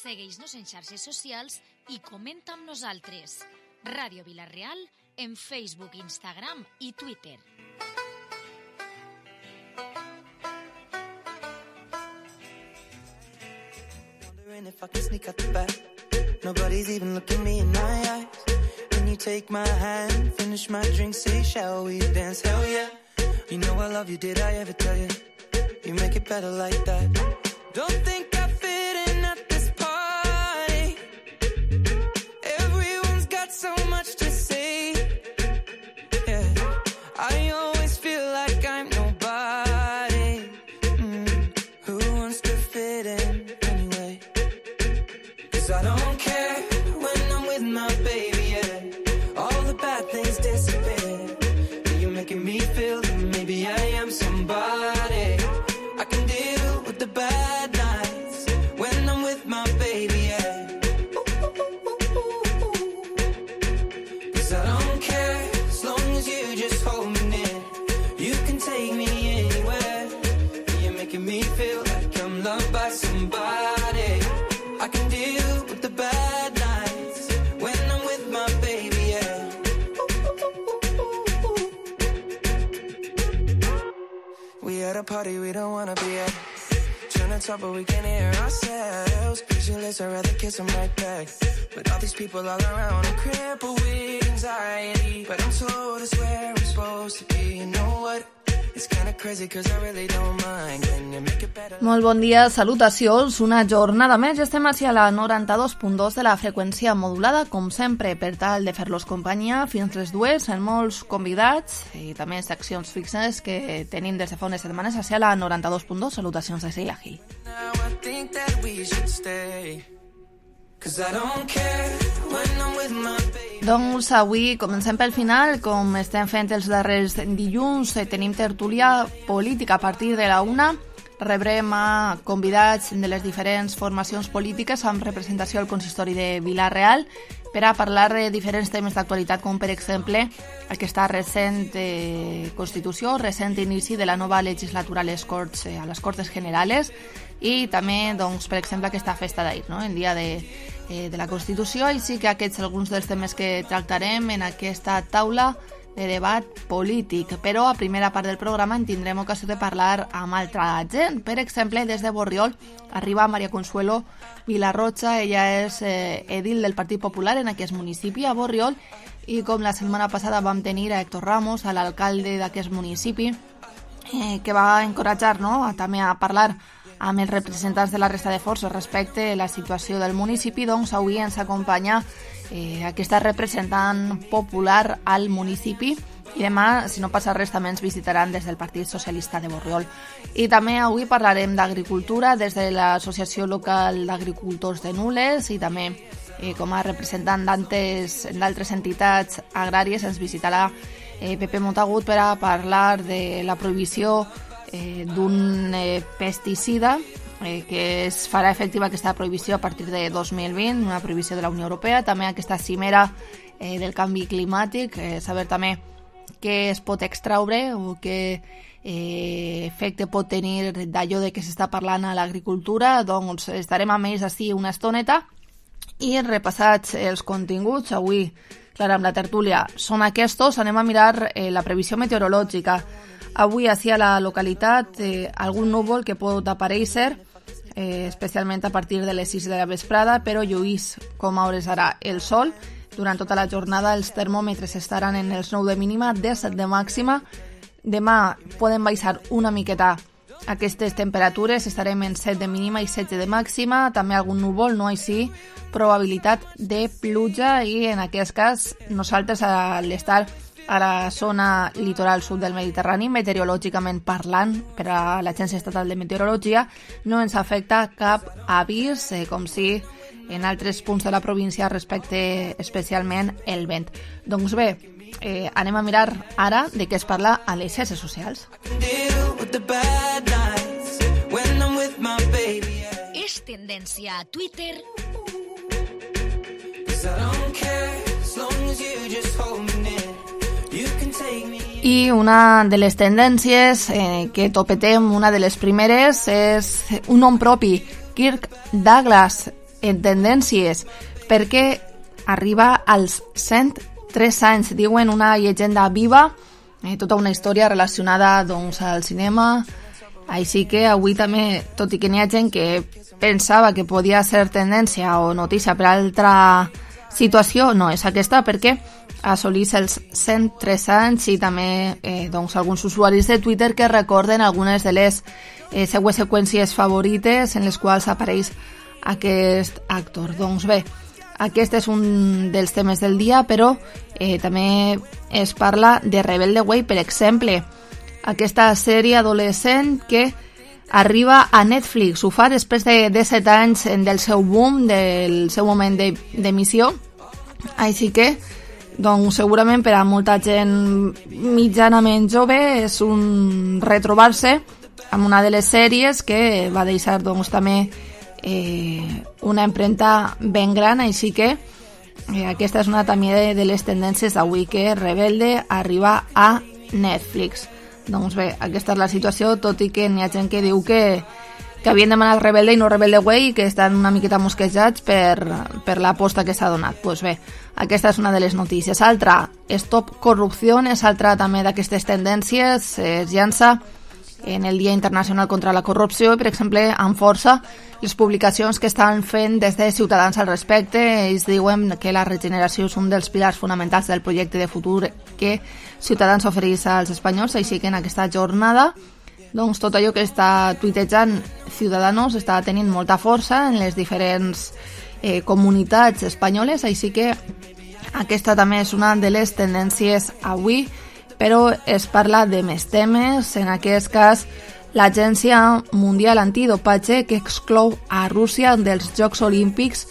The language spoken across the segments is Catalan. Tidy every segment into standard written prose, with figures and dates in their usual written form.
Segueix-nos en xarxes socials i comenta amb nosaltres. Ràdio Vila-real en Facebook, Instagram i Twitter. Wondering if I can sneak out the back. Nobody's even looking me in my eyes. Can you take my hand, finish my drink, say shall we dance? Hell yeah. You know I love you, did I ever tell you? You make it better like that. Don't think I fit in at this party. Everyone's got so much to say. Yeah, I always feel like I'm nobody. Who wants to fit in anyway? 'Cause I don't care when I'm with my baby, yeah. All the bad things disappear. You're making me feel that maybe I am somebody. I can deal with the bad nights when I'm with my baby, yeah. 'Cause I don't care as long as you just hold me near. You can take me anywhere. You're making me feel like I'm loved by somebody. I can deal with the bad nights when I'm with my baby, yeah. We at a party we don't wanna be at. Trying to talk but we can't hear ourselves. Pictureless, I'd rather kiss them right back. But all these people all around, I'm crippled with anxiety. But I'm told it's where I'm supposed to be. You know what? It's kinda crazy 'cause I really don't mind. Can you make it better? Molt bon dia, salutacions. Una jornada més. Estem així a la 92.2 de la freqüència modulada, com sempre, per tal de fer-los companyia fins les 2, amb molts convidats i també seccions fixes que tenim des de fa unes setmanes així a la 92.2. Salutacions de Sheila Gil. Now I think that we should stay. 'Cause I don't care when I'm with my baby. Doncs avui comencem pel final, com estem fent els darrers dilluns. Tenim tertúlia política a partir de la 1. Rebrem a convidats de les diferents formacions polítiques amb representació al consistori de Vila-real per a parlar de diferents temes d'actualitat, com per exemple aquesta recent constitució, recent inici de la nova legislatura a les Corts Generales i també, doncs, per exemple, aquesta festa d'ahir, no? El dia de la Constitució, i sí que aquests alguns dels temes que tractarem en aquesta taula de debat polític. Però a primera part del programa en tindrem ocasió de parlar amb altra gent. Per exemple, des de Borriol arriba Maria Consuelo Vilarrocha. Ella és edil del Partit Popular en aquest municipi, a Borriol, i com la setmana passada vam tenir a Héctor Ramos, a l'alcalde d'aquest municipi, que va encoratjar, no?, també a parlar amb els representants de la resta de forces respecte a la situació del municipi. Doncs avui ens acompanya aquesta representant popular al municipi i demà, si no passa res, també ens visitaran des del Partit Socialista de Borriol. I també avui parlarem d'agricultura des de l'Associació Local d'Agricultors de Nules i també com a representant d'altres entitats agràries ens visitarà Pepe Montagut per a parlar de la prohibició d'un pesticida que es farà efectiva aquesta prohibició a partir de 2020, una prohibició de la Unió Europea, també aquesta cimera del canvi climàtic, saber també què es pot extraure o què efecte pot tenir d'allò de què s'està parlant a l'agricultura. Doncs estarem amb ells així una estoneta i repassats els continguts. Avui, clar, amb la tertúlia són aquests. Anem a mirar la previsió meteorològica. Avui, així a la localitat, algun núvol que pot aparèixer, especialment a partir de les 6 de la vesprada, però lluís com a hores ara el sol. Durant tota la jornada els termòmetres estaran en els 9 de mínima, 17 de màxima. Demà poden baixar una miqueta aquestes temperatures, estarem en 7 de mínima i 16 de màxima. També algun núvol, no així probabilitat de pluja, i en aquest cas nosaltres, a l'estar a la zona litoral sud del Mediterrani, meteorològicament parlant, per a l'Agència Estatal de Meteorologia, no ens afecta cap avís, com si en altres punts de la província respecte especialment el vent. Doncs bé, anem a mirar ara de què es parla a les xarxes socials. És tendència a Twitter. I una de les tendències que topetem, una de les primeres, és un nom propi, Kirk Douglas. en tendències, perquè arriba als 103 anys, diuen una llegenda viva, tota una història relacionada doncs, al cinema. Així que avui també, tot i que n'hi ha gent que pensava que podia ser tendència o notícia per altra situació, no és aquesta, perquè assolís els 103 anys i també doncs, alguns usuaris de Twitter que recorden algunes de les seues seqüències favorites en les quals apareix aquest actor. Doncs bé, aquest és un dels temes del dia, però també es parla de Rebelde Way, per exemple, aquesta sèrie adolescent que arriba a Netflix. Ho fa després de 7 anys del seu boom, del seu moment d'emissió. Així que, doncs, segurament per a molta gent mitjanament jove és un retrobar-se amb una de les sèries que va deixar doncs, també una empremta ben gran. Així que aquesta és una també de les tendències d'avui, que Rebelde arriba a Netflix. Doncs bé, aquesta és la situació, tot i que n'hi ha gent que diu que havien demanat Rebelde i no Rebelde Way i que estan una miqueta mosquejats per l'aposta que s'ha donat. Doncs bé, aquesta és una de les notícies. Altra, Stop Corrupció, és altra també d'aquestes tendències, es llança en el Dia Internacional contra la Corrupció i, per exemple, amb força les publicacions que estan fent des de Ciutadans al respecte. Ells diuen que la regeneració és un dels pilars fonamentals del projecte de futur que Ciutadans ofereix als espanyols, així que en aquesta jornada doncs, tot allò que està tuitejant Ciudadanos està tenint molta força en les diferents comunitats espanyoles, així que aquesta també és una de les tendències avui, però es parla de més temes, en aquest cas l'Agència Mundial Antidopatge, que exclou a Rússia dels Jocs Olímpics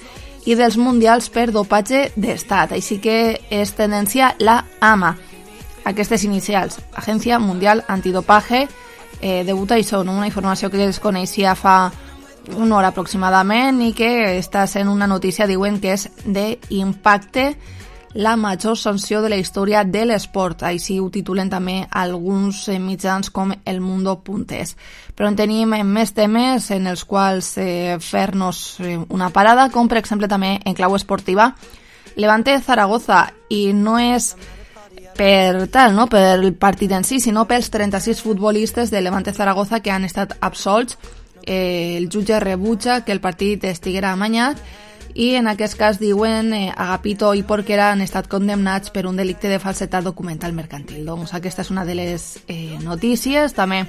i dels Mundials per dopatge d'estat, així que és tendència la AMA. Aquestes inicials, Agència Mundial Antidopaje, debuta i són una informació que es coneixia fa una hora aproximadament i que està sent una notícia, diuen que és d'impacte, la major sanció de la història de l'esport. Així ho titulen també alguns mitjans com El Mundo.es. Però en tenim més temes en els quals fer-nos una parada, com per exemple també en clau esportiva, Levante Zaragoza, i no és per tal, no? Per el partit en si, sinó pels 36 futbolistes de Levante Zaragoza que han estat absolts. El jutge rebutja que el partit estiguera amanyat i en aquest cas diuen Agapito i Porquera han estat condemnats per un delicte de falsetat documental mercantil. Doncs aquesta és una de les notícies. També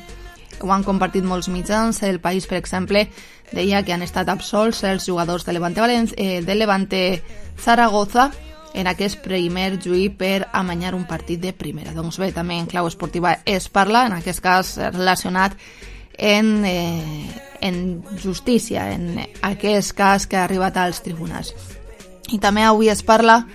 ho han compartit molts mitjans. El País, per exemple, deia que han estat absolts els jugadors de Levante Zaragoza en aquest primer juí per amanyar un partit de primera. Doncs bé, també en clau esportiva es parla, en aquest cas relacionat en justícia, en aquest cas que ha arribat als tribunals. I també avui es parla,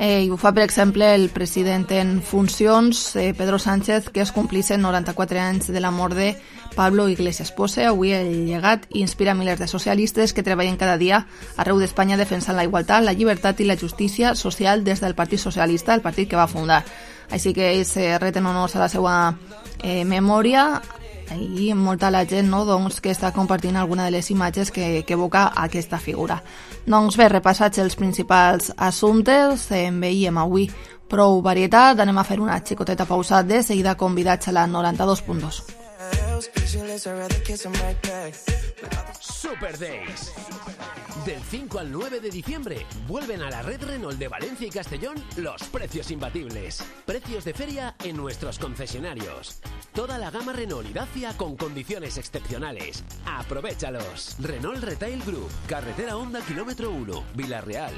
i ho fa per exemple el president en funcions, Pedro Sánchez, que es complixen 94 anys de la mort de Pablo Iglesias. Posa avui el llegat i inspira milers de socialistes que treballen cada dia arreu d'Espanya defensant la igualtat, la llibertat i la justícia social des del Partit Socialista, el partit que va fundar. Així que ells reten honors a la seva memòria i molta la gent, no, doncs, que està compartint alguna de les imatges que evoca aquesta figura. Doncs bé, repassats els principals assumptes, en veiem avui prou varietat, anem a fer una xicoteta pausa, de seguida convidats a la 92.2. Super Days. Del 5 al 9 de diciembre vuelven a la red Renault de Valencia y Castellón los precios imbatibles. Precios de feria en nuestros concesionarios. Toda la gama Renault y Dacia con condiciones excepcionales. ¡Aprovéchalos! Renault Retail Group, Carretera Honda Kilómetro 1, Villarreal.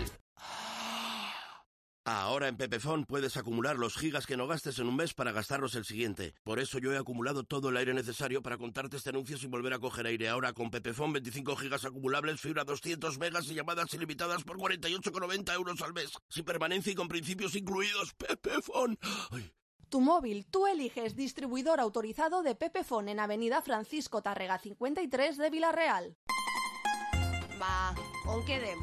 Ahora en Pepefon puedes acumular los gigas que no gastes en un mes para gastarlos el siguiente. Por eso yo he acumulado todo el aire necesario para contarte este anuncio sin volver a coger aire. Ahora con Pepefon 25 gigas acumulables, fibra 200 megas y llamadas ilimitadas por 48,90 euros al mes. Sin permanencia y con principios incluidos. Pepefon. Ay. Tu móvil, tú eliges distribuidor autorizado de Pepefon en Avenida Francisco Tárrega 53 de Villarreal. Va, on quedem?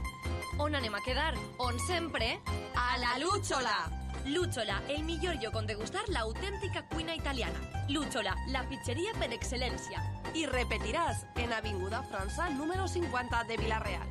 On anem a quedar? On sempre? A la Lúchola! Lúchola, el millor lloc on degustar l'autèntica cuina italiana. Lúchola, la pizzeria per excel·lència. Y repetirás en Avinguda França número 50 de Villarreal.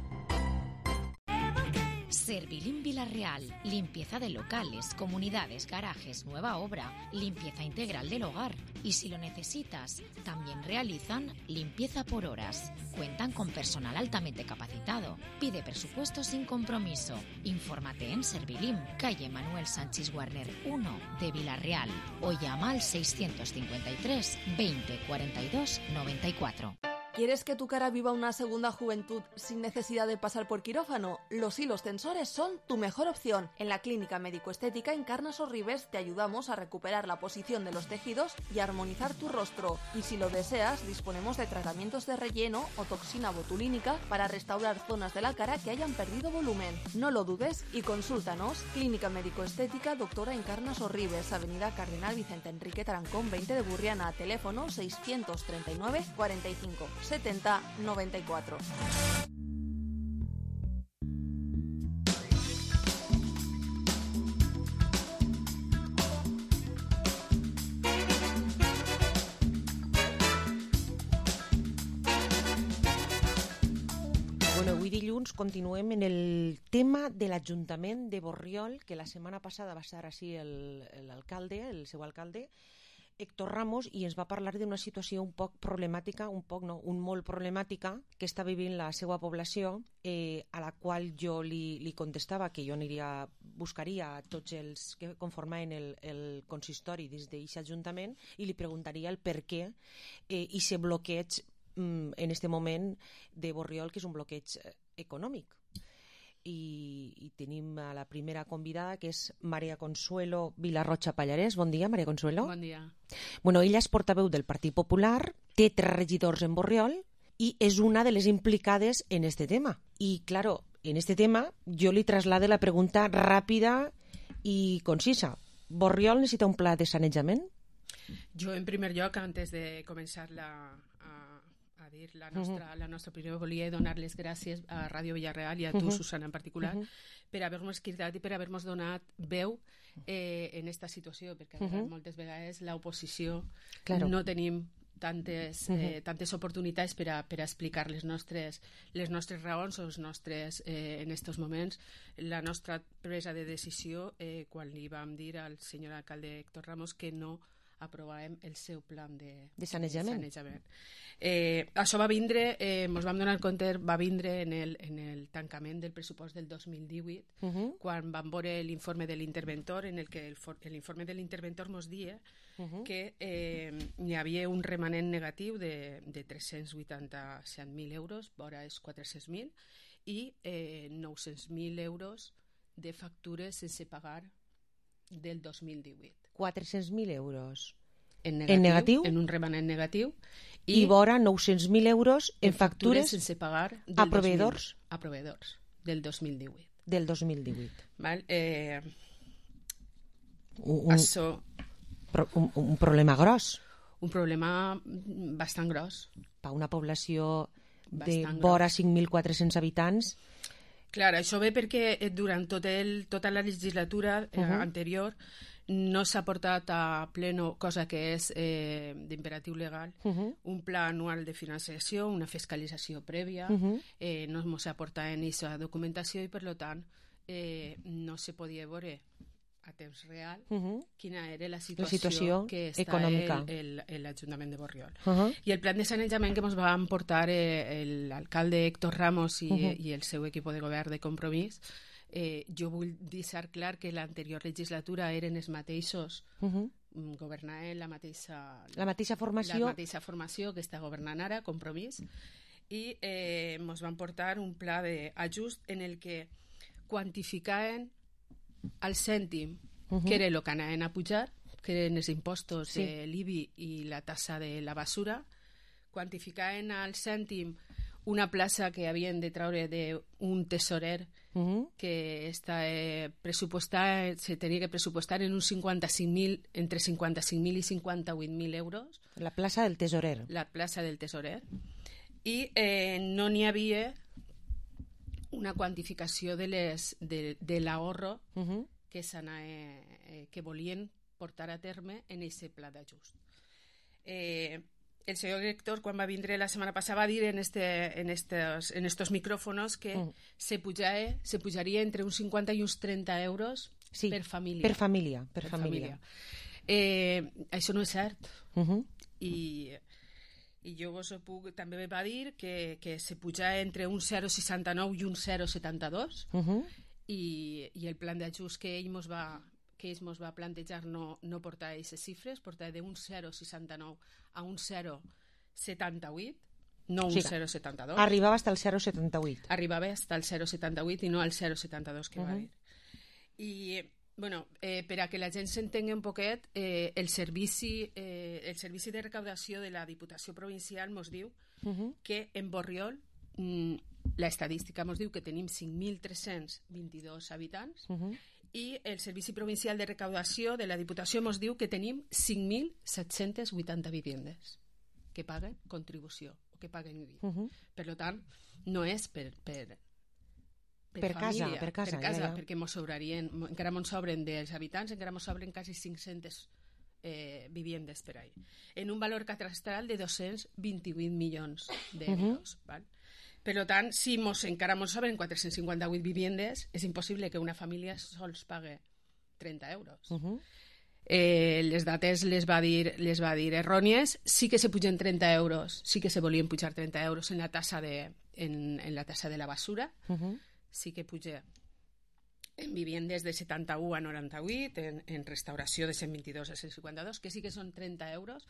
Servilín Villarreal, limpieza de locales, comunidades, garajes, nueva obra, limpieza integral del hogar. Y si lo necesitas, también realizan limpieza por horas. Cuentan con personal altamente capacitado. Pide presupuesto sin compromiso. Infórmate en Servilín, calle Manuel Sánchez Warner 1 de Villarreal o llama al 653 20 42 94. ¿Quieres que tu cara viva una segunda juventud sin necesidad de pasar por quirófano? Los hilos tensores son tu mejor opción. En la Clínica Médico-Estética Encarna Sorribes te ayudamos a recuperar la posición de los tejidos y a armonizar tu rostro. Y si lo deseas, disponemos de tratamientos de relleno o toxina botulínica para restaurar zonas de la cara que hayan perdido volumen. No lo dudes y consúltanos. Clínica Médico-Estética Doctora Encarna Sorribes, Avenida Cardenal Vicente Enrique Tarancón 20 de Burriana, teléfono 639 45 70 94. Bueno, avui dilluns continuem en el tema de l'Ajuntament de Borriol, que la setmana passada va estar així l'alcalde, el seu alcalde, Héctor Ramos, i ens va parlar d'una situació un poc problemàtica, molt problemàtica, que està vivint la seva població, a la qual jo li contestava que jo buscaria a tots els que conformaven el consistori des d'aquest ajuntament i li preguntaria el per què aquest bloqueig en aquest moment de Borriol, que és un bloqueig econòmic. I tenim a la primera convidada, que és Maria Consuelo Vilarrocha Pallarès. Bon dia, Maria Consuelo. Bon dia. Bueno, ella és portaveu del Partit Popular, té 3 regidors en Borriol i és una de les implicades en este tema. I, claro, en este tema jo li traslade la pregunta ràpida i concisa. Borriol necessita un pla de sanejament? Jo, en primer lloc, antes de començar a dir la nostra opinió, volia donar les gràcies a Ràdio Villarreal i a tu, Susana, en particular, per haver-nos cridat i per haver-nos donat veu en aquesta situació, perquè moltes vegades l'oposició no tenim tantes oportunitats per a explicar les nostres raons o en aquests moments la nostra presa de decisió quan li vam dir al senyor alcalde Héctor Ramos que no aprovàvem el seu plan de sanejament. Això va vindre, ens vam donar compte, va vindre en el tancament del pressupost del 2018, quan vam veure l'informe de l'interventor, en el que l'informe de l'interventor ens dia que hi havia un remanent negatiu de 387.000 euros, vora els 400.000, i 900.000 euros de factures sense pagar del 2018. 400.000 euros en negatiu, en un remanent negatiu, i vora 900.000 euros en factures sense pagar a proveïdors del 2018. Del 2018. Val? Un problema gros. Un problema bastant gros. Per una població de vora 5.400 habitants. Clar, això ve perquè durant tota la legislatura anterior no s'ha portat a pleno, cosa que és d'imperatiu legal, un pla anual de financiació, una fiscalització prèvia, no s'ha portat en aquesta documentació i, per tant, no se podia veure a temps real quina era la situació que està econòmica l'Ajuntament de Borriol. I el plan de sanejament que ens van portar l'alcalde Héctor Ramos i el seu equip de govern de Compromís, jo vull deixar clar que l'anterior legislatura eren els mateixos, governaven la mateixa formació que està governant ara, Compromís, i ens van portar un pla d'ajust en el que quantificaven al cèntim, que era el que anaven a pujar, que eren els impostos de l'IBI i la tassa de la basura, quantificaven al cèntim una plaça que havien de treure d'un tesorer que està pressupostat, se tenia que pressupostar en uns 55.000, entre 55.000 i 58.000 euros. La plaça del tesorer. La plaça del tesorer. I no n'hi havia una quantificació de l'ahorro que volien portar a terme en aquest pla d'ajust. el señor director, quan va vindre la setmana passada, va dir en estos micrófonos que se pujaria entre uns 50 i uns 30 euros per família. Per família. Això no és cert. I jo vos puc, també va dir que se puja entre un 0,69 i un 0,72 i el plan d'ajust que ells mos va plantejar no portar aquestes xifres, portar d'un 0,69 a un 0,78, no un 0,72. Arribava fins al 0,78. Arribava fins al 0,78 i no al 0,72 que va dir. I, bueno, per a que la gent s'entengui un poquet, el servici de recaudació de la Diputació Provincial mos diu que en Borriol l'estadística mos diu que tenim 5.322 habitants i el Servici Provincial de Recaudació de la Diputació mos diu que tenim 5.780 vivendes que paguen contribució o que paguen IBI. Per tant, no és per casa, perquè mos sobrarien, encara mos sobren dels habitants, encara mos sobren quasi 500 vivendes per ahí, en un valor catastral de 228 milions d'euros. Per tant, si encara mos sobren 458 vivendes, és impossible que una família sols pague 30 euros. Les dates les va dir errònies. Sí que se pugen 30 euros, sí que se volien pujar 30 euros en la tassa de la basura, sí que puja en vivendes de 71 a 98, en restauració de 122 a 152, que sí que són 30 euros,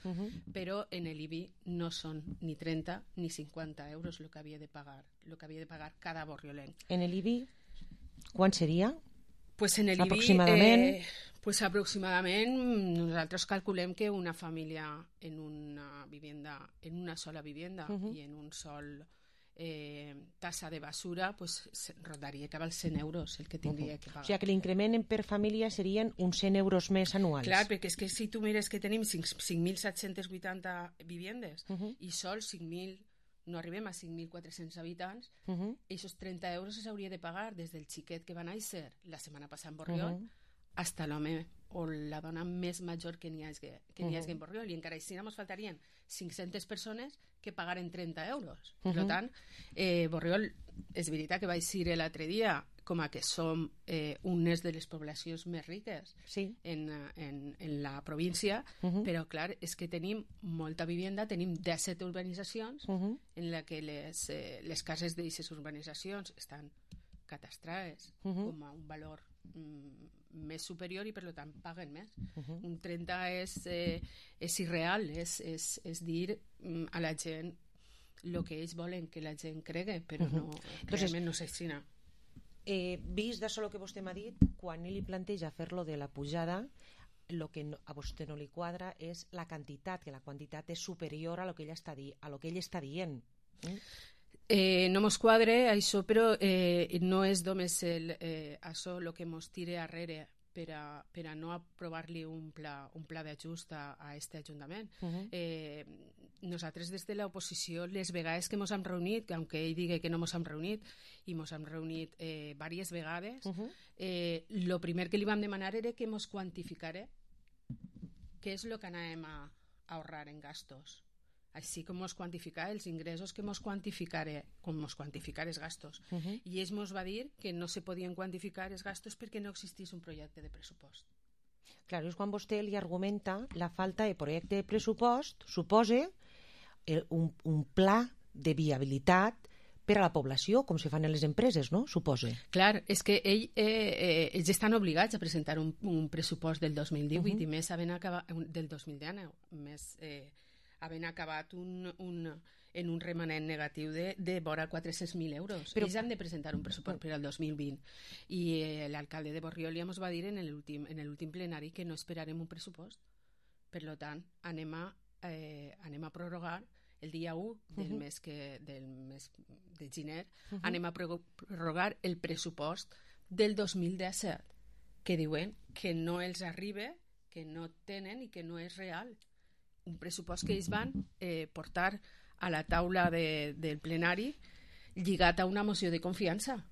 però en l'IBI no són ni 30 ni 50 euros el que havia de pagar cada borriolenc. En l'IBI, quan seria? Pues en l'IBI, aproximadament? Aproximadament nosaltres calculem que una família en una sola vivenda i en un sol tassa de basura, pues rodaria cap als 100 euros el que tindria que pagar. O sigui que l'increment per família serien uns 100 euros més anuals. Clar, perquè és que si tu mires que tenim 5.780 vivendes i sols 5.000, no arribem a 5.400 habitants, aquests 30 euros s'hauria de pagar des del xiquet que va néixer la setmana passada en Borriol fins l'home o la dona més major que n'hi hagi en Borriol, i encara així ens faltarien 500 persones que pagaren 30 euros. Per tant, Borriol, és veritat que vaig dir l'altre dia com a que som unes de les poblacions més riques en la província, però clar, és que tenim molta vivenda, tenim 17 urbanitzacions en la que les cases d'aquestes urbanitzacions estan catastrades com a un valor més superior i per tant paguen més. Un 30 és irreal, és dir a la gent el que ells volen que la gent cregui, però realment no s'aixina. Vist d'això el que vostè m'ha dit, quan ell li planteja fer-lo de la pujada, el que a vostè no li quadra és la quantitat, que la quantitat és superior a lo que ell està dient. No mos quadre això, però no és només això el que mos tira darrere per a no aprovar-li un pla d'ajust a aquest Ajuntament. Nosaltres des de l'oposició, les vegades que mos hem reunit, que aunque ell digui que no mos hem reunit, i mos hem reunit diverses vegades, el primer que li vam demanar era que mos quantificara què és el que anàvem a ahorrar en gastos. Així com mos quantificar els ingressos, que mos quantificara com mos quantificar els gastos. I ells mos va dir que no se podien quantificar els gastos perquè no existís un projecte de pressupost. Clar, és quan vostè li argumenta la falta de projecte de pressupost suposa un pla de viabilitat per a la població, com se fan en les empreses, no? Suposa. Clar, és que ells estan obligats a presentar un pressupost del 2018 i més del 2019, més havent acabat en un remanent negatiu de vora 400.000 euros. Però ells han de presentar un pressupost per al 2020. I l'alcalde de Borriol ja ens va dir en l'últim plenari que no esperarem un pressupost. Per tant, anem a prorrogar el dia 1 del mes de gener, anem a prorrogar el pressupost del 2017, que diuen que no els arriba, que no tenen i que no és real. Un pressupost que ells van portar a la taula del plenari lligat a una moció de confiança.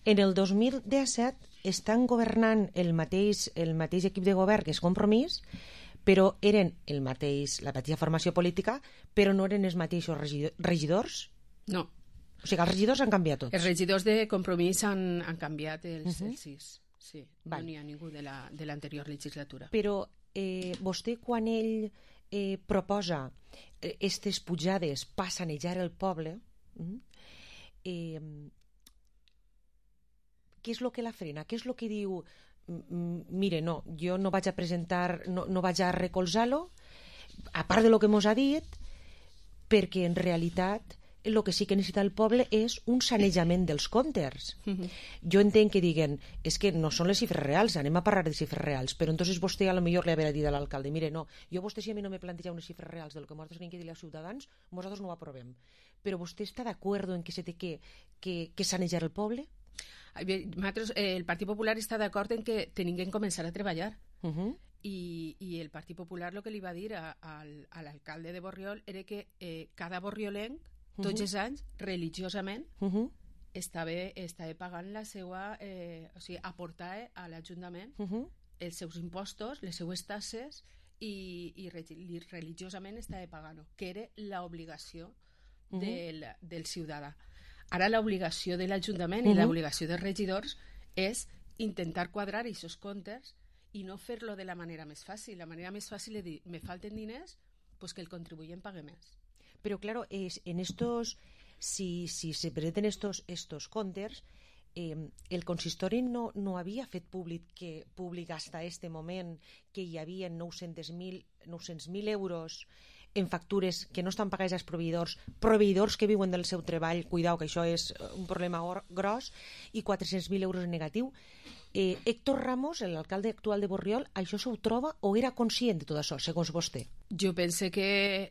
En el 2017 estan governant el mateix equip de govern que és Compromís, però eren la mateixa formació política, però no eren els mateixos regidors? No. O sigui, els regidors han canviat tots. Els regidors de Compromís han canviat els 6. Sí, Val. no n'hi ha ningú de l'anterior legislatura. Però vostè, quan ell proposa aquestes pujades per sanejar el poble, què és el que la frena? Què és el que diu, mire, no, jo no vaig a presentar, no vaig a recolzar-lo, a part de lo que mos ha dit, perquè en realitat el que sí que necessita el poble és un sanejament dels comptes. Jo entenc que diguen, és que no són les xifres reals, anem a parlar de xifres reals, però entonces vostè a lo millor li haurà dit a l'alcalde, mire, no, jo vostè si a mi no me planteja unes xifres reals del que nosaltres tenim que dir als ciutadans, nosaltres no ho aprovem. Però vostè està d'acord en que se té que sanejar el poble? El Partit Popular està d'acord en que tenim que començar a treballar. I el Partit Popular el que li va dir a l'alcalde de Borriol era que cada borriolenc tots els anys, religiosament, estava pagant la seva... o sigui, aportar a l'Ajuntament els seus impostos, les seues tasses, i religiosament estava pagant-ho, que era l'obligació del ciutadà. Ara l'obligació de l'Ajuntament i l'obligació dels regidors és intentar quadrar aquests comptes i no fer-lo de la manera més fàcil. La manera més fàcil és dir, me falten diners, pues que el contribuent pague més. Pero claro, en estos, si se presenten estos comptes, el consistori no havia fet públic hasta este moment que hi havia 900.000 euros en factures que no estan pagades als proveïdors que viuen del seu treball, cuidao que això és un problema gros, i 400.000 euros en negatiu. Héctor Ramos, l'alcalde actual de Borriol, això s'ho troba o era conscient de tot això, segons vostè? Jo pense que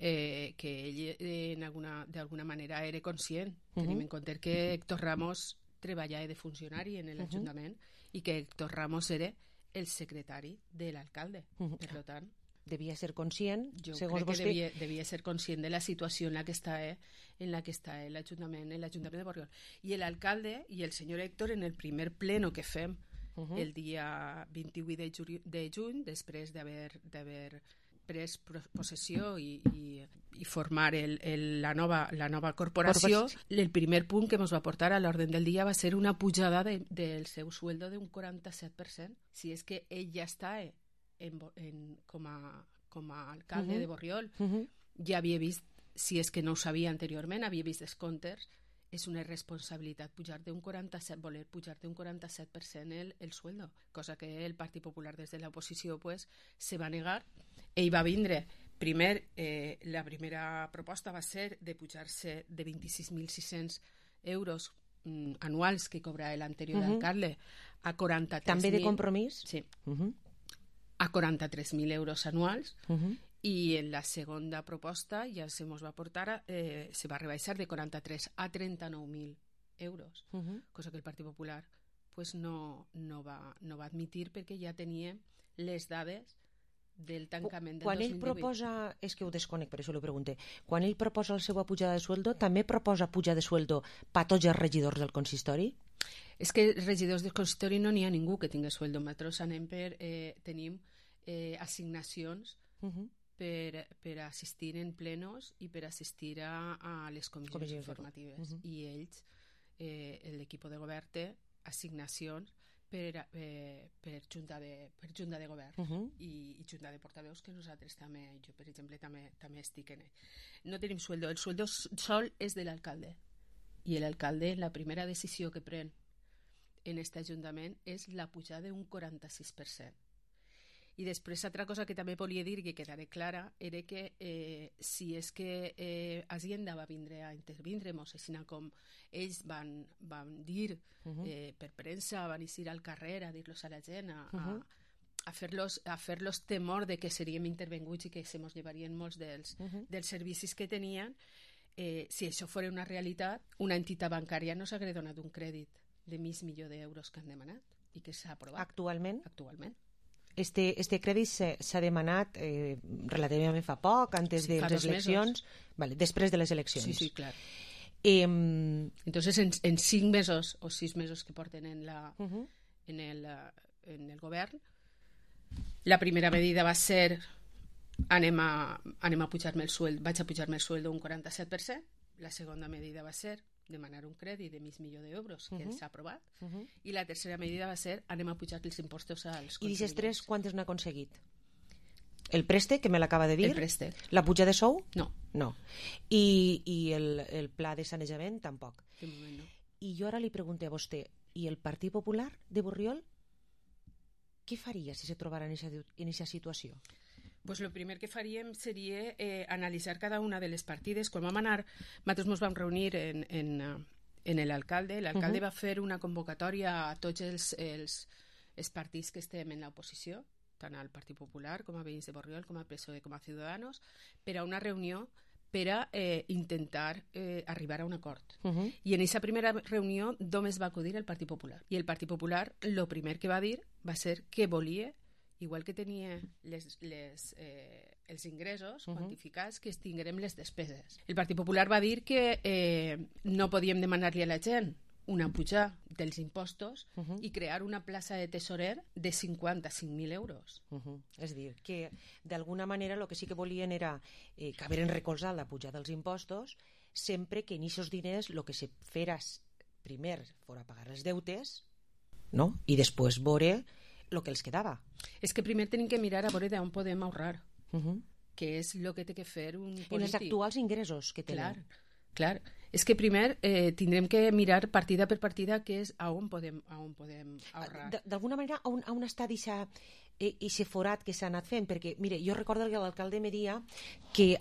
ell d'alguna manera era conscient. Tenim en compte que Héctor Ramos treballava de funcionari en l'Ajuntament i que Héctor Ramos era el secretari de l'alcalde. Per tant, devia ser conscient, segons vostè? Jo crec que devia ser conscient de la situació en la que està l'Ajuntament de Borriol. I l'alcalde i el senyor Héctor, en el primer pleno que fem el dia 28 de juny, després d'haver pres possessió i formar la nova corporació, el primer punt que ens va portar a l'ordre del dia va ser una pujada del seu sueldo d'un 47%. Si és que ell ja està com a alcalde de Borriol, ja havia vist, si és que no ho sabia anteriorment, havia vist els comptes, és una irresponsabilitat voler pujar d'un 47% el sueldo, cosa que el Partit Popular des de l'oposició se va negar. Ell va vindre, la primera proposta va ser de pujar-se de 26.600 euros anuals que cobrava l'anterior alcalde a 43.000... També de Compromís? Sí. A 43.000 euros anuals, i en la segona proposta ja se va portar, se va rebaixar de 43 a 39.000 euros, cosa que el Partit Popular no va admitir perquè ja tenia les dades del tancament del 2018. Quan ell proposa, és que ho desconec, per això ho pregunto, quan ell proposa la seva pujada de sueldo, també proposa pujar de sueldo per tots els regidors del consistori? És que regidors del consistori no n'hi ha ningú que tingui sueldo. Nosaltres tenim assignacions per assistir en plenos i per assistir a les comissions informatives. I ells, l'equip de govern, té assignacions per junta de govern i junta de portaveus, que nosaltres també, jo per exemple també estic en ell. No tenim sueldo, el sueldo sol és de l'alcalde, i l'alcalde la primera decisió que pren en aquest ajuntament és la pujada d'un 46%. I després, altra cosa que també volia dir, que quedarà clara, era que si és que Hacienda va vindre a intervindre-nos, així com ells van dir per premsa, van eixir al carrer a dir-los a la gent, a fer-los temor de que seríem intervenguts i que se mos llevarien molts dels servicis que tenien, si això fos una realitat, una entitat bancària no s'hauria donat un crèdit de $500.000 d'euros que han demanat i que s'ha aprovat. Actualment? Actualment. Este crèdit s'ha demanat relativament fa poc, antes de les eleccions, vale, després de les eleccions. Sí, clar. Entonces, en 5 mesos o 6 mesos que porten en el govern, la primera medida va ser anem a pujar-me el sueldo, vaig a pujar-me el sueldo un 47%. La segunda medida va ser demanar un crèdit de $1.000.000 que s'ha aprovat, i la tercera medida va ser anem a pujar els impostos als contribuents. I d'aquestes tres, quantes n'ha aconseguit? El préstec, que me l'acaba de dir? El préstec. La puja de sou? No. I el pla de sanejament tampoc. De moment no. I jo ara li pregunto a vostè, i el Partit Popular de Borriol què faria si se trobara en aquesta situació? Pues lo primer que faríem seria analitzar cada una de les partides. Quan vam anar, nosaltres ens vam reunir en l'alcalde. L'alcalde va fer una convocatòria a tots els partits que estem en l'oposició, tant al Partit Popular com a Veïns de Borriol, com a PSOE, com a Ciudadanos, per a una reunió per a intentar arribar a un acord. I en aquesta primera reunió només va acudir el Partit Popular. I el Partit Popular, el primer que va dir va ser que volia, igual que tenia els ingressos quantificats, que tinguérem les despeses. El Partit Popular va dir que no podíem demanar-li a la gent una puja dels impostos i crear una plaça de tesorer de 55.000 euros. És a dir, que d'alguna manera el que sí que volien era que haveren recolzat la puja dels impostos sempre que en aquests diners el que se fera primer fora pagar els deutes, no? I després veure el que els quedava. És que primer tenim que mirar a veure d'on podem ahorrar, que és el que té que fer un polític. En els actuals ingressos que tenen. Clar. És que primer tindrem que mirar partida per partida que és a on podem ahorrar. D'alguna manera, on està aquest forat que s'ha anat fent? Perquè, mire, jo recordo que l'alcalde me deia que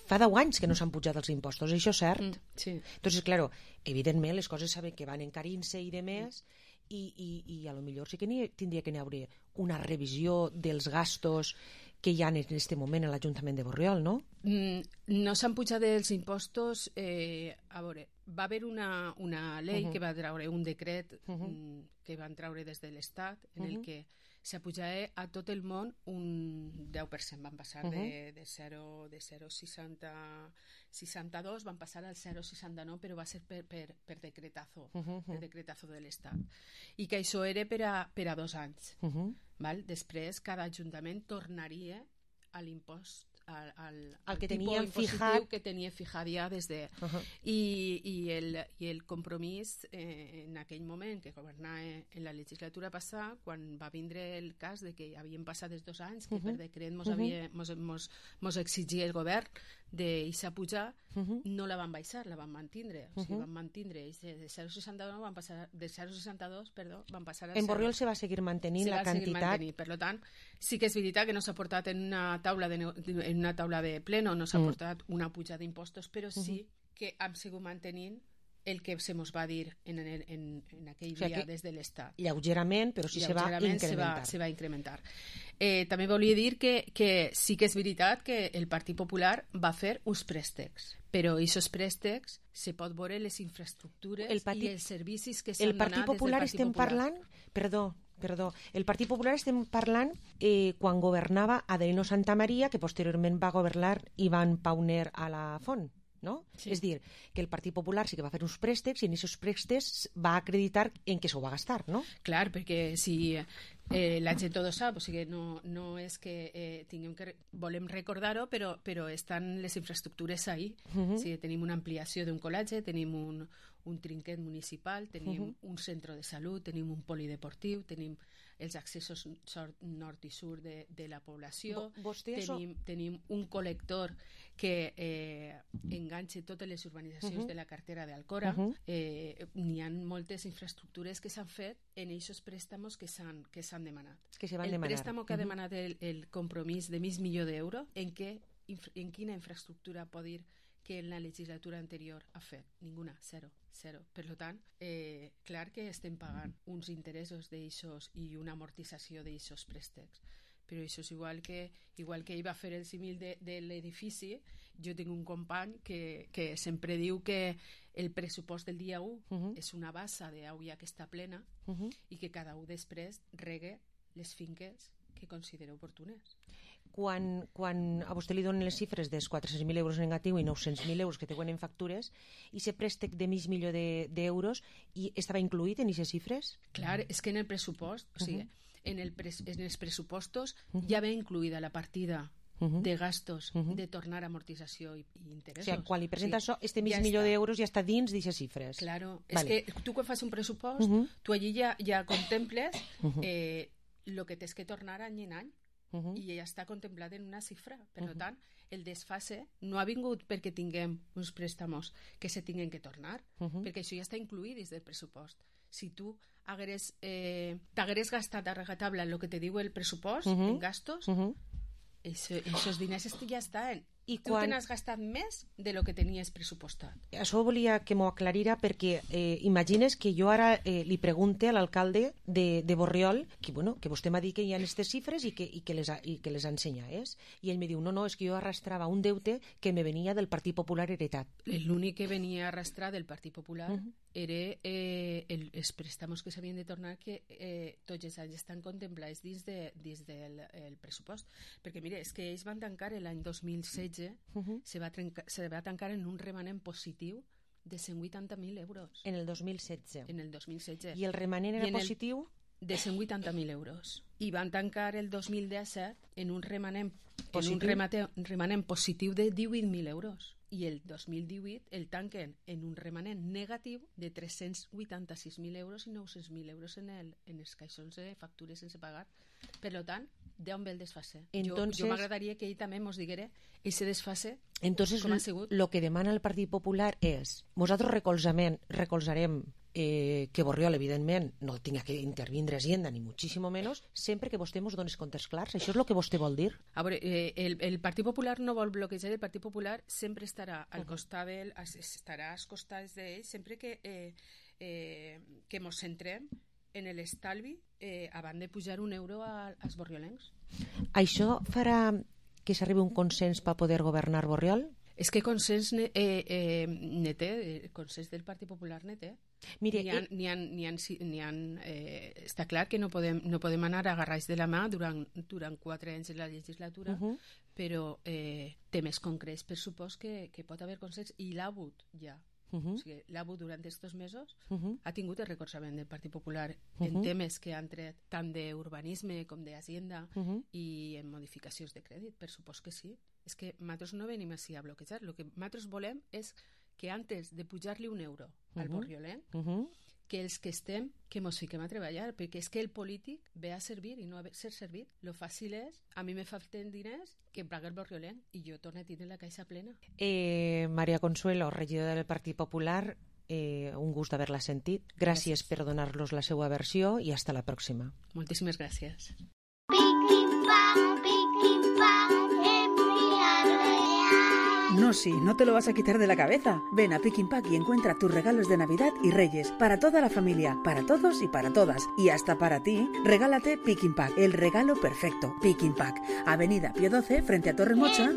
fa 10 anys que no s'han pujat els impostos, això és cert? Sí. Entonces, claro, evidentment les coses saben que van encarint-se i de més, i a lo millor sí que tindria que n'hi haver una revisió dels gastos que hi ha en aquest moment a l'Ajuntament de Borriol, no? No s'han pujat els impostos. A veure, va haver una llei que va treure un decret que van treure des de l'Estat en el que s'apujava a tot el món un 10%. Van passar de 0,62, van passar al 0,69, però va ser per decretazo, per decretazo de l'Estat. I que això era per a 2 anys. Després, cada ajuntament tornaria a l'impost al que tenien fijat, que tenia fijat ja des de... I el compromís en aquell moment que governava en la legislatura passada, quan va vindre el cas de que havien passat els 2 anys que per decret mos exigia el govern d'eixa pujar, no la van baixar, la van mantindre. O sigui, van mantindre de 0,62 van passar van passar a 0. En Borriol se va seguir mantenint la quantitat. Per tant, sí que és veritat que no s'ha portat en una taula de pleno, no s'ha portat una puja d'impostos, però sí que hem sigut mantenint el que se mos va dir en aquell dia des de l'Estat. Lleugerament, però sí se va incrementar. Se va incrementar. També volia dir que sí que és veritat que el Partit Popular va fer uns préstecs, però aquests préstecs se pot veure les infraestructures i els servicis que s'han donat des del Partit Popular. Estem parlant, perdó, el Partit Popular estem parlant quan governava Adelino Santamaría, que posteriorment va governar Ivan Pauner a la Font, no? Sí. És dir, que el Partit Popular sí que va fer uns préstecs i en aquests préstecs va acreditar en què s'ho va gastar, no? Clar, perquè si la gent tot ho sap, o sigui, no és que volem recordar-ho, però estan les infraestructures ahí. O sigui, tenim una ampliació d'un col·legi, tenim un trinquet municipal, tenim un centre de salut, tenim un polideportiu, tenim els accessos nord i sud de la població, tenim un col·lector que enganxa totes les urbanitzacions de la cartera d'Alcora. N'hi ha moltes infraestructures que s'han fet en aquests préstamos que s'han demanat. El préstamo que ha demanat el compromís de $1.000.000 en quina infraestructura pot dir que en la legislatura anterior ha fet? Ninguna, zero. Per tant, clar que estem pagant uns interessos d'aixòs i una amortització d'aixòs préstecs, però això és igual que ell va fer el símil de l'edifici. Jo tinc un company que sempre diu que el pressupost del dia 1 és una bassa d'aigua que està plena i que cada un després regue les finques que considera oportunes. Quan a vostè li donen les xifres dels 400.000 euros negatiu i 900.000 euros que teuen en factures, i aquest préstec de $1.000.000 estava incluït en aquestes xifres? Clar, és que en el pressupost, o sigui, en els pressupostos ja ve incluïda la partida de gastos de tornar amortització i interessos. O sigui, quan li presenta això, este mig milió d'euros ja està dins d'aquestes xifres. Claro, és que tu quan fas un pressupost, tu allí ja contemples el que tens que tornar any en any i ja està contemplat en una xifra. Per tant, el desfase no ha vingut perquè tinguem uns préstamos que se tinguen que tornar, perquè això ja està incluït dins del pressupost. Si tu t'hagués gastat a rajatabla el que te diu el pressupost en gastos, esos diners ja estan. I tu te n'has gastat més de lo que tenies pressupostat. Això volia que m'ho aclarira perquè imagines que jo ara li pregunte a l'alcalde de Borriol que vostè m'ha dit que hi ha aquestes xifres i que les ensenyés. I ell me diu, no, és que jo arrastrava un deute que me venia del Partit Popular heretat. L'únic que venia a arrastrar del Partit Popular era els préstamos que s'havien de tornar que tots els anys estan contemplats dins del pressupost. Perquè, mira, és que ells van tancar l'any 2016 se va tancar en un remanent positiu de 180.000 euros. En el 2016. En el 2016. I el remanent era positiu? De 180.000 euros. I van tancar el 2017 en un remanent positiu de 18.000 euros. I el 2018 el tanquen en un remanent negatiu de 386.000 euros i 900.000 euros en els caixons de factures sense pagar. Per tant, d'on ve el desfase? Jo m'agradaria que ell també mos diguera ese desfase. Entonces, lo que demana el Partit Popular és nosaltres recolzarem que Borriol, evidentment, no tinga que intervindre Hacienda, ni muchísimo menos, sempre que vostè ens dones comptes clars. Això és el que vostè vol dir? A veure, el Partit Popular no vol bloquejar, el Partit Popular sempre estarà al costat d'ell, estarà als costats d'ell, sempre que mos centrem en l'estalvi abans de pujar un euro als borriolencs. Això farà que s'arribi un consens per poder governar Borriol? És que consens ne té, consens del Partit Popular ne té. Mire, està clar que no podem anar agarrats de la mà durant 4 anys de la legislatura, però temes concrets per supòs que pot haver consens, i l'ha hagut ja. O sigui, l'ha hagut durant aquests mesos, ha tingut el recolzament del Partit Popular en temes que han tret tant d'urbanisme com d'Hacienda i en modificacions de crèdit, per supòs que sí. És que nosaltres no venim així a bloquejar. El que nosaltres volem és que antes de pujar-li un euro al borriolenc, que els que estem, que mos fiquem a treballar, perquè és que el polític ve a servir i no a ser servit. Lo fàcil és, a mi me falten diners, que em pague el borriolenc i jo torno a tindre la caixa plena. Maria Consuelo, regidora del Partit Popular, un gust d'haver-la sentit. Gràcies per donar-los la seva versió i hasta la pròxima. Moltíssimes gràcies. No, sí, no te lo vas a quitar de la cabeza. Ven a Pick and Pack y encuentra tus regalos de Navidad y Reyes para toda la familia, para todos y para todas. Y hasta para ti, regálate Pick and Pack, el regalo perfecto. Pick and Pack, Avenida Pío 12, frente a Torre Mocha.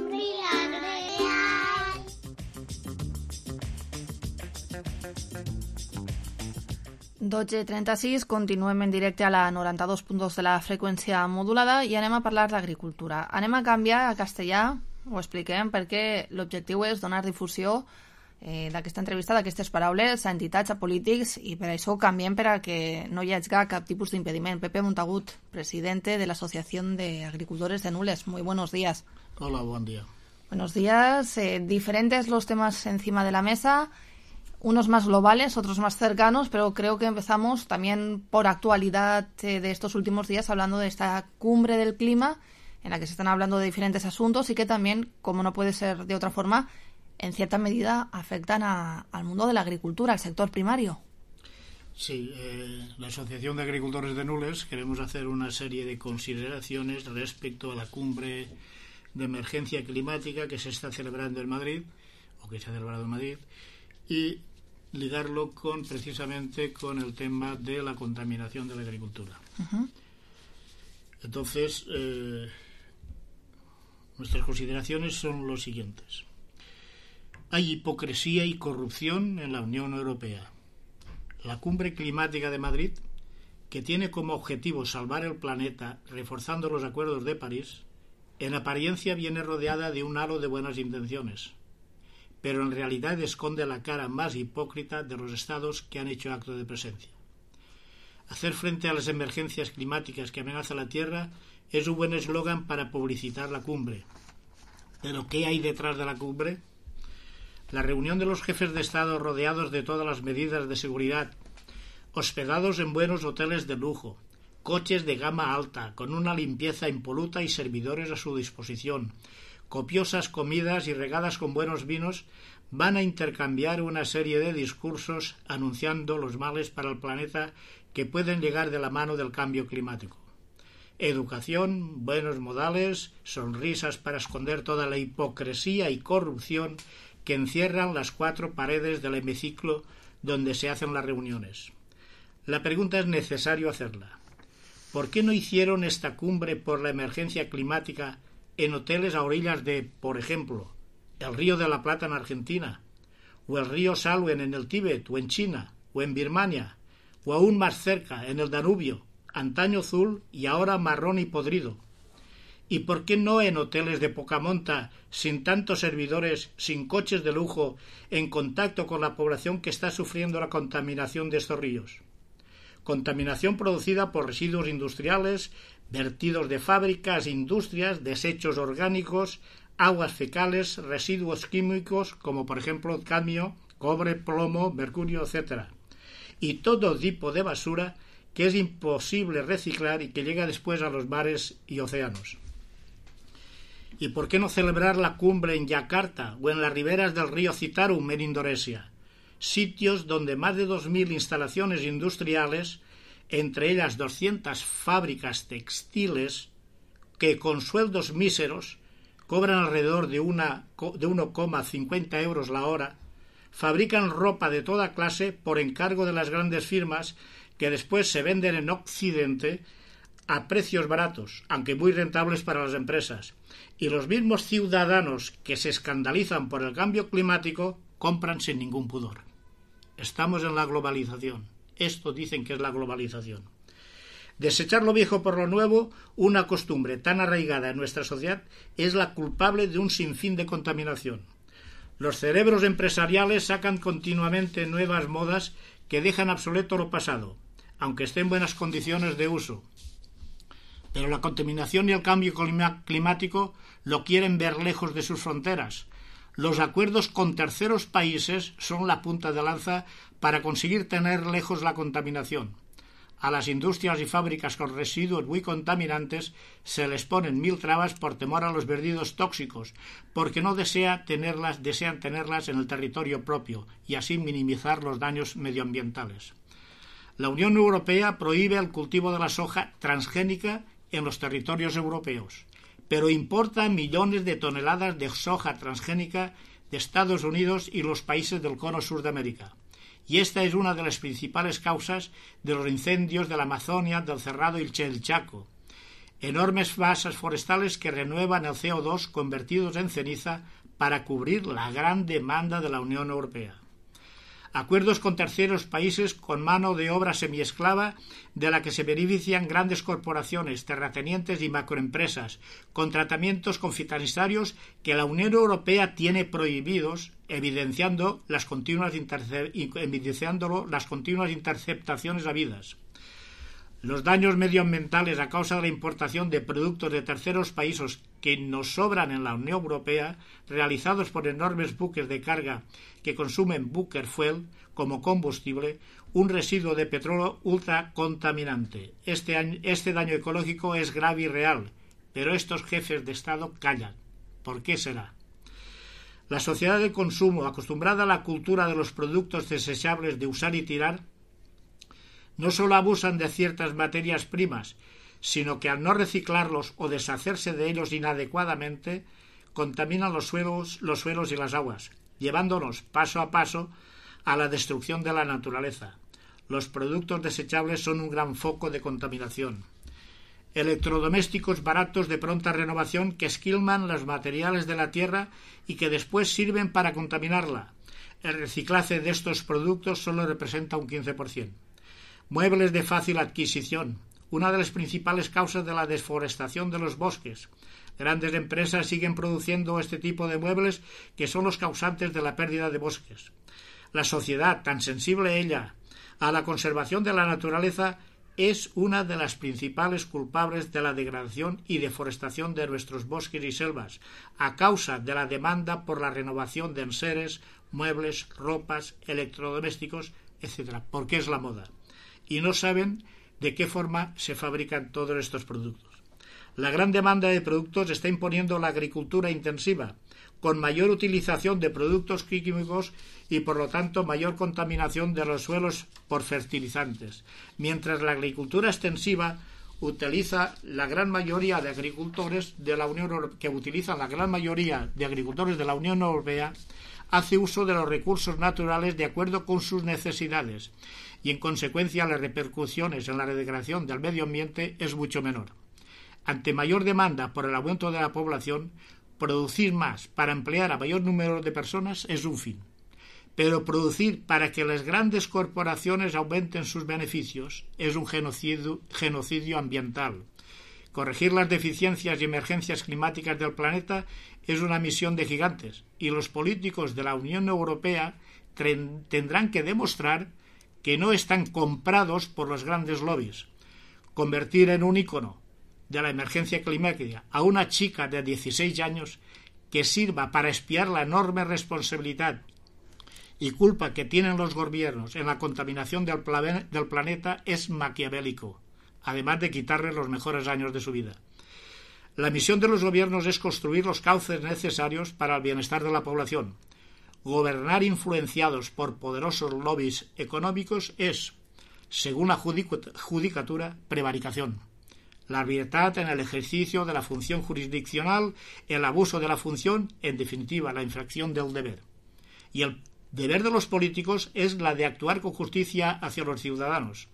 12:36, continuem en directe a la 92.2 de la freqüència modulada i anem a parlar d'agricultura. Anem a canviar a castellà, ho expliquem, perquè l'objectiu és donar difusió d'aquesta entrevista, d'aquestes paraules, a entitats, a polítics, i per això canviem per a que no hi hagi cap tipus d'impediment. Pepe Montagut, presidente de la Asociación de Agricultores de Nules. Muy buenos días. Hola, buen día. Buenos días. Diferentes los temas encima de la mesa, unos más globales, otros más cercanos, pero creo que empezamos también por actualidad de estos últimos días, hablando de esta cumbre del clima, en la que se están hablando de diferentes asuntos y que también, como no puede ser de otra forma, en cierta medida afectan al mundo de la agricultura, al sector primario. Sí, la Asociación de Agricultores de Nules queremos hacer una serie de consideraciones respecto a la cumbre de emergencia climática que se está celebrando en Madrid, o que se ha celebrado en Madrid, y ligarlo precisamente con el tema de la contaminación de la agricultura. Entonces, nuestras consideraciones son los siguientes. Hay hipocresía y corrupción en la Unión Europea. La cumbre climática de Madrid, que tiene como objetivo salvar el planeta reforzando los acuerdos de París, en apariencia viene rodeada de un halo de buenas intenciones, pero en realidad esconde la cara más hipócrita de los estados que han hecho acto de presencia. Hacer frente a las emergencias climáticas que amenazan la Tierra es un buen eslogan para publicitar la cumbre, ¿Pero qué hay detrás de la cumbre? La reunión de los jefes de Estado rodeados de todas las medidas de seguridad, hospedados en buenos hoteles de lujo, coches de gama alta, con una limpieza impoluta y servidores a su disposición, copiosas comidas y regadas con buenos vinos, van a intercambiar una serie de discursos anunciando los males para el planeta que pueden llegar de la mano del cambio climático. Educación, buenos modales, sonrisas para esconder toda la hipocresía y corrupción que encierran las 4 paredes del hemiciclo donde se hacen las reuniones. La pregunta es necesario hacerla. ¿Por qué no hicieron esta cumbre por la emergencia climática en hoteles a orillas de, por ejemplo, el río de la Plata en Argentina, o el río Salween en el Tíbet, o en China, o en Birmania, o aún más cerca, en el Danubio, antaño azul y ahora marrón y podrido? ¿Y por qué no en hoteles de poca monta, sin tantos servidores, sin coches de lujo, en contacto con la población que está sufriendo la contaminación de estos ríos? Contaminación producida por residuos industriales, vertidos de fábricas, industrias, desechos orgánicos, aguas fecales, residuos químicos como por ejemplo cadmio, cobre, plomo, mercurio, etc. Y todo tipo de basura que es imposible reciclar y que llega después a los mares y océanos. ¿Y por qué no celebrar la cumbre en Yakarta o en las riberas del río Citarum en Indonesia? Sitios donde más de 2.000 instalaciones industriales, entre ellas 200 fábricas textiles, que con sueldos míseros cobran alrededor de 1,50 euros la hora, fabrican ropa de toda clase por encargo de las grandes firmas que después se venden en Occidente a precios baratos, aunque muy rentables para las empresas. Y los mismos ciudadanos que se escandalizan por el cambio climático compran sin ningún pudor. Estamos en la globalización. Esto dicen que es la globalización. Desechar lo viejo por lo nuevo, una costumbre tan arraigada en nuestra sociedad, es la culpable de un sinfín de contaminación. Los cerebros empresariales sacan continuamente nuevas modas que dejan obsoleto lo pasado, aunque esté en buenas condiciones de uso. Pero la contaminación y el cambio climático lo quieren ver lejos de sus fronteras. Los acuerdos con terceros países son la punta de lanza para conseguir tener lejos la contaminación. A las industrias y fábricas con residuos muy contaminantes se les ponen 1000 trabas por temor a los vertidos tóxicos, porque no desean tenerlas en el territorio propio y así minimizar los daños medioambientales. La Unión Europea prohíbe el cultivo de la soja transgénica en los territorios europeos, pero importa millones de toneladas de soja transgénica de Estados Unidos y los países del cono sur de América. Y esta es una de las principales causas de los incendios de la Amazonia, del Cerrado y el Chaco. Enormes masas forestales que renuevan el CO2 convertidos en ceniza para cubrir la gran demanda de la Unión Europea. Acuerdos con terceros países con mano de obra semiesclava de la que se benefician grandes corporaciones, terratenientes y macroempresas, con tratamientos confidenciarios que la Unión Europea tiene prohibidos, evidenciando las continuas interceptaciones habidas. Los daños medioambientales a causa de la importación de productos de terceros países que nos sobran en la Unión Europea, realizados por enormes buques de carga que consumen bunker fuel como combustible, un residuo de petróleo ultracontaminante. Este daño ecológico es grave y real, pero estos jefes de Estado callan. ¿Por qué será? La sociedad de consumo, acostumbrada a la cultura de los productos desechables de usar y tirar, no solo abusan de ciertas materias primas, sino que al no reciclarlos o deshacerse de ellos inadecuadamente, contaminan los suelos y las aguas, llevándonos paso a paso a la destrucción de la naturaleza. Los productos desechables son un gran foco de contaminación. Electrodomésticos baratos de pronta renovación que esquilman los materiales de la tierra y que después sirven para contaminarla. El reciclaje de estos productos solo representa un 15%. Muebles de fácil adquisición, una de las principales causas de la deforestación de los bosques. Grandes empresas siguen produciendo este tipo de muebles que son los causantes de la pérdida de bosques. La sociedad, tan sensible ella a la conservación de la naturaleza, es una de las principales culpables de la degradación y deforestación de nuestros bosques y selvas, a causa de la demanda por la renovación de enseres, muebles, ropas, electrodomésticos, etc., porque es la moda. Y no saben de qué forma se fabrican todos estos productos. La gran demanda de productos está imponiendo la agricultura intensiva, con mayor utilización de productos químicos y, por lo tanto, mayor contaminación de los suelos por fertilizantes, mientras la agricultura extensiva utiliza la gran mayoría de agricultores de la Unión Europea hace uso de los recursos naturales de acuerdo con sus necesidades y, en consecuencia, las repercusiones en la degradación del medio ambiente es mucho menor. Ante mayor demanda por el aumento de la población, producir más para emplear a mayor número de personas es un fin. Pero producir para que las grandes corporaciones aumenten sus beneficios es un genocidio ambiental. Corregir las deficiencias y emergencias climáticas del planeta es una misión de gigantes, y los políticos de la Unión Europea tendrán que demostrar que no están comprados por los grandes lobbies. Convertir en un ícono de la emergencia climática a una chica de 16 años que sirva para espiar la enorme responsabilidad y culpa que tienen los gobiernos en la contaminación del planeta es maquiavélico, además de quitarles los mejores años de su vida. La misión de los gobiernos es construir los cauces necesarios para el bienestar de la población. Gobernar influenciados por poderosos lobbies económicos es, según la judicatura, prevaricación. La arbitrariedad en el ejercicio de la función jurisdiccional, el abuso de la función, en definitiva, la infracción del deber. Y el deber de los políticos es la de actuar con justicia hacia los ciudadanos,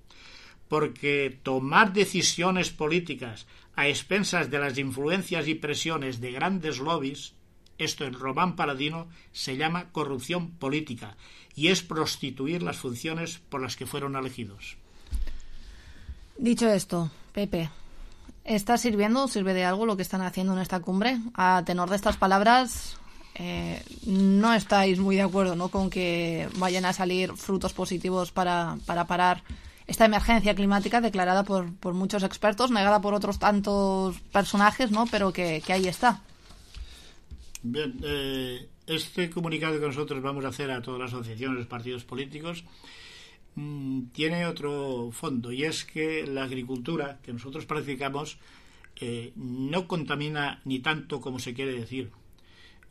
porque tomar decisiones políticas a expensas de las influencias y presiones de grandes lobbies, esto en Román Paladino se llama corrupción política y es prostituir las funciones por las que fueron elegidos. Dicho esto, Pepe, ¿está sirviendo o sirve de algo lo que están haciendo en esta cumbre? A tenor de estas palabras, no estáis muy de acuerdo, ¿no?, con que vayan a salir frutos positivos para parar esta emergencia climática declarada por muchos expertos, negada por otros tantos personajes, ¿no?, pero que ahí está. Bien, este comunicado que nosotros vamos a hacer a todas las asociaciones, los partidos políticos, tiene otro fondo, y es que la agricultura que nosotros practicamos no contamina ni tanto como se quiere decir.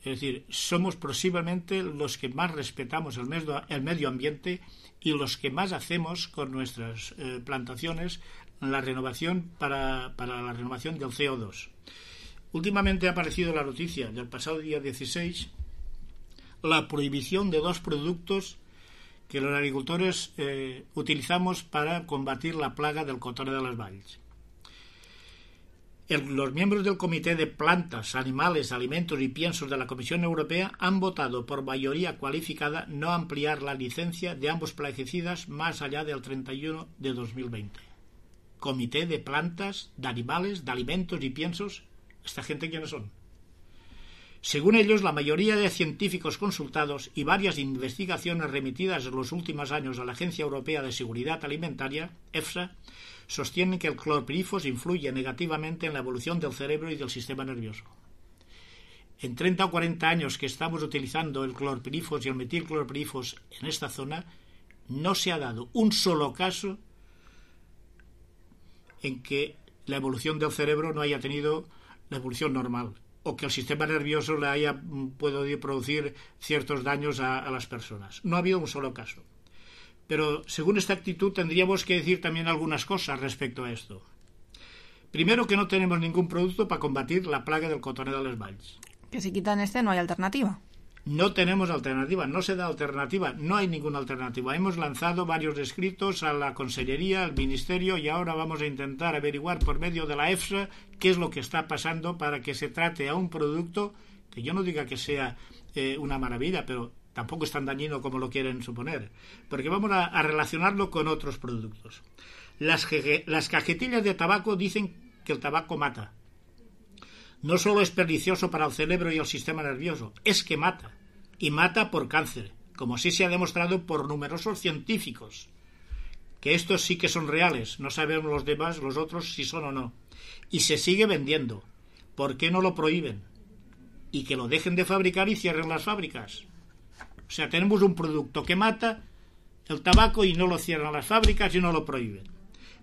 Es decir, somos posiblemente los que más respetamos el medio ambiente y los que más hacemos con nuestras plantaciones la renovación para la renovación del CO2. Últimamente ha aparecido la noticia del pasado día 16, la prohibición de 2 productos que los agricultores utilizamos para combatir la plaga del cotorre de les valls. Los miembros del Comité de Plantas, Animales, Alimentos y Piensos de la Comisión Europea han votado por mayoría cualificada no ampliar la licencia de ambos plaguicidas más allá del 31 de 2020. Comité de Plantas, de Animales, de Alimentos y Piensos, ¿esta gente quiénes son? Según ellos, la mayoría de científicos consultados y varias investigaciones remitidas en los últimos años a la Agencia Europea de Seguridad Alimentaria, EFSA, sostienen que el clorpirifos influye negativamente en la evolución del cerebro y del sistema nervioso. En 30 o 40 años que estamos utilizando el clorpirifos y el metilclorpirifos en esta zona, no se ha dado un solo caso en que la evolución del cerebro no haya tenido la evolución normal, o que el sistema nervioso le haya podido producir ciertos daños a las personas. No ha habido un solo caso. Pero según esta actitud tendríamos que decir también algunas cosas respecto a esto. Primero, que no tenemos ningún producto para combatir la plaga del cotorre de les valls. Que si quitan no hay alternativa. No tenemos alternativa, no se da alternativa, no hay ninguna alternativa. Hemos lanzado varios escritos a la Consellería, al Ministerio, y ahora vamos a intentar averiguar por medio de la EFSA qué es lo que está pasando para que se trate a un producto que yo no diga que sea una maravilla, pero tampoco es tan dañino como lo quieren suponer, porque vamos a relacionarlo con otros productos. Las cajetillas de tabaco dicen que el tabaco mata. No solo es pernicioso para el cerebro y el sistema nervioso, es que mata, y mata por cáncer, como así se ha demostrado por numerosos científicos que estos sí que son reales, no sabemos los demás, los otros, si son o no. Y se sigue vendiendo. ¿Por qué no lo prohíben? Y que lo dejen de fabricar y cierren las fábricas. O sea, tenemos un producto que mata el tabaco y no lo cierran las fábricas y no lo prohíben.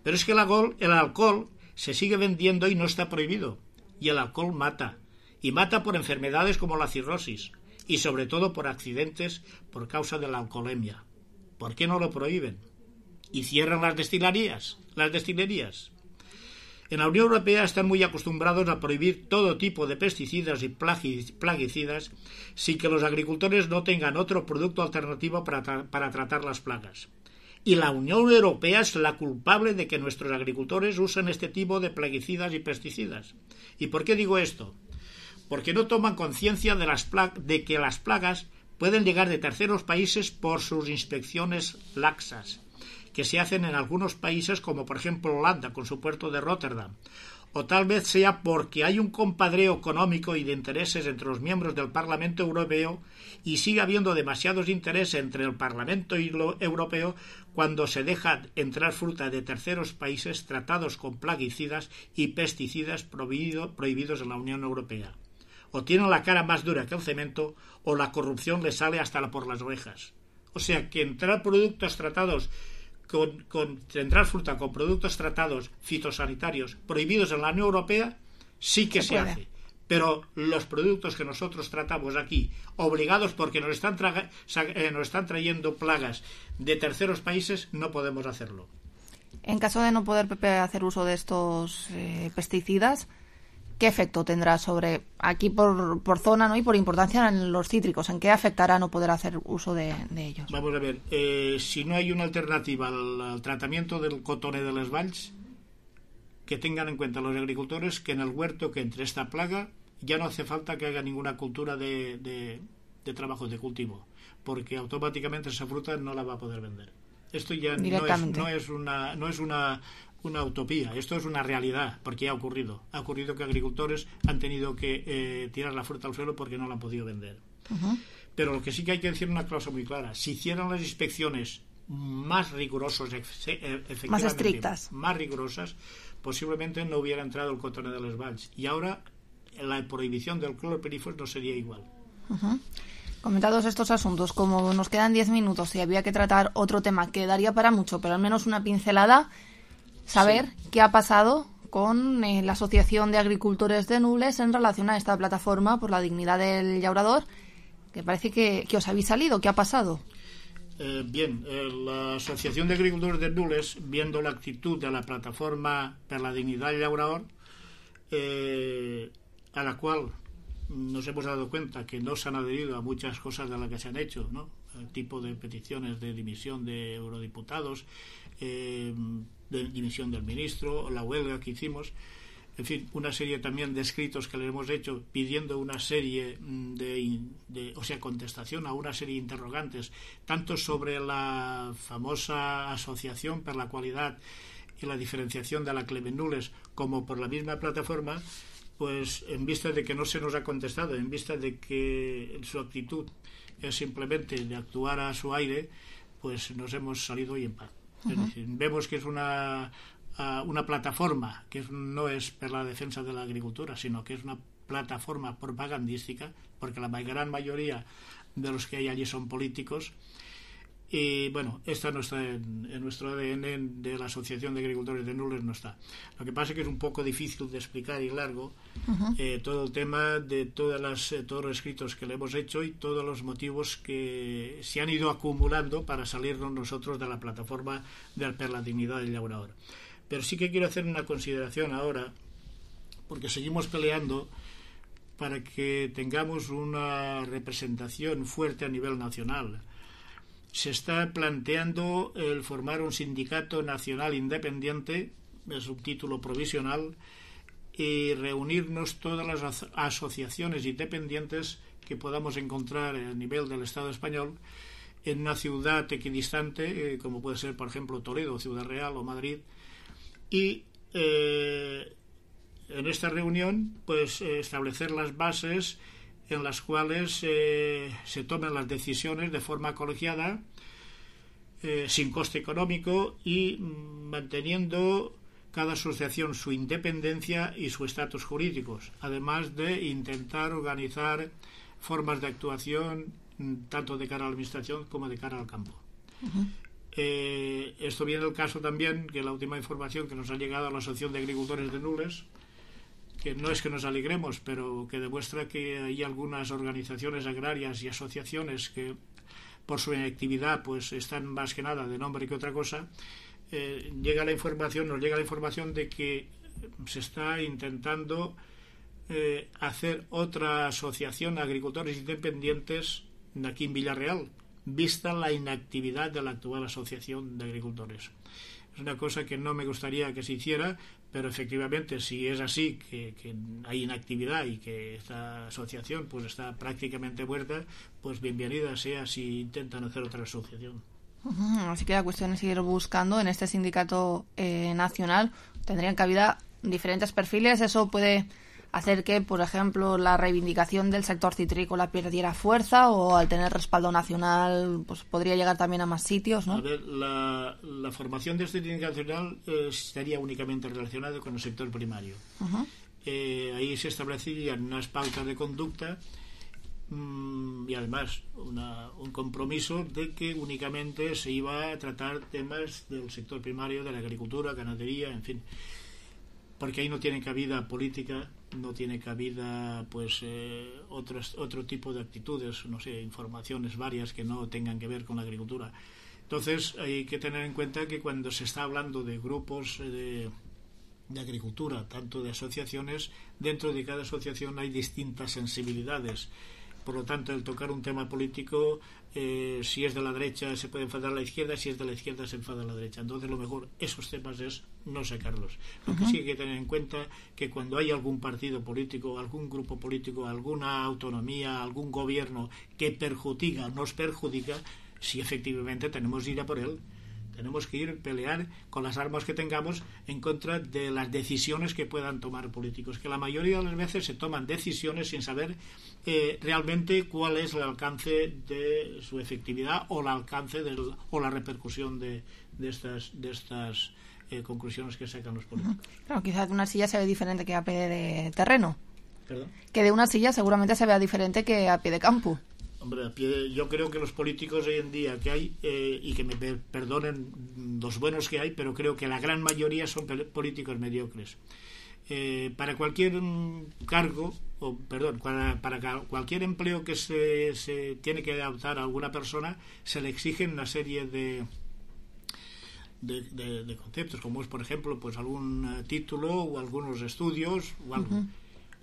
Pero es que el alcohol se sigue vendiendo y no está prohibido. Y el alcohol mata. Y mata por enfermedades como la cirrosis. Y sobre todo por accidentes por causa de la alcoholemia. ¿Por qué no lo prohíben? Y cierran las destilerías. En la Unión Europea están muy acostumbrados a prohibir todo tipo de pesticidas y plaguicidas sin que los agricultores no tengan otro producto alternativo para tratar las plagas. Y la Unión Europea es la culpable de que nuestros agricultores usen este tipo de plaguicidas y pesticidas. ¿Y por qué digo esto? Porque no toman conciencia de que las plagas pueden llegar de terceros países por sus inspecciones laxas, que se hacen en algunos países como por ejemplo Holanda con su puerto de Rotterdam, o tal vez sea porque hay un compadreo económico y de intereses entre los miembros del Parlamento Europeo y sigue habiendo demasiados intereses entre el Parlamento Europeo cuando se deja entrar fruta de terceros países tratados con plaguicidas y pesticidas prohibidos en la Unión Europea. O tienen la cara más dura que el cemento o la corrupción les sale hasta por las orejas. O sea que entrar productos tratados entrar fruta con productos tratados fitosanitarios prohibidos en la Unión Europea sí que se hace, pero los productos que nosotros tratamos aquí obligados porque nos están trayendo plagas de terceros países no podemos hacerlo. En caso de no poder hacer uso de estos pesticidas, ¿qué efecto tendrá sobre aquí por zona, ¿no? Y por importancia en los cítricos? ¿En qué afectará no poder hacer uso de ellos? Vamos a ver, si no hay una alternativa al tratamiento del cotone de les valls, que tengan en cuenta los agricultores que en el huerto que entre esta plaga ya no hace falta que haga ninguna cultura de trabajo de cultivo, porque automáticamente esa fruta no la va a poder vender. Esto ya no es una utopía, esto es una realidad, porque ha ocurrido que agricultores han tenido que tirar la fruta al suelo porque no la han podido vender. Pero lo que sí que hay que decir una cosa muy clara: si hicieran las inspecciones más rigurosas, más estrictas, más rigurosas, posiblemente no hubiera entrado el cotone de les valls, y ahora la prohibición del clorpirifos no sería igual. Comentados estos asuntos, como nos quedan 10 minutos y había que tratar otro tema que daría para mucho, pero al menos una pincelada, saber qué ha pasado con la Asociación de Agricultores de Nules en relación a esta plataforma por la dignidad del llaurador, que parece que os habéis salido. ¿Qué ha pasado? Bien, la Asociación de Agricultores de Nules, viendo la actitud de la plataforma per la dignidad del llaurador, a la cual nos hemos dado cuenta que no se han adherido a muchas cosas de las que se han hecho, ¿no? El tipo de peticiones de dimisión de eurodiputados, de dimisión del ministro, la huelga que hicimos, en fin, una serie también de escritos que le hemos hecho pidiendo una serie contestación a una serie de interrogantes, tanto sobre la famosa asociación per la cualidad y la diferenciación de la Clement Nules como por la misma plataforma. Pues en vista de que no se nos ha contestado, en vista de que su actitud es simplemente de actuar a su aire, pues nos hemos salido hoy en paz. Es decir, vemos que es una plataforma que no es por la defensa de la agricultura, sino que es una plataforma propagandística, porque la gran mayoría de los que hay allí son políticos. Y bueno, esta no está en nuestro ADN de la Asociación de Agricultores de Nules, no está. Lo que pasa es que es un poco difícil de explicar y largo todo el tema de todos los escritos que le hemos hecho y todos los motivos que se han ido acumulando para salirnos nosotros de la plataforma per la dignidad del llaurador. Pero sí que quiero hacer una consideración ahora, porque seguimos peleando para que tengamos una representación fuerte a nivel nacional. Se está planteando el formar un sindicato nacional independiente, es un título provisional, y reunirnos todas las asociaciones independientes que podamos encontrar a nivel del Estado español en una ciudad equidistante, como puede ser, por ejemplo, Toledo, Ciudad Real o Madrid, y en esta reunión pues establecer las bases en las cuales se tomen las decisiones de forma colegiada, sin coste económico y manteniendo cada asociación su independencia y su estatus jurídicos, además de intentar organizar formas de actuación tanto de cara a la administración como de cara al campo. Esto viene el caso también que la última información que nos ha llegado a la Asociación de Agricultores de Nules, que no es que nos alegremos, pero que demuestra que hay algunas organizaciones agrarias y asociaciones que por su inactividad pues están más que nada de nombre que otra cosa. Nos llega la información de que se está intentando hacer otra asociación de agricultores independientes aquí en Villarreal, vista la inactividad de la actual asociación de agricultores. Es una cosa que no me gustaría que se hiciera, pero efectivamente si es así, que hay inactividad y que esta asociación pues está prácticamente muerta, pues bienvenida sea si intentan hacer otra asociación. Así que la cuestión es seguir buscando en este sindicato nacional. Tendrían cabida diferentes perfiles. Eso puede hacer que, por ejemplo, la reivindicación del sector citrícola perdiera fuerza, o al tener respaldo nacional pues podría llegar también a más sitios, ¿no? A ver, la formación de este sindicato nacional estaría únicamente relacionada con el sector primario. Ahí se establecerían unas pautas de conducta y además un compromiso de que únicamente se iba a tratar temas del sector primario, de la agricultura, ganadería, en fin, porque ahí no tiene cabida política, no tiene cabida pues otro tipo de actitudes, no sé, informaciones varias que no tengan que ver con la agricultura. Entonces hay que tener en cuenta que cuando se está hablando de grupos de agricultura, tanto de asociaciones, dentro de cada asociación hay distintas sensibilidades. Por lo tanto, el tocar un tema político, si es de la derecha se puede enfadar a la izquierda, si es de la izquierda se enfada a la derecha. Entonces, lo mejor, esos temas es no sacarlos. Lo que sí hay que tener en cuenta que cuando hay algún partido político, algún grupo político, alguna autonomía, algún gobierno que perjudica, nos perjudica, sí efectivamente tenemos que ir a por él. Tenemos que ir a pelear con las armas que tengamos en contra de las decisiones que puedan tomar políticos, que la mayoría de las veces se toman decisiones sin saber realmente cuál es el alcance de su efectividad o el alcance o la repercusión de estas conclusiones que sacan los políticos. Claro, quizás de una silla se ve diferente que a pie de terreno. ¿Perdón? Que de una silla seguramente se vea diferente que a pie de campo. Hombre, yo creo que los políticos hoy en día que hay, y que me perdonen los buenos que hay, pero creo que la gran mayoría son políticos mediocres. Para cualquier cargo, para cualquier empleo que se tiene que adaptar a alguna persona, se le exigen una serie de conceptos, como es, por ejemplo, pues algún título o algunos estudios o algo.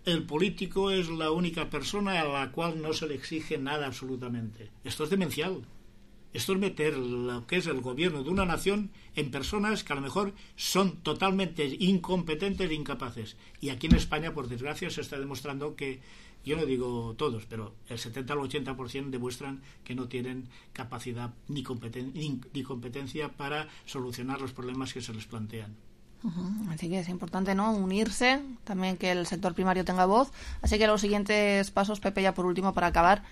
El político es la única persona a la cual no se le exige nada absolutamente. Esto es demencial. Esto es meter lo que es el gobierno de una nación en personas que a lo mejor son totalmente incompetentes e incapaces. Y aquí en España, por desgracia, se está demostrando que, yo no digo todos, pero el 70 al 80% demuestran que no tienen capacidad ni competencia para solucionar los problemas que se les plantean. Así que es importante, ¿no?, unirse, también que el sector primario tenga voz. Así que los siguientes pasos, Pepe, ya por último, para acabar,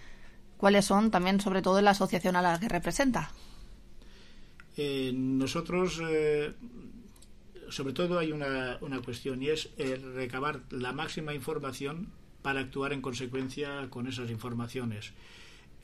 ¿cuáles son también, sobre todo, en la asociación a la que representa? Nosotros, sobre todo, hay una cuestión, y es recabar la máxima información para actuar en consecuencia con esas informaciones.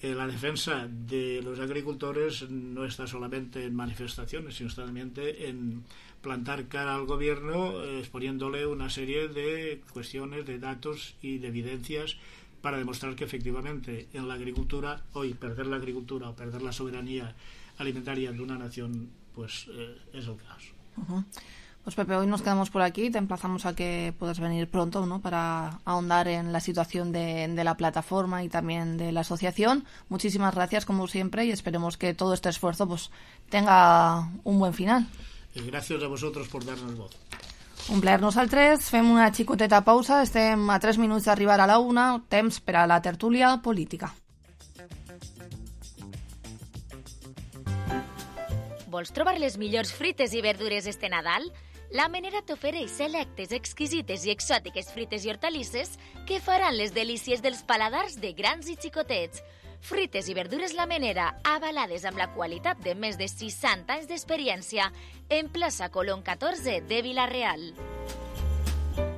La defensa de los agricultores no está solamente en manifestaciones, sino también en plantar cara al gobierno, exponiéndole una serie de cuestiones, de datos y de evidencias para demostrar que efectivamente en la agricultura, hoy perder la agricultura o perder la soberanía alimentaria de una nación, pues es el caso. Pues Pepe, hoy nos quedamos por aquí, te emplazamos a que puedas venir pronto, ¿no?, para ahondar en la situación de la plataforma y también de la asociación. Muchísimas gracias, como siempre, y esperemos que todo este esfuerzo pues tenga un buen final. Gràcies a vosotros por darnos voz. Un plaer. Nosaltres fem una xicoteta pausa, estem a 3 minuts d'arribar a la 1, temps per a la tertúlia política. Vols trobar les millors fruites i verdures este Nadal? La Menera t'ofereix selectes, exquisites i exòtiques fruites i hortalisses que faran les delícies dels paladars de grans i xicotets. Fruites i verdures La Menera, avalades amb la qualitat de més de 60 anys d'experiència, en plaça Colón 14 de Vila-real.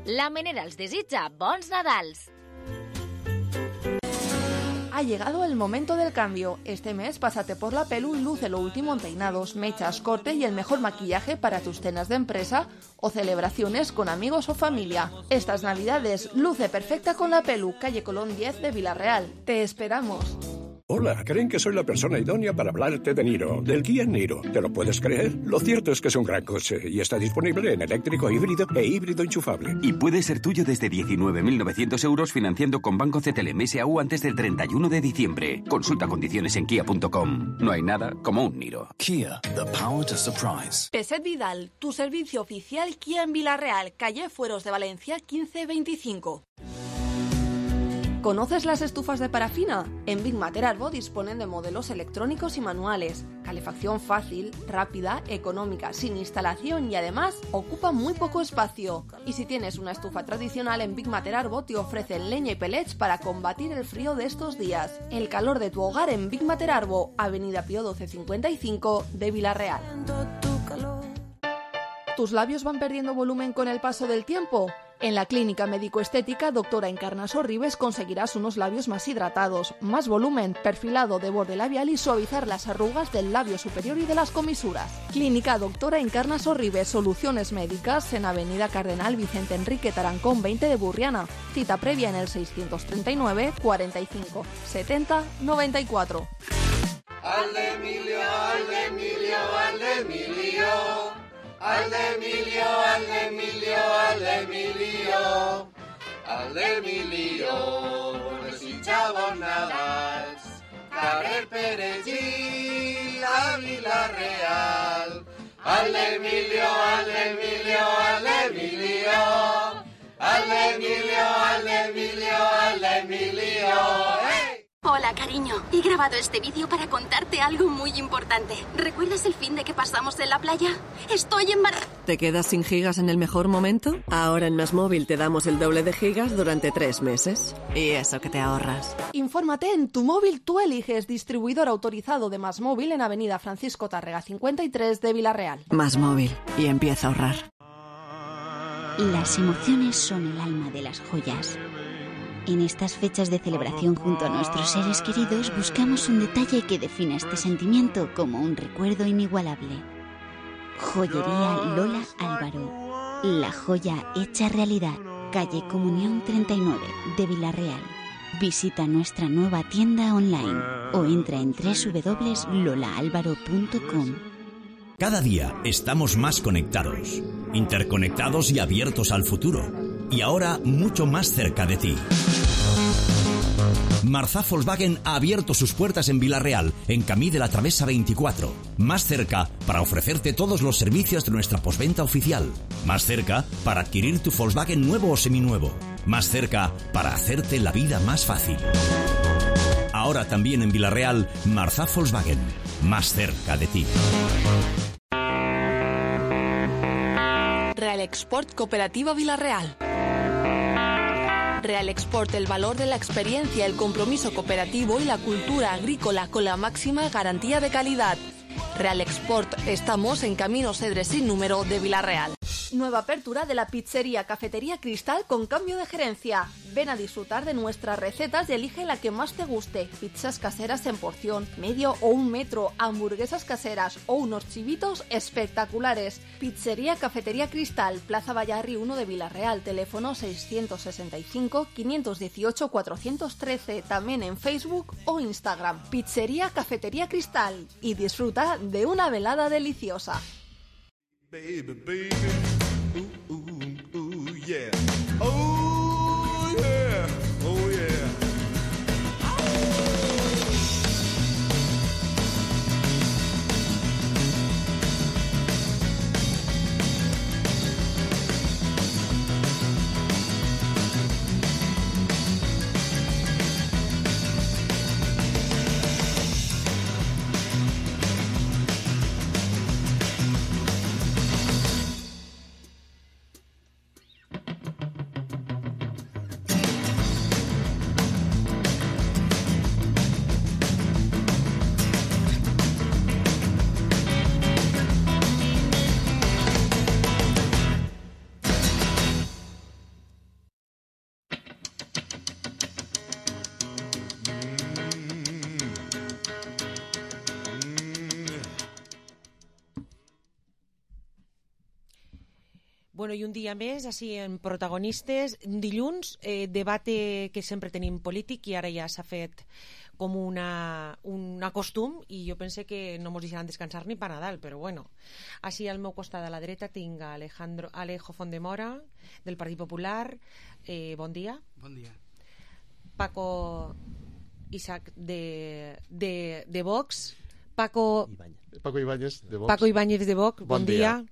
La Menera els desitja bons Nadals. Ha llegado el momento del cambio. Este mes pásate por La Pelu y luce lo último en peinados, mechas, corte y el mejor maquillaje para tus cenas de empresa o celebraciones con amigos o familia. Estas navidades luce perfecta con La Pelu, calle Colón 10 de Vila-real. Te esperamos. Hola, creen que soy la persona idónea para hablarte de Niro, del Kia Niro. ¿Te lo puedes creer? Lo cierto es que es un gran coche y está disponible en eléctrico híbrido e híbrido enchufable. Y puede ser tuyo desde 19.900 euros financiando con Banco CTLM S.A.U. antes del 31 de diciembre. Consulta condiciones en kia.com. No hay nada como un Niro. Kia, the power to surprise. Peset Vidal, tu servicio oficial Kia en Vila-real, calle Fueros de Valencia 1525. ¿Conoces las estufas de parafina? En Big Mater Arbo disponen de modelos electrónicos y manuales, calefacción fácil, rápida, económica, sin instalación y además ocupa muy poco espacio. Y si tienes una estufa tradicional, en Big Mater Arbo te ofrecen leña y pellets para combatir el frío de estos días. El calor de tu hogar en Big Mater Arbo, Avenida Pío 1255 de Vila-real. ¿Tus labios van perdiendo volumen con el paso del tiempo? En la clínica médico-estética Doctora Encarna Sorribes conseguirás unos labios más hidratados, más volumen, perfilado de borde labial y suavizar las arrugas del labio superior y de las comisuras. Clínica Doctora Encarna Sorribes, soluciones médicas en Avenida Cardenal Vicente Enrique Tarancón 20 de Burriana. Cita previa en el 639 45 70 94. Al de Emilio, al de Emilio, al de Emilio. Al de Emilio, al de Emilio, al de Emilio, al de Emilio, desitjava Nadals, carrer Perellí, a Vila-real. Al de Emilio, al de Emilio, al de Emilio, al de Emilio, al de Emilio, al de Emilio. ¡Hey! Hola, cariño. He grabado este vídeo para contarte algo muy importante. ¿Recuerdas el fin de que pasamos en la playa? Estoy embarazada. ¿Te quedas sin gigas en el mejor momento? Ahora en MásMóvil te damos el doble de gigas durante 3 meses. Y eso que te ahorras. Infórmate en Tu Móvil Tú Eliges, distribuidor autorizado de MásMóvil en Avenida Francisco Tárrega 53 de Vila-real. MásMóvil. Y empieza a ahorrar. Las emociones son el alma de las joyas. En estas fechas de celebración junto a nuestros seres queridos buscamos un detalle que defina este sentimiento como un recuerdo inigualable. Joyería Lola Álvaro. La joya hecha realidad. Calle Comunión 39 de Vila-real. Visita nuestra nueva tienda online o entra en www.lolaalvaro.com. Cada día estamos más conectados, interconectados y abiertos al futuro. Y ahora mucho más cerca de ti. Marzá Volkswagen ha abierto sus puertas en Vila-real, en Camí de la Travesa 24. Más cerca para ofrecerte todos los servicios de nuestra postventa oficial. Más cerca para adquirir tu Volkswagen nuevo o seminuevo. Más cerca para hacerte la vida más fácil. Ahora también en Vila-real, Marzá Volkswagen. Más cerca de ti. Real Export Cooperativa Vila-real. Real Export, el valor de la experiencia, el compromiso cooperativo y la cultura agrícola con la máxima garantía de calidad. Real Export, estamos en Camino Cedres sin número de Vila-real. Nueva apertura de la pizzería Cafetería Cristal con cambio de gerencia. Ven a disfrutar de nuestras recetas y elige la que más te guste. Pizzas caseras en porción, medio o 1 metro, hamburguesas caseras o unos chivitos espectaculares. Pizzería Cafetería Cristal, Plaza Vallarri 1 de Vila-real, teléfono 665-518-413, también en Facebook o Instagram. Pizzería Cafetería Cristal y disfruta de una velada deliciosa. Baby, baby, ooh, ooh, ooh, yeah. Oh, yeah, oh, yeah. Bueno, i un dia més, així en protagonistes, dilluns, debate que sempre tenim polític i ara ja s'ha fet com un costum i jo pense que no ens deixaran descansar ni per Nadal, però bueno. Així al meu costat a la dreta tinc a Alejo Fondemora, del Partit Popular. Bon dia. Bon dia. Paco Isaac de Vox. Paco Ibáñez de Vox. Paco Ibáñez de Vox, bon dia.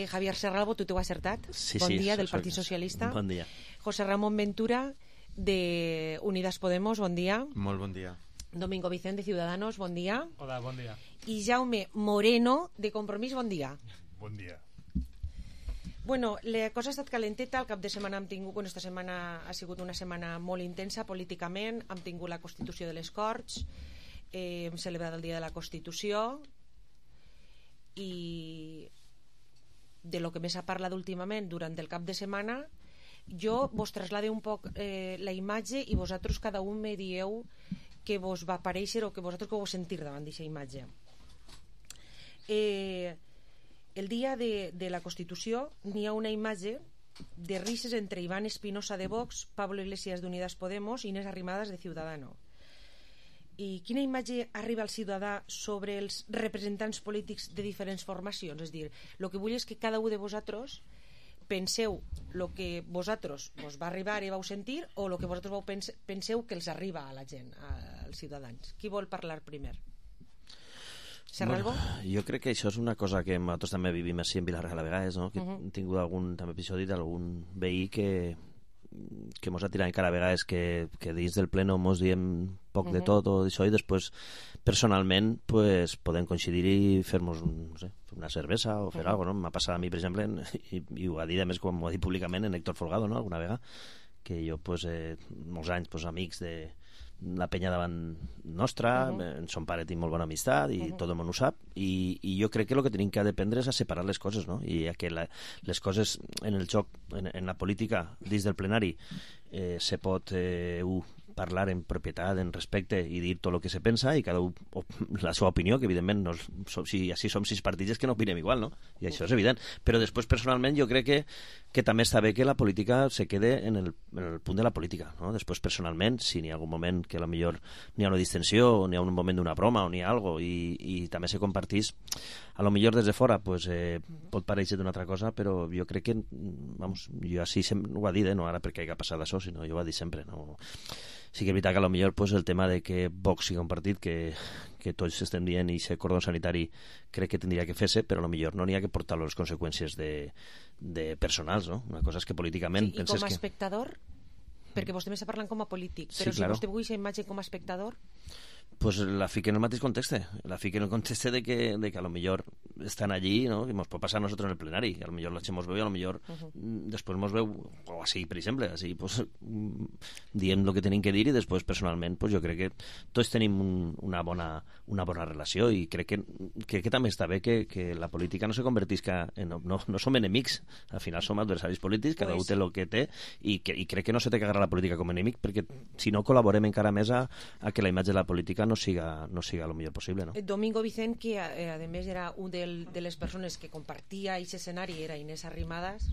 Javier Serralbo, tu t'ho has acertat? Sí, bon dia, del Partit Socialista. Bon dia. José Ramón Ventura, de Unidas Podemos, bon dia. Molt bon dia. Domingo Vicente, de Ciudadanos, bon dia. Hola, bon dia. I Jaume Moreno, de Compromís, bon dia. Bon dia. Bueno, la cosa ha estat calenteta, el cap de setmana hem tingut, bueno, esta setmana ha sigut una setmana molt intensa políticament, hem tingut la Constitució de les Corts, hem celebrat el Dia de la Constitució i de lo que més s'ha parlat últimament durant el cap de setmana, jo vos traslade un poc la imatge i vosaltres cada un me dieu què vos va aparèixer o que vosaltres que vos sentir davant d'aquesta imatge. El dia de la Constitució n'hi ha una imatge de risses entre Iván Espinosa de Vox, Pablo Iglesias d'Unidas Podemos i Inés Arrimadas de Ciudadanos. I quina imatge arriba al ciutadà sobre els representants polítics de diferents formacions? És dir, el que vull és que cada un de vosaltres penseu el que vosaltres vos va arribar i vau sentir o el que vosaltres penseu que els arriba a la gent, als ciutadans. Qui vol parlar primer? Serralbo? Bueno, jo crec que això és una cosa que nosaltres també vivim així en Vila-real a vegades, no? Que hem tingut algun també episodi d'algun veí que mos ha tirat encara a vegades que dins del pleno mos diem poc de tot o d'això i després personalment pues, podem coincidir i fer-nos una cervesa o fer alguna cosa, no? M'ha passat a mi per exemple i ho ha dit a més com ho ha dit públicament en Héctor Folgado, no? Alguna vegada que jo pues, molts anys pues, amics de la penya davant nostra, son pare tinc molt bona amistat i tot el món ho sap i jo crec que el que tenim que aprendre és a separar les coses, no? I que les coses en el joc, en la política dins del plenari se pot parlar en propietat, en respecte i dir tot el que se pensa i cada un la seva opinió, que evidentment no, si així som 6 partits és que no opinem igual, no? I això és evident, però després personalment jo crec que també està bé que la política se quede en el punt de la política, no? Després personalment, si n'hi ha algun moment que potser n'hi ha una distensió o n'hi ha un moment d'una broma o n'hi ha alguna cosa i també se compartís, a lo millor des de fora pues, pot parèixer d'una altra cosa, però jo crec que vamos, jo així ho ha dit, no ara perquè hagi passat això, sinó jo ho ha dit sempre, no? Sí que és veritat que potser pues, el tema de que Vox sigui un partit que tots estem dient i ser cordó sanitari crec que tindria que fer-se, però potser no n'hi ha que portar les conseqüències de personals, no? Una cosa és que políticament... Sí, i com a espectador? Perquè vostè m'està parlant com a polític, però sí, claro. Si vostè vulgui aquesta imatge com a espectador... Pues la fica en el mateix context, la fica en el context de que a lo millor estan allí, ¿no? Que nos puede pasar a nosotros en el plenari, a lo millor la gent mos veu i a lo millor després mos veu, o així, per exemple, així, pues, dient el que tenim que dir i després personalment, pues, jo crec que tots tenim una bona relació i crec que també està bé que la política no se convertisca en... No som enemics, al final som adversaris polítics, cada un té el que té i crec que no se té que agarrar la política com a enemic perquè si no col·laborem encara més a que la imatge de la política no siga el millor possible, no? Domingo Vicent, que a més era un de les persones que compartia aquest escenari, era Inés Arrimadas.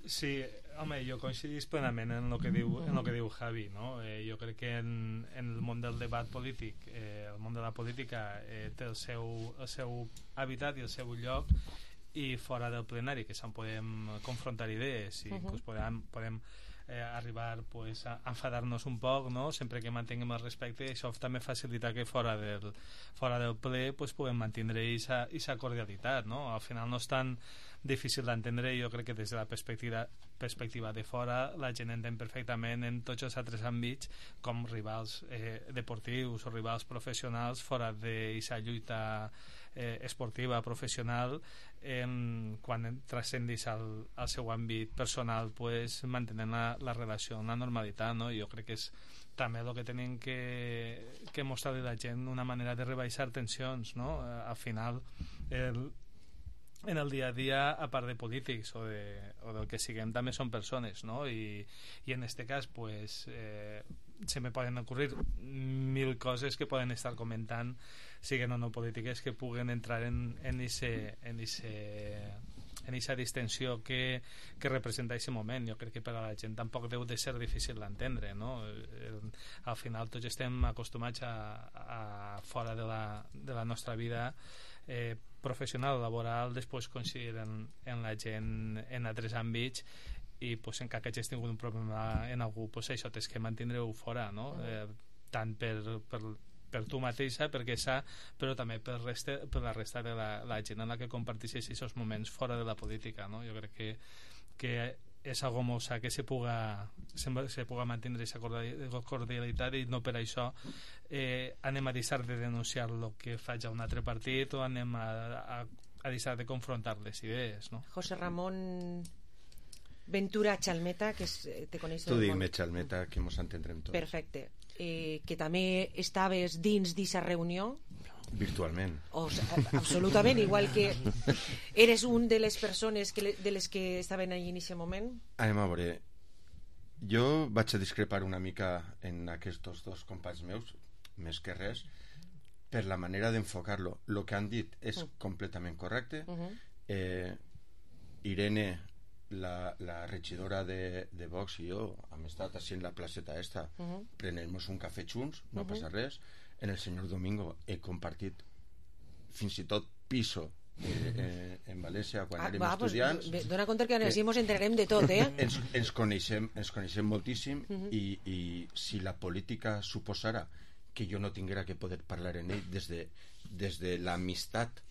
Sí, home, jo coincidís plenament en el que diu Javi, no? Jo crec que en el món del debat polític, el món de la política té el seu hàbitat i el seu lloc i fora del plenari, que se'n podem confrontar idees i pues, podem arribar pues, a enfadar-nos un poc, no? Sempre que mantinguem el respecte, això també facilita que fora del ple pues, puguem mantenir aquesta cordialitat, no? Al final no és tan difícil d'entendre, jo crec que des de la perspectiva de fora la gent entén perfectament en tots els altres àmbits com rivals deportius o rivals professionals fora d'aquesta lluita esportiva, professional, quan transcendis al seu àmbit personal, pues, mantenint la relació en la normalitat, no? Jo crec que és també el que tenim que mostrar a la gent una manera de rebaixar tensions, no? Al final en el dia a dia, a part de polítics o del que siguem, també són persones, no? I en este cas pues, se me poden ocurrir 1000 coses que poden estar comentant, siguen o no polítiques, que puguen entrar en ese aquesta distensió que representa aquest moment. Jo crec que per a la gent tampoc deu de ser difícil d'entendre, no? Al final tots estem acostumats a fora de la nostra vida professional o laboral, després coincidir en la gent en altres àmbits, i pues, en cas que hagis tingut un problema en algú, pues, això tens que mantindre-ho fora, no? Tant per tu mateixa, perquè però també per la resta de la gent en la que comparteixes aquests moments fora de la política, no? Jo crec que és algo molt sa que se puga mantenir aquesta cordialitat, i no per això anem a deixar de denunciar el que faig a un altre partit, o anem a deixar de confrontar les idees, no? José Ramón Ventura Chalmeta, que te coneix tu digues Chalmeta, que mos entendrem tots. Perfecte. Que també estaves dins d'aquesta reunió virtualment, absolutament, igual que eres un de les persones de les que estaven allà en aquest moment. A veure, jo vaig a discrepar una mica en aquests dos companys meus, més que res per la manera d'enfocar-lo. El que han dit és completament correcte. Irene, la regidora de Vox, i jo hem estat així en la placeta esta, prenent-nos un cafè junts, no passa res. En el senyor Domingo he compartit fins i tot piso en València quan érem estudiants. Dona compte que així ens enterarem de tot, ens coneixem moltíssim, i si la política suposara que jo no tinguera que poder parlar en ell des de l'amistat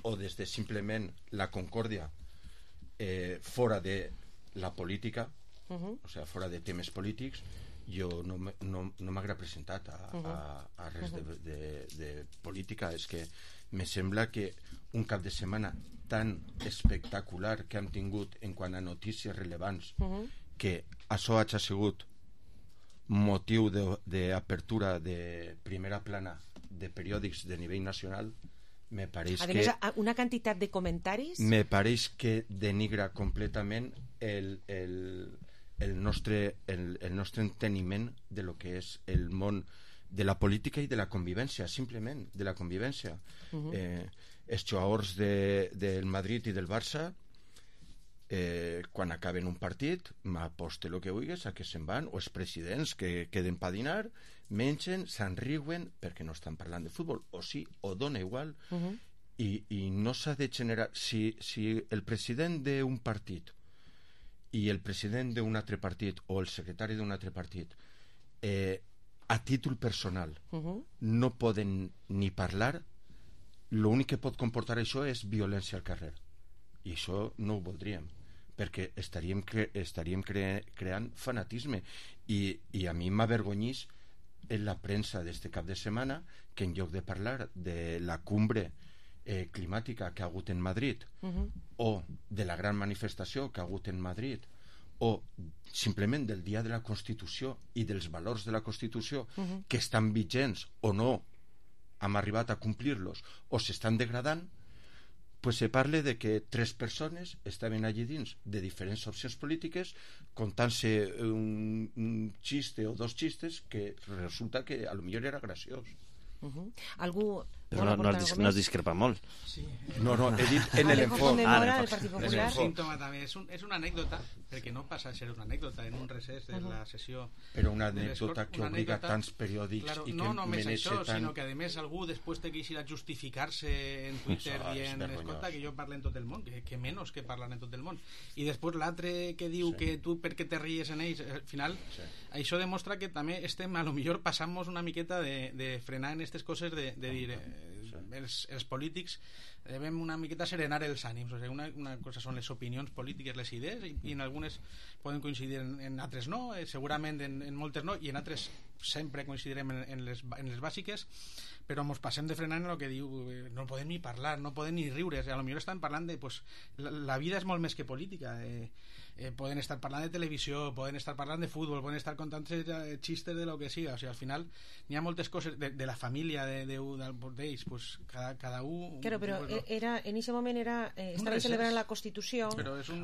o des de simplement la concòrdia fora de la política, o sigui, fora de temes polítics, jo no m'haguera presentat a res de política. És que me sembla que un cap de setmana tan espectacular que hem tingut en quant a notícies rellevants, que això ha sigut motiu d'apertura de primera plana de periòdics de nivell nacional, me pareix que... A més, una quantitat de comentaris... Me pareix que denigra completament el nostre enteniment de lo que és el món de la política i de la convivència, simplement de la convivència. Els jugadors del Madrid i del Barça, quan acaben un partit, m'aposte el que vulguis a que se'n van, o els presidents que queden pa dinar, mengen, se'n riuen perquè no estan parlant de futbol, o sí, o dona igual, i no s'ha de generar... Si el president d'un partit i el president d'un altre partit o el secretari d'un altre partit a títol personal no poden ni parlar, l'únic que pot comportar això és violència al carrer, i això no ho voldríem, perquè estaríem creant fanatisme, i a mi m'avergonyís en la premsa d'este cap de setmana que en lloc de parlar de la cumbre climàtica que ha hagut en Madrid, o de la gran manifestació que ha hagut en Madrid, o simplement del dia de la Constitució i dels valors de la Constitució que estan vigents o no hem arribat a complir-los o s'estan degradant, pues se parla de que 3 persones estaven allí dins de diferents opcions polítiques contant-se un xiste o 2 xistes que resulta que a lo millor era graciós. Algú... Però no has discrepat molt. Sí. No, he dit en l'enfoc. És un símptoma també, és una anècdota, perquè no passa a ser una anècdota en un recés de la sessió. Però una anècdota que obliga tants periòdics i que no només això, tant... sinó que a més algú després té que ir a justificar-se en Twitter dient, escolta, que jo parlo en tot el món, que menys que parlen en tot el món. I després l'altre que diu que tu perquè te ries en ells, al final això demostra que també estem, a lo millor passant-nos una miqueta de frenar en aquestes coses, de dir els polítics devem una miqueta serenar els ànims, o sigui, una cosa són les opinions polítiques, les idees, i en algunes poden coincidir, en altres no, segurament en moltes no, i en altres sempre coincidirem en les bàsiques, però ens passem de frenar en el que diu no podem ni parlar, no podem ni riure, a lo millor estan parlant de la vida és molt més que política, poden estar parlant de televisió, poden estar parlant de futbol, poden estar contant xistes de lo que siga, o sigui, al final n'hi ha moltes coses de la família d'ells, pues cada un... Claro, però en aquest moment estaven celebrant la Constitució,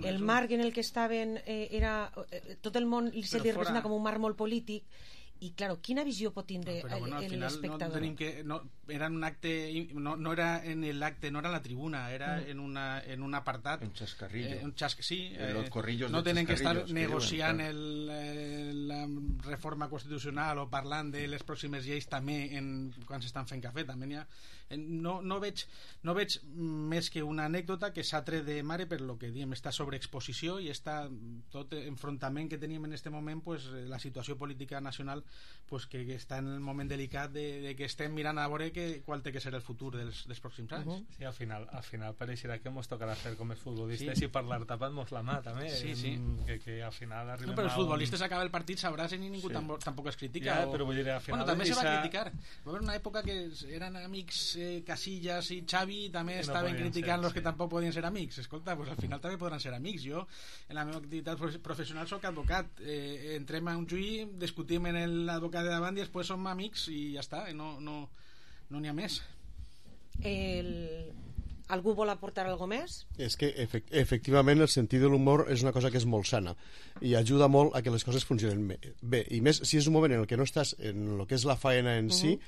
el marc en el que estaven era... tot el món se li representa com un marc molt polític, I, claro, quina visió pot tindre l'espectador? No tenim que... era un acte... No era en l'acte, no era en la tribuna, era en un apartat. Un xascarrillo. Sí, no tenen que estar negociant la reforma constitucional o parlant de les pròximes lleis també quan s'estan fent cafè. També n'hi ha... No veig més que una anècdota que s'ha tret de mare per lo que diem, esta sobreexposició i tot enfrontament que tenim en aquest moment, pues, la situació política nacional, pues, que està en el moment delicat de que estem mirant a veure qual té que ser el futur dels pròxims anys. Sí, al final pareixerà que ens tocarà fer com els futbolistes i parlar tapant-nos la mà també, que al final arribem però els futbolistes acaba el partit s'abracen i ningú tampoc es critica. Però vull dir, al final també se va criticar. Va haver una època que eren amics Casillas i Xavi, també estaven criticant los que tampoc podien ser amics. Escolta, pues al final també podran ser amics. Jo en la meva activitat professional soc advocat, entrem a un juí, discutim en l'advocat de davant i després som amics i ja està, no n'hi ha més. Algú vol aportar alguna més? És que efectivament el sentit de l'humor és una cosa que és molt sana i ajuda molt a que les coses funcionen bé, i més si és un moment en el que no estàs en el que és la faena en si,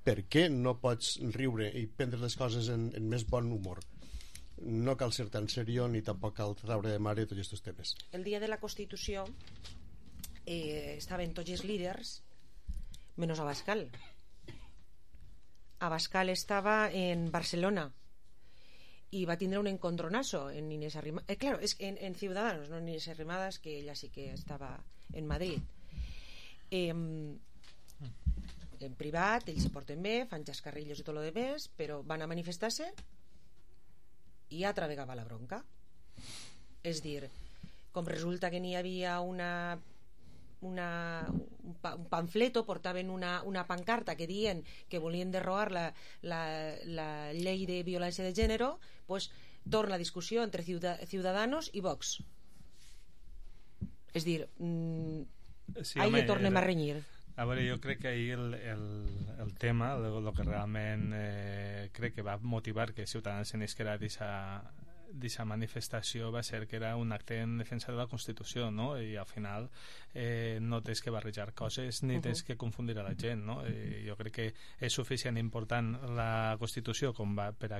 per què no pots riure i prendre les coses en més bon humor? No cal ser tan seriós ni tampoc cal traure de mare tots aquests temes. El dia de la Constitució estaven tots els líders menys Abascal. Abascal estava en Barcelona y va a tener un encontronazo en Inés Arrimadas, claro, es en Ciudadanos, no en Inés Arrimadas, que ella sí que estaba en Madrid. En privat ells se porten bé, fan xascarrillos i tot lo demés, però van a manifestar-se i altra vegada la bronca. És dir, com resulta que n'hi havia un panfleto, portaven una pancarta que dient que volien derrogar la llei de violència de gènere, pues torna la discussió entre Ciudadanos i Vox. És dir, ahí tornem a renyir. A veure, jo crec que ahir el tema, el que realment crec que va motivar que Ciutadans se n'isquera d'aquesta manifestació va ser que era un acte en defensa de la Constitució, no? I al final no tens que barrejar coses ni tens que confundir a la gent, no? Jo crec que és suficient important la Constitució per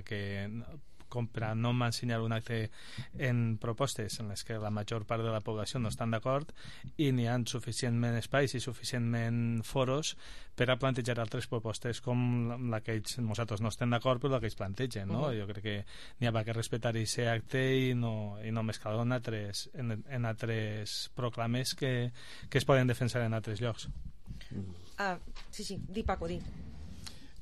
a no m'ensenyar un acte en propostes en les que la major part de la població no estan d'acord i n'hi ha suficientment espais i suficientment foros per a plantejar altres propostes com la que nosaltres no estem d'acord però la que ells plantegen, no? Jo crec que n'hi ha que respectar aquest acte i no mesclar en altres proclames que es poden defensar en altres llocs. Sí, di Paco, di.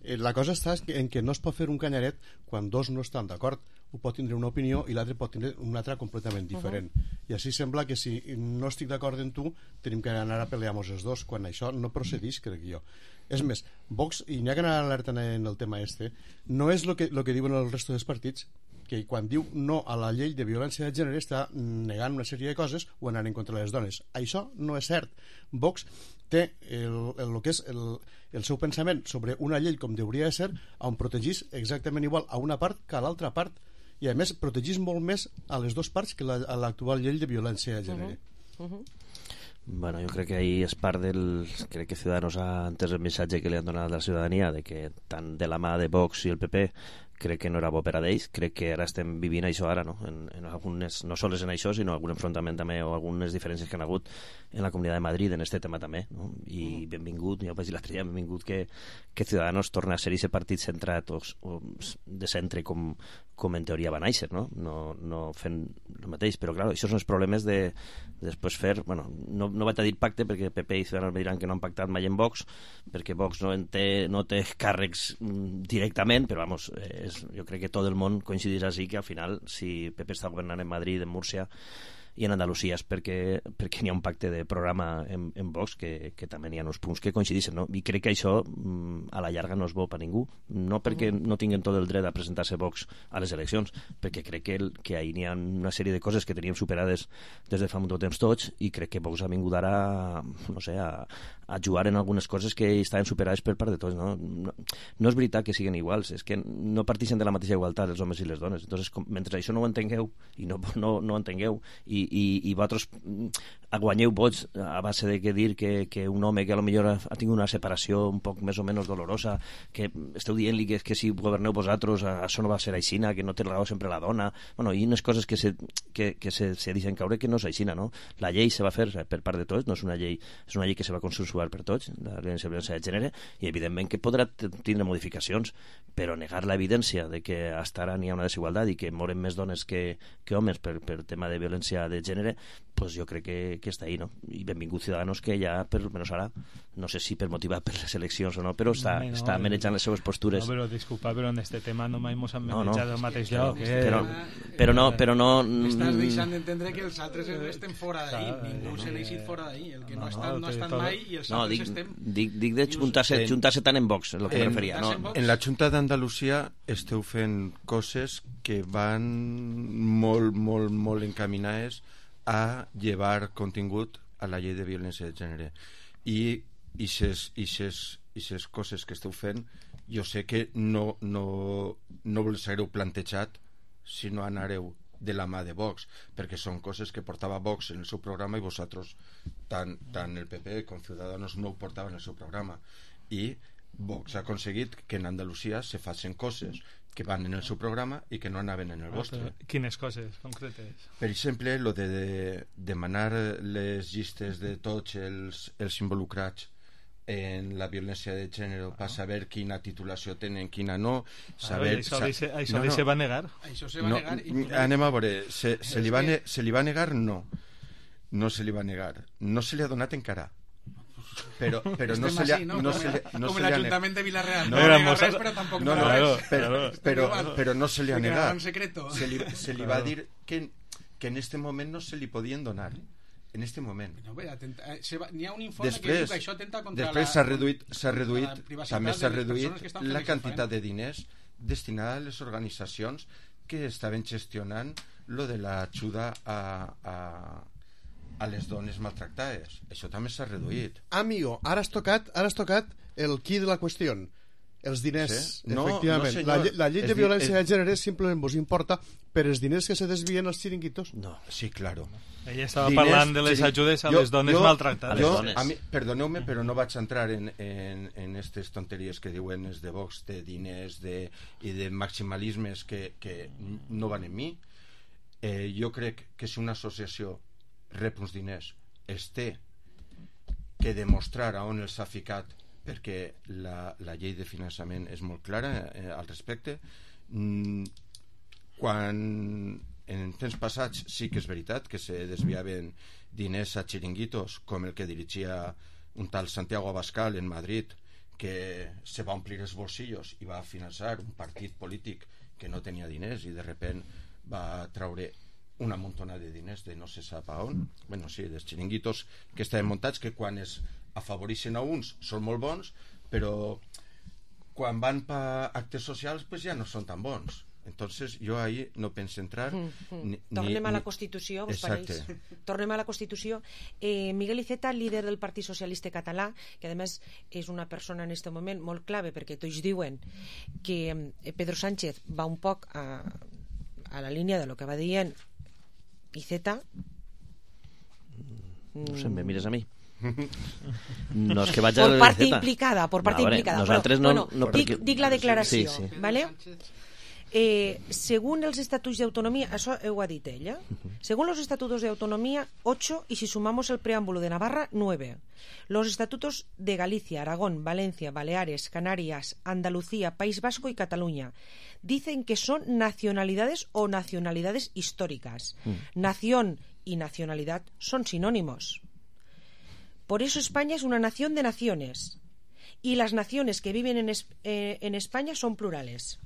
La cosa està en que no es pot fer un canyaret quan dos no estan d'acord. Un pot tindre una opinió i l'altre pot tindre una altra completament diferent. I així sembla que si no estic d'acord en tu tenim que anar a pelear-nos els dos, quan això no procedeix, crec jo. És més, Vox, i n'hi ha que anar alertant en el tema no és el que diuen el resto dels partits, que quan diu no a la llei de violència de gènere està negant una sèrie de coses o anant en contra de les dones. Això no és cert. Vox té el que és el seu pensament sobre una llei com hauria de ser, on protegís exactament igual a una part que a l'altra part, i a més protegís molt més a les dues parts que a l'actual llei de violència de gènere. Bueno, jo crec que ahí és part del... Crec que Ciudadanos ha entès el missatge que li han donat a la ciutadania de que tant de la mà de Vox i el PP crec que no era bo per a d'ells. Crec que ara estem vivint això ara, no? En algunes, no sols en això, sinó algun enfrontament també o algunes diferències que han hagut en la Comunitat de Madrid en este tema també, no? I benvingut, ja ho vaig dir l'altre dia, benvingut que Ciudadanos torna a ser aquest partit centrat o de centre com en teoria va néixer, no? No fent el mateix, però clar, això són els problemes de després fer, bueno, no vaig a dir pacte perquè PP i Ciudadanos me diran que no han pactat mai en Vox, perquè Vox no té càrrecs directament, però vamos, jo crec que tot el món coincideix així que al final si PP està governant en Madrid, en Múrcia i en Andalusia és perquè n'hi ha un pacte de programa en Vox que també n'hi ha uns punts que coincideixen, no? I crec que això a la llarga no és bo per ningú, no perquè no tinguin tot el dret a presentar-se Vox a les eleccions, perquè crec que ahir n'hi ha una sèrie de coses que teníem superades des de fa molt temps tots i crec que Vox ha vingut ara no sé, a jugar en algunes coses que estaven superades per part de tots, no? No és veritat que siguin iguals, és que no partixen de la mateixa igualtat els homes i les dones. Entonces, mentre això no ho entengueu i no ho entengueu i vosaltres guanyeu vots a base de dir que un home que potser ha tingut una separació un poc més o menys dolorosa, que esteu dient-li que si governeu vosaltres això no va ser aixina, que no té raó sempre la dona, bueno, i unes coses que se deixen caure que no és aixina, no? La llei se va fer per part de tots, no és una llei, és una llei que se va consensuar per tots, la violència de gènere, i evidentment que podrà tindre modificacions, però negar l'evidència de que hasta ara n'hi ha una desigualtat i que moren més dones que homes per tema de violència de gènere, pues jo crec que està ahí, no? I benvingut Ciudadanos, que ja, per almenys ara, no sé si per motivar per les eleccions o no, però està manejant les seves postures. No, però disculpa, però en este tema no mai mos han manejat el mateix lloc. Però no... Estàs deixant d'entendre que els altres estem fora d'ahí, ningú se n'ha eixit fora d'ahí, el que no estan mai i els altres estem... Dic de juntar-se tant en Vox, és el que me referia. En la Junta d'Andalusia esteu fent coses que van molt encaminades a llevar contingut a la llei de violència de gènere, i aquestes coses que esteu fent jo sé que no les hagueu plantejat si no anareu de la mà de Vox, perquè són coses que portava Vox en el seu programa i vosaltres, tant el PP com Ciudadanos, no ho portaven en el seu programa, i Vox ha aconseguit que en Andalusia se facin coses que van en el seu programa i que no anaven en el vostre. Quines coses concretes? Per exemple, lo de demanar les llistes de tots els involucrats en la violència de gènere per saber quina titulació tenen, quina no, saber... Això se va negar? Això se va negar i... Anem a veure, se li va negar? No se li va negar. No se li ha donat encara. Però no se li ha negat. Com l'Ajuntament de Vilareal. Però tampoc però no se li ha negat. Se li va dir que en este moment no se li podien donar. En este moment. N'hi ha un informe que diu que això atenta contra després també s'ha reduït la quantitat de diners destinada a les organitzacions que estaven gestionant lo de l'ajuda a les dones maltractades. Això també s'ha reduït. Amigo, ara has tocat el qui de la qüestió. Els diners, sí? Efectivament. No, la llei de violència de gènere simplement vos importa per els diners que se desvien als xiringuitos. No, sí, claro. Ella estava parlant de les ajudes a les dones maltractades. Perdoneu-me, però no vaig entrar en aquestes tonteries que diuen els de Vox, de diners i de maximalismes que no van en mi. Jo crec que si una associació rep uns diners, es té que demostrar on els ha ficat, perquè la llei de finançament és molt clara al respecte. Quan en temps passats sí que és veritat que se desviaven diners a xiringuitos, com el que dirigia un tal Santiago Abascal en Madrid, que se va omplir els bolsillos i va finançar un partit polític que no tenia diners i de repent va traure una muntona de diners de no se sap a on. Bueno, sí, dels xiringuitos que estaven muntats, que quan es afavoreixen a uns són molt bons, però quan van per actes socials pues ja no són tan bons. Entonces jo ahí no penso entrar. Tornem a la Constitució, vos pareix? Tornem a la Constitució. Miguel Iceta, líder del Partit Socialista Català, que a més és una persona en aquest moment molt clave, perquè tots diuen que Pedro Sánchez va un poc a la línia de lo que va dient Iceta. No sé, me mires a mi. No és que vaig por part implicada, nosaltres no, dic la declaració, sí. ¿Vale? Según los estatutos de autonomía, eso ho ha dit ella, según los estatutos de autonomía 8, y si sumamos el preámbulo de Navarra 9, los estatutos de Galicia, Aragón, Valencia, Baleares, Canarias, Andalucía, País Vasco y Cataluña dicen que son nacionalidades o nacionalidades históricas. Nación y nacionalidad son sinónimos. Por eso España es una nación de naciones y las naciones que viven en España son plurales.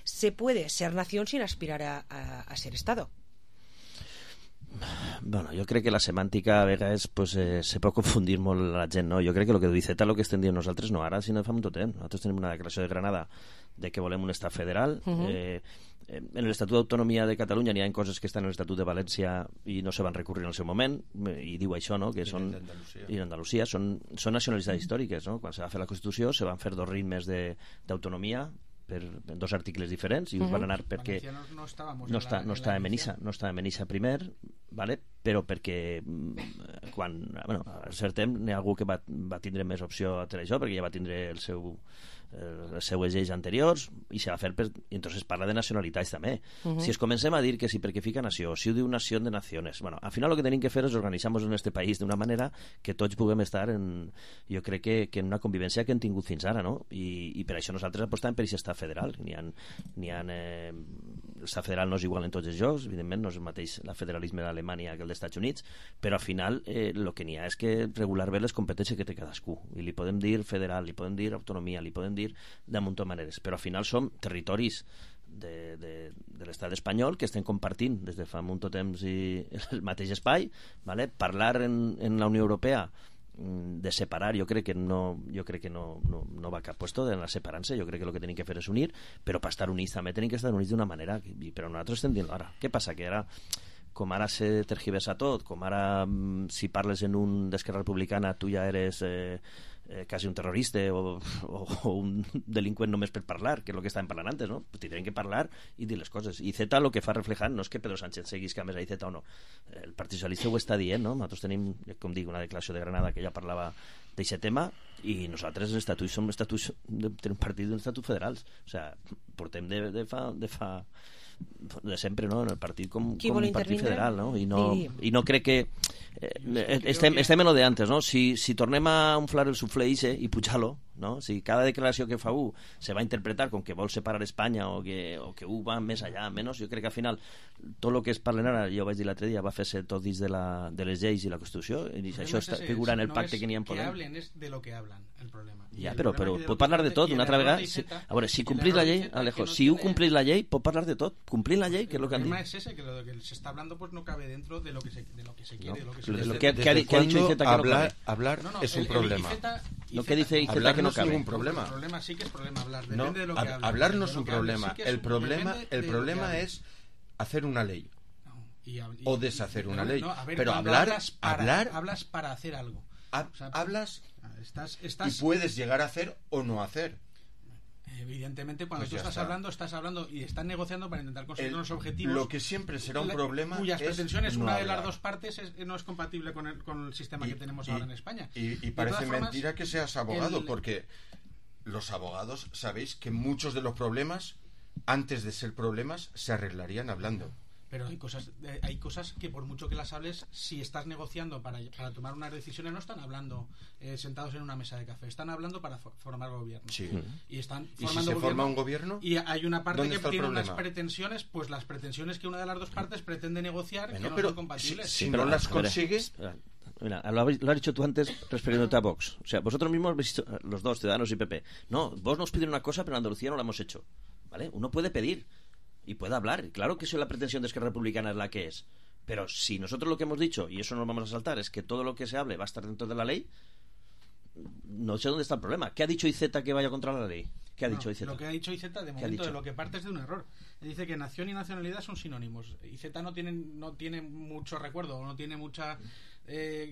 Se puede ser nación sin aspirar a ser Estado. Bueno, jo crec que la semàntica a vegades pues, se pot confundir molt la gent, no? Jo crec que el que diu Iceta, el que estem dient nosaltres no, ara si no fa molt temps. Nosaltres tenim una declaració de Granada de que volem un estat federal. En l'Estatut d'Autonomia de Catalunya n'hi ha coses que estan en l'Estatut de València i no se van recurrir en el seu moment, i diu això, no? Que són, i d'Andalusia són nacionalitats històriques, no? Quan se va fer la Constitució se van fer 2 ritmes d'autonomia per 2 articles diferents i us van anar perquè no estava en Benissa primer, vale? Però perquè quan, bueno, a cert temps n'hi ha algú que va tindre més opció a fer això, perquè ja va tindre les seues lleis anteriors i se va fer i entonces parla de nacionalitats també. Si es comencem a dir que si perquè fica nació, si ho diu nació de naciones, bueno, al final lo que tenim que fer és organitzar-nos en este país d'una manera que tots puguem estar jo crec que en una convivència que hem tingut fins ara, no? I per això nosaltres apostem per aquest estat federal. L'estat federal no és igual en tots els llocs, evidentment no és el mateix el federalisme d'Alemanya que el dels Estats Units, però al final el que n'hi ha és que regular bé les competències que té cadascú, i li podem dir federal, li podem dir autonomia, li podem dir de munt de maneres, però al final som territoris de l'estat espanyol que estem compartint des de fa molt temps i el mateix espai, ¿vale? Parlar en la Unió Europea de separar, jo crec que no va a cap puesto de la separar-se, jo crec que el que tenim que fer és unir, però per estar units també tenim que estar units d'una manera, però nosaltres estem dient ara, què passa? Que ara com ara se tergiversa tot, com ara si parles en un d'Esquerra Republicana tu ja eres quasi un terrorista o un delinqüent només per parlar, que és el que estàvem parlant antes, no? Pues tindrem que parlar i dir les coses. I Z el que fa reflejar no és que Pedro Sánchez seguisca més a Z o no. El Partit Socialista ho està dient, no? Nosaltres tenim, com dic, una declaració de Granada que ja parlava d'aquest tema i nosaltres els estatuts som estatuts d'un partit d'un estatut federals. O sigui, portem de fa de sempre, no? En el partit com un partit federal, no? I no crec que estem en lo de antes, no? Si tornem a inflar el suflé i pujar-lo, no? Si cada declaració que fa se va a interpretar com que vol separar Espanya o que va més allà, menys, jo crec que al final tot el que es parlen ara, jo vaig dir l'altre dia, va fer-se tot dins de les lleis i la Constitució, i això figura en el pacte que n'hi ha en Podem. Que hablen és de lo que hablan, el problema. Ja, però pot parlar de tot, una altra vegada. A veure, si complís la llei, Alejo, si complís la llei, pot parlar de tot. Complint la llei, que és el que han dit. El problema es ese, que lo que se está hablando pues no cabe dentro de lo que se quiere, de lo que se lo que ha dicho IZ que no cabe. Hablar es un problema. Lo que dice IZ que no cabe. No es ningún problema. El problema sí que es problema hablar, depende de lo que habla. Hablar no es un problema. El problema es hacer una ley o deshacer una ley. Pero hablas para hacer algo. Hablas y puedes llegar a hacer o no hacer. Evidentemente, cuando tú estás hablando y estás negociando para intentar conseguir unos objetivos. Lo que siempre será un problema cuyas pretensiones, no una hablar. de las dos partes no es compatible con el sistema que tenemos ahora en España. Y parece mentira que seas abogado, porque los abogados sabéis que muchos de los problemas, antes de ser problemas, se arreglarían hablando. Pero hay cosas que por mucho que las hables, si estás negociando para tomar unas decisiones, no están hablando sentados en una mesa de café, están hablando para formar gobierno. Sí. Y están ¿Y si se forma un gobierno? Y hay una parte que tiene unas pretensiones, pues las pretensiones que una de las dos partes pretende negociar, que no son compatibles. Si no las consigues... Mira, lo has dicho tú antes refiriéndote a Vox. O sea, vosotros mismos habéis dicho, los dos, Ciudadanos y PP. No, vos nos piden una cosa, pero en Andalucía no la hemos hecho. ¿Vale? Uno puede pedir y puede hablar. Claro que la pretensión de Esquerra Republicana es la que es. Pero si nosotros lo que hemos dicho, y eso no lo vamos a saltar, es que todo lo que se hable va a estar dentro de la ley, no sé dónde está el problema. ¿Qué ha dicho IZ que vaya contra la ley? ¿Qué ha dicho IZ? Lo que ha dicho IZ, de momento, de lo que parte es de un error. Dice que nación y nacionalidad son sinónimos. IZ no tiene mucho recuerdo, no tiene mucha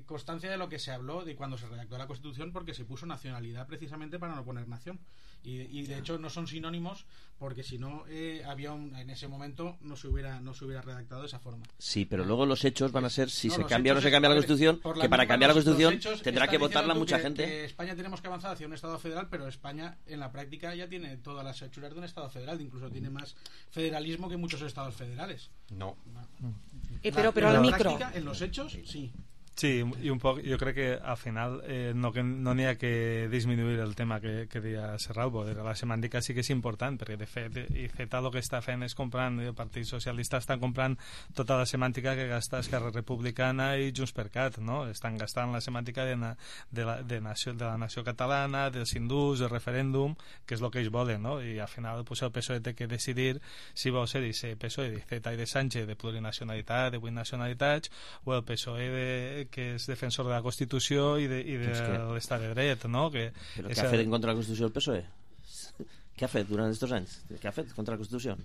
constancia de lo que se habló de cuando se redactó la Constitución, porque se puso nacionalidad precisamente para no poner nación. Y de hecho no son sinónimos, porque si no en ese momento no se hubiera redactado de esa forma. Sí, pero luego los hechos van a ser si se cambia o no se cambia la Constitución, que para cambiar la Constitución tendrá que votarla mucha gente. Que España tenemos que avanzar hacia un Estado federal, pero España en la práctica ya tiene todas las hechuras de un Estado federal, incluso tiene más federalismo que muchos estados federales. No. Pero al micro. Práctica, en los hechos, sí. Sí, i un poc, jo crec que al final no n'hi ha que disminuir el tema que deia Serralbo, de la semàntica sí que és important, perquè de fet IZ el que està fent és comprant, el Partit Socialista està comprant tota la semàntica que gasta Esquerra Republicana i Junts per Cat, no? Estan gastant la semàntica de la nació catalana, dels hindús, del referèndum, que és el que ells volen, no? I al final pues, el PSOE té que decidir si vol ser ese PSOE d'IZ i de Sánchez de plurinacionalitat, de 8 nacionalitats, o el PSOE que és defensor de la Constitució i de l'estat de dret, no? Però què ha fet en contra de la Constitució el PSOE? Què ha fet durant aquests anys? Què ha fet contra la Constitució?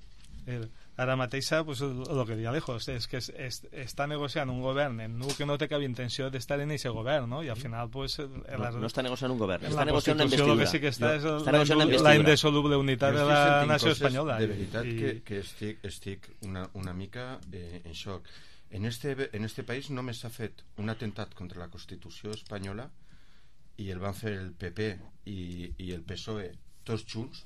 Ara mateixa, pues, el que deia Alejo, és que està negociant un govern en un que no té cap intenció d'estar en aquest govern, no? I al final, pues... No està negociant un govern, està negociant una investidura. El que sí que està és la indissoluble unitat de la nació espanyola. De veritat que estic una mica en xoc. En este país només s'ha fet un atemptat contra la Constitució espanyola i el van fer el PP i el PSOE tots junts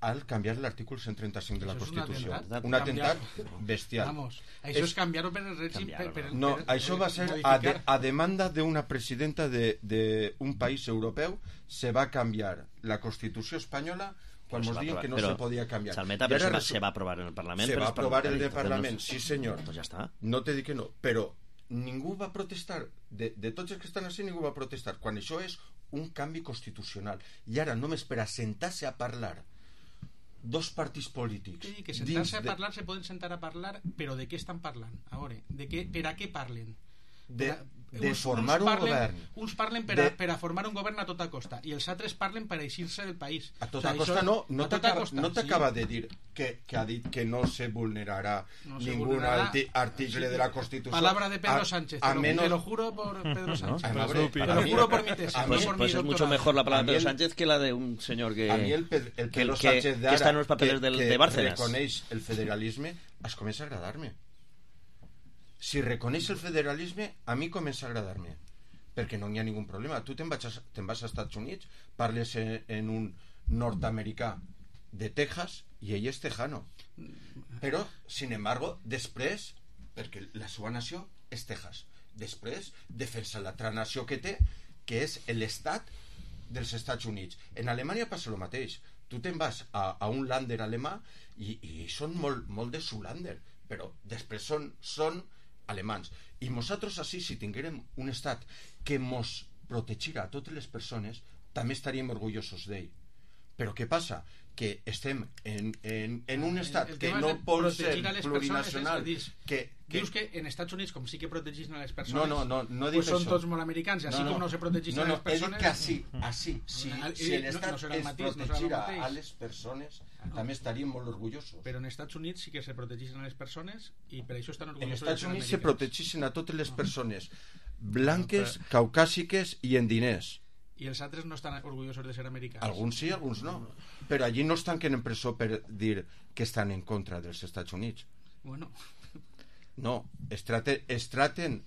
al canviar l'artícul 135 de la Constitució. Un atemptat bestial. Vamos, això és canviar-ho per el règim... No, això va ser a demanda d'una presidenta d'un país europeu, se va canviar la Constitució espanyola quan ens diuen que no se podia canviar. Salmeta, se va aprovar en el Parlament. Se va aprovar en el Parlament, sí senyor. Pues ja està. No te dic que no, però ningú va protestar, de tots els que estan així ningú va protestar, quan això és un canvi constitucional. I ara només per assentar-se a parlar dos partits polítics. Sí, que sentar-se a parlar se poden sentar a parlar, però de què estan parlant? A veure, per a què parlen? De formar un govern. Uns parlen per a formar un govern a tota costa i els altres parlen per a eixir-se del país. A tota costa no t'acaba de dir que ha dit que no se vulnerarà ningún article de la Constitució. Palabra de Pedro Sánchez, te lo juro por Pedro Sánchez. Te lo juro por mi tesis. Pues es mucho mejor la palabra de Pedro Sánchez que la de un señor que está en los papeles de Bárcenas. Que reconeix el federalisme, es comença a agradar-me. Si reconeix el federalisme, a mi comença a agradar-me, perquè no hi ha ningú problema. Tu te'n vas als Estats Units, parles en un nord-americà de Texas i ell és tejano, però sin embargo després, perquè la seva nació és Texas, després defensa l'altra nació que té, que és l'estat dels Estats Units. En Alemanya passa el mateix. Tu te'n vas a un lander alemà i són molt de Zulander, però després són alemans. I nosaltres així, si tinguérem un estat que mos protegirà a totes les persones, també estaríem orgullosos d'ell. Però què passa? Que estem en un estat que no pot ser plurinacional. Dius que en Estats Units, com sí que protegeixen a les persones, no dic són tots molt americans, i així com no se protegeixen a les persones... No, he dit que així, si l'estat es protegirà a les persones, també estaríem molt orgullosos. Però en Estats Units sí que se protegeixen a les persones i per això estan orgullosos. En Estats Units se protegeixen a totes les persones blanques, caucàsiques i en diners. I els altres no estan orgullosos de ser americans. Alguns sí, alguns no. Però allí no es tanquen en presó per dir que estan en contra dels Estats Units. Bueno. No, es traten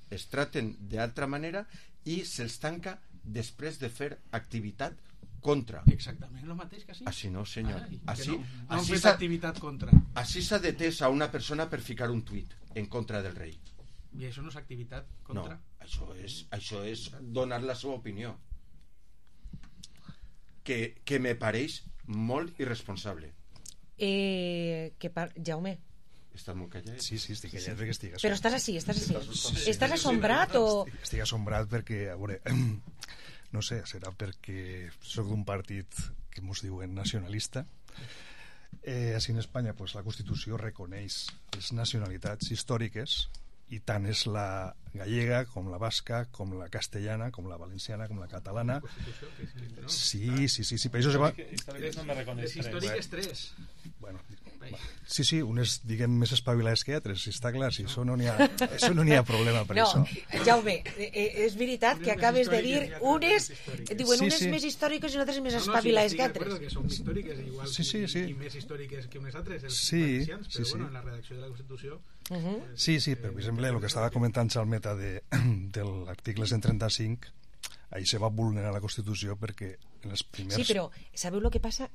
d'altra manera i se'ls tanca després de fer activitat contra. Exactament el mateix que així. Així no, senyor. No han fet activitat contra. Així s'ha detès a una persona per ficar un tuit en contra del rei. I això no és activitat contra? No, això és donar la seva opinió. Que me pareix molt irresponsable. Jaume, estàs molt callat? Sí, estic callat perquè estic assombrat. Però estàs així. Estàs assombrat o...? Estic assombrat perquè, a veure, no sé, serà perquè soc d'un partit que mos diuen nacionalista. Així en Espanya pues, la Constitució reconeix les nacionalitats històriques i tant és la gallega com la basca, com la castellana, com la valenciana, com la catalana. Sí, per això se va... Històriques no me reconeix. Històriques 3. Bueno, sí, unes diguem més espavilades que altres, si està clar, si això no n'hi ha problema per això. No, Jaume, és veritat que acabes de dir unes més històriques i unes més espavilades que altres. Que són històriques igual i més històriques que unes altres, els valencians, però bueno, en la redacció de la Constitució... Sí, per exemple, el que estava comentant Salmeta de l'article 135, ahí se va vulnerar la Constitució perquè en els primers... Sí, però sabeu el que passa?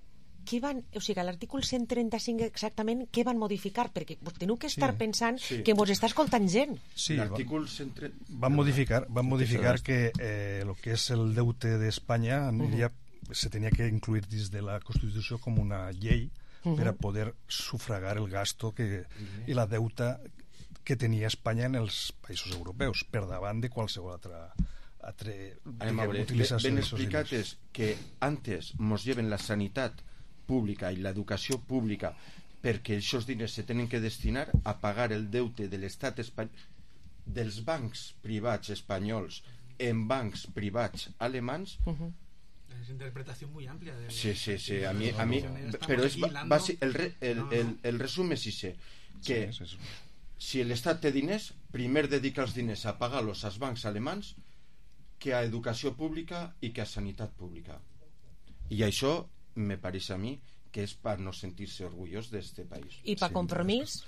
O sigui, a l'article 135 exactament què van modificar? Perquè teniu que estar pensant que mos està escoltant gent. Sí, van modificar que el que és el deute d'Espanya se tenia que incluir dins de la Constitució com una llei per a poder sufragar el gasto i la deuta que tenia Espanya en els països europeus per davant de qualsevol altra utilització. Ben explicat és que antes mos lleven la sanitat pública i l'educació pública perquè aquests diners se tenen que destinar a pagar el deute de l'estat espanyol, dels bancs privats espanyols en bancs privats alemans. Es interpretación muy amplia. Sí, a mí pero es el resumen es ese, que si l'estat té diners, primer dedica els diners a pagar-los als bancs alemans que a educació pública i que a sanitat pública. I això me pareix a mi que és per no sentir-se orgullós d'este país. I per compromís?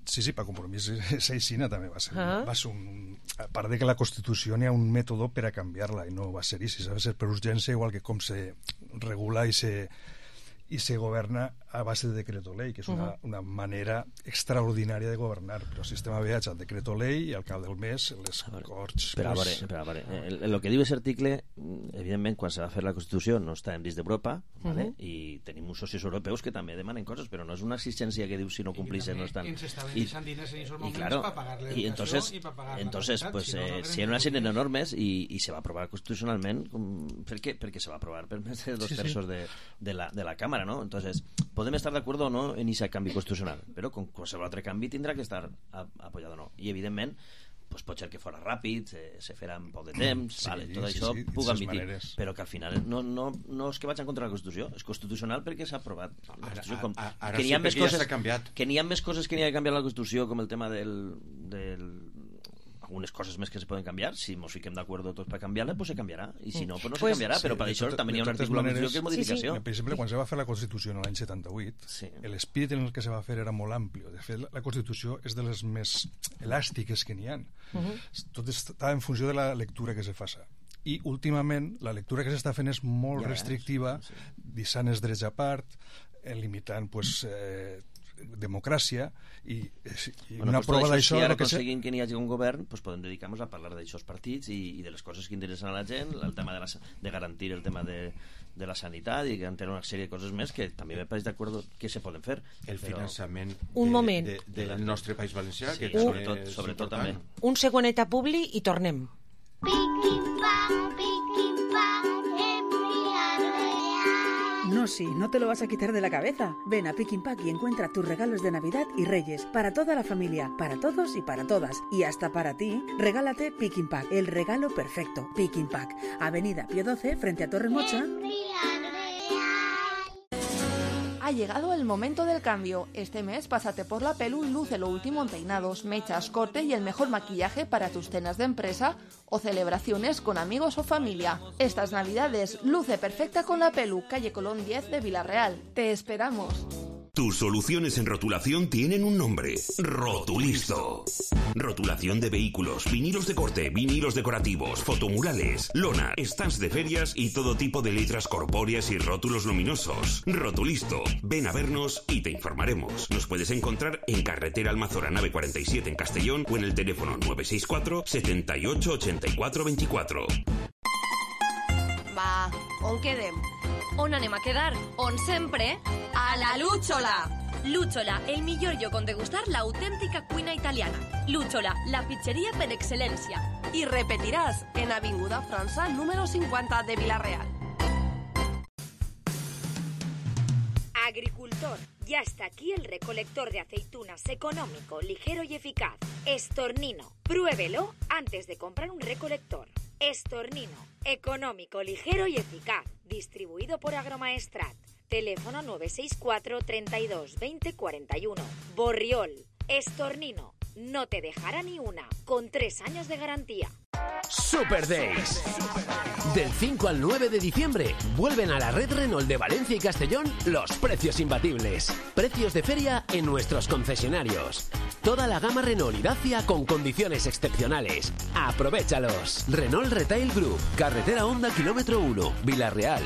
Sí, per compromís Seixina també va ser un... A part de que la Constitució n'hi ha un mètode per a canviar-la i no va ser així, va ser per urgència, igual que com se regula i se governa a base de decreto-ley, que és una manera extraordinària de governar, però el sistema viatge al decreto-ley i al cap del mes les corts... Però a veure, el que diu aquest article, evidentment, quan se va fer la Constitució no estàvem dins d'Europa, i tenim uns socis europeus que també demanen coses, però no és una exigència que diu si no complixen no estan... I claro, y entonces pues si hay una serie de normes y se va a aprobar constitucionalment perquè se va a aprovar per més de 2 terços de la Cámara, ¿no? Entonces podem estar d'acord o no en aquest canvi constitucional, però com qualsevol altre canvi tindrà que estar apoyat o no, i evidentment pues pot ser que fora ràpid, se farà en poc de temps, tot això puc admitir, però que al final no és que vaig en contra de la Constitució, és constitucional perquè s'ha aprovat ara que sí, perquè ja s'ha canviat, que n'hi ha més coses que n'hi ha de canviar la Constitució, com el tema algunes coses més que se poden canviar, si ens fiquem d'acord tots per canviar-la, pues se canviarà, i si no, pues no se canviarà, però per això també hi ha un article de que és modificació. Per exemple, quan se va fer la Constitució en l'any 78, l'espírit en el que se va fer era molt ampli. De fet, la Constitució és de les més elàstiques que n'hi ha. Tot està en funció de la lectura que se faça. I últimament la lectura que s'està fent és molt restrictiva, deixant els drets a part, limitant democràcia i una prova d'això... Si ara aconseguim que n'hi hagi un govern, podem dedicar-nos a parlar d'aixòs partits i de les coses que interessen a la gent, el tema de garantir el tema de la sanitat i que en tenen una sèrie de coses més que també me pareix d'acord que se poden fer. El finançament del nostre País Valencià, que sobretot també. Un segonet a Publi i tornem. No, sí, no te lo vas a quitar de la cabeza. Ven a Pick n Pack y encuentra tus regalos de Navidad y Reyes para toda la familia, para todos y para todas. Y hasta para ti, regálate Pick n Pack, el regalo perfecto. Pick n Pack, Avenida Pío 12, frente a Torre Mocha. Ha llegado el momento del cambio. Este mes pásate por la Pelu y luce lo último en peinados, mechas, corte y el mejor maquillaje para tus cenas de empresa o celebraciones con amigos o familia. Estas Navidades luce perfecta con la Pelu, calle Colón 10 de Villarreal. ¡Te esperamos! Tus soluciones en rotulación tienen un nombre: Rotulisto. Rotulación de vehículos, vinilos de corte, vinilos decorativos, fotomurales, lona, stands de ferias y todo tipo de letras corpóreas y rótulos luminosos. Rotulisto. Ven a vernos y te informaremos. Nos puedes encontrar en Carretera Almazora Nave 47 en Castellón o en el teléfono 964 78 84 24. Va, on quedem? On anem a quedar? On sempre? A la Lúchola! Lúchola, el millor lloc on degustar l'autèntica cuina italiana. Lúchola, la pizzeria per excel·lència. Y repetirás en Avinguda França número 50 de Villarreal. Agricultor, ya está aquí el recolector de aceitunas económico, ligero y eficaz. Estornino, pruébelo antes de comprar un recolector. Estornino, económico, ligero y eficaz. Distribuido por Agromaestrat. Teléfono 964 32 20 41. Borriol, Estornino, no te dejará ni una, con 3 años de garantía. Super Days. Del 5 al 9 de diciembre vuelven a la red Renault de Valencia y Castellón los precios imbatibles. Precios de feria en nuestros concesionarios. Toda la gama Renault y Dacia con condiciones excepcionales. Aprovéchalos. Renault Retail Group, Carretera Honda Kilómetro 1, Villarreal.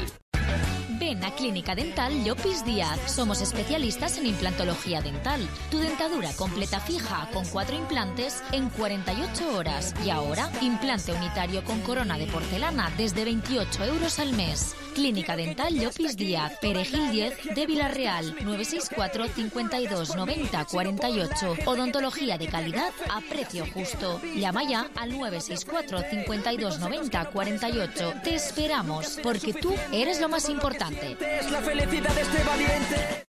Ven a Clínica Dental Llopis Díaz. Somos especialistas en implantología dental. Tu dentadura completa fija con 4 implantes en 48 horas. Y ahora, implante unitario con corona de porcelana desde 28 euros al mes. Clínica Dental Llopis Díaz, Perejil 10 de Villarreal, 964 52 90 48. Odontología de calidad a precio justo. Llama ya al 964 52 90 48. Te esperamos, porque tú eres lo más importante. Es la felicidad de este valiente.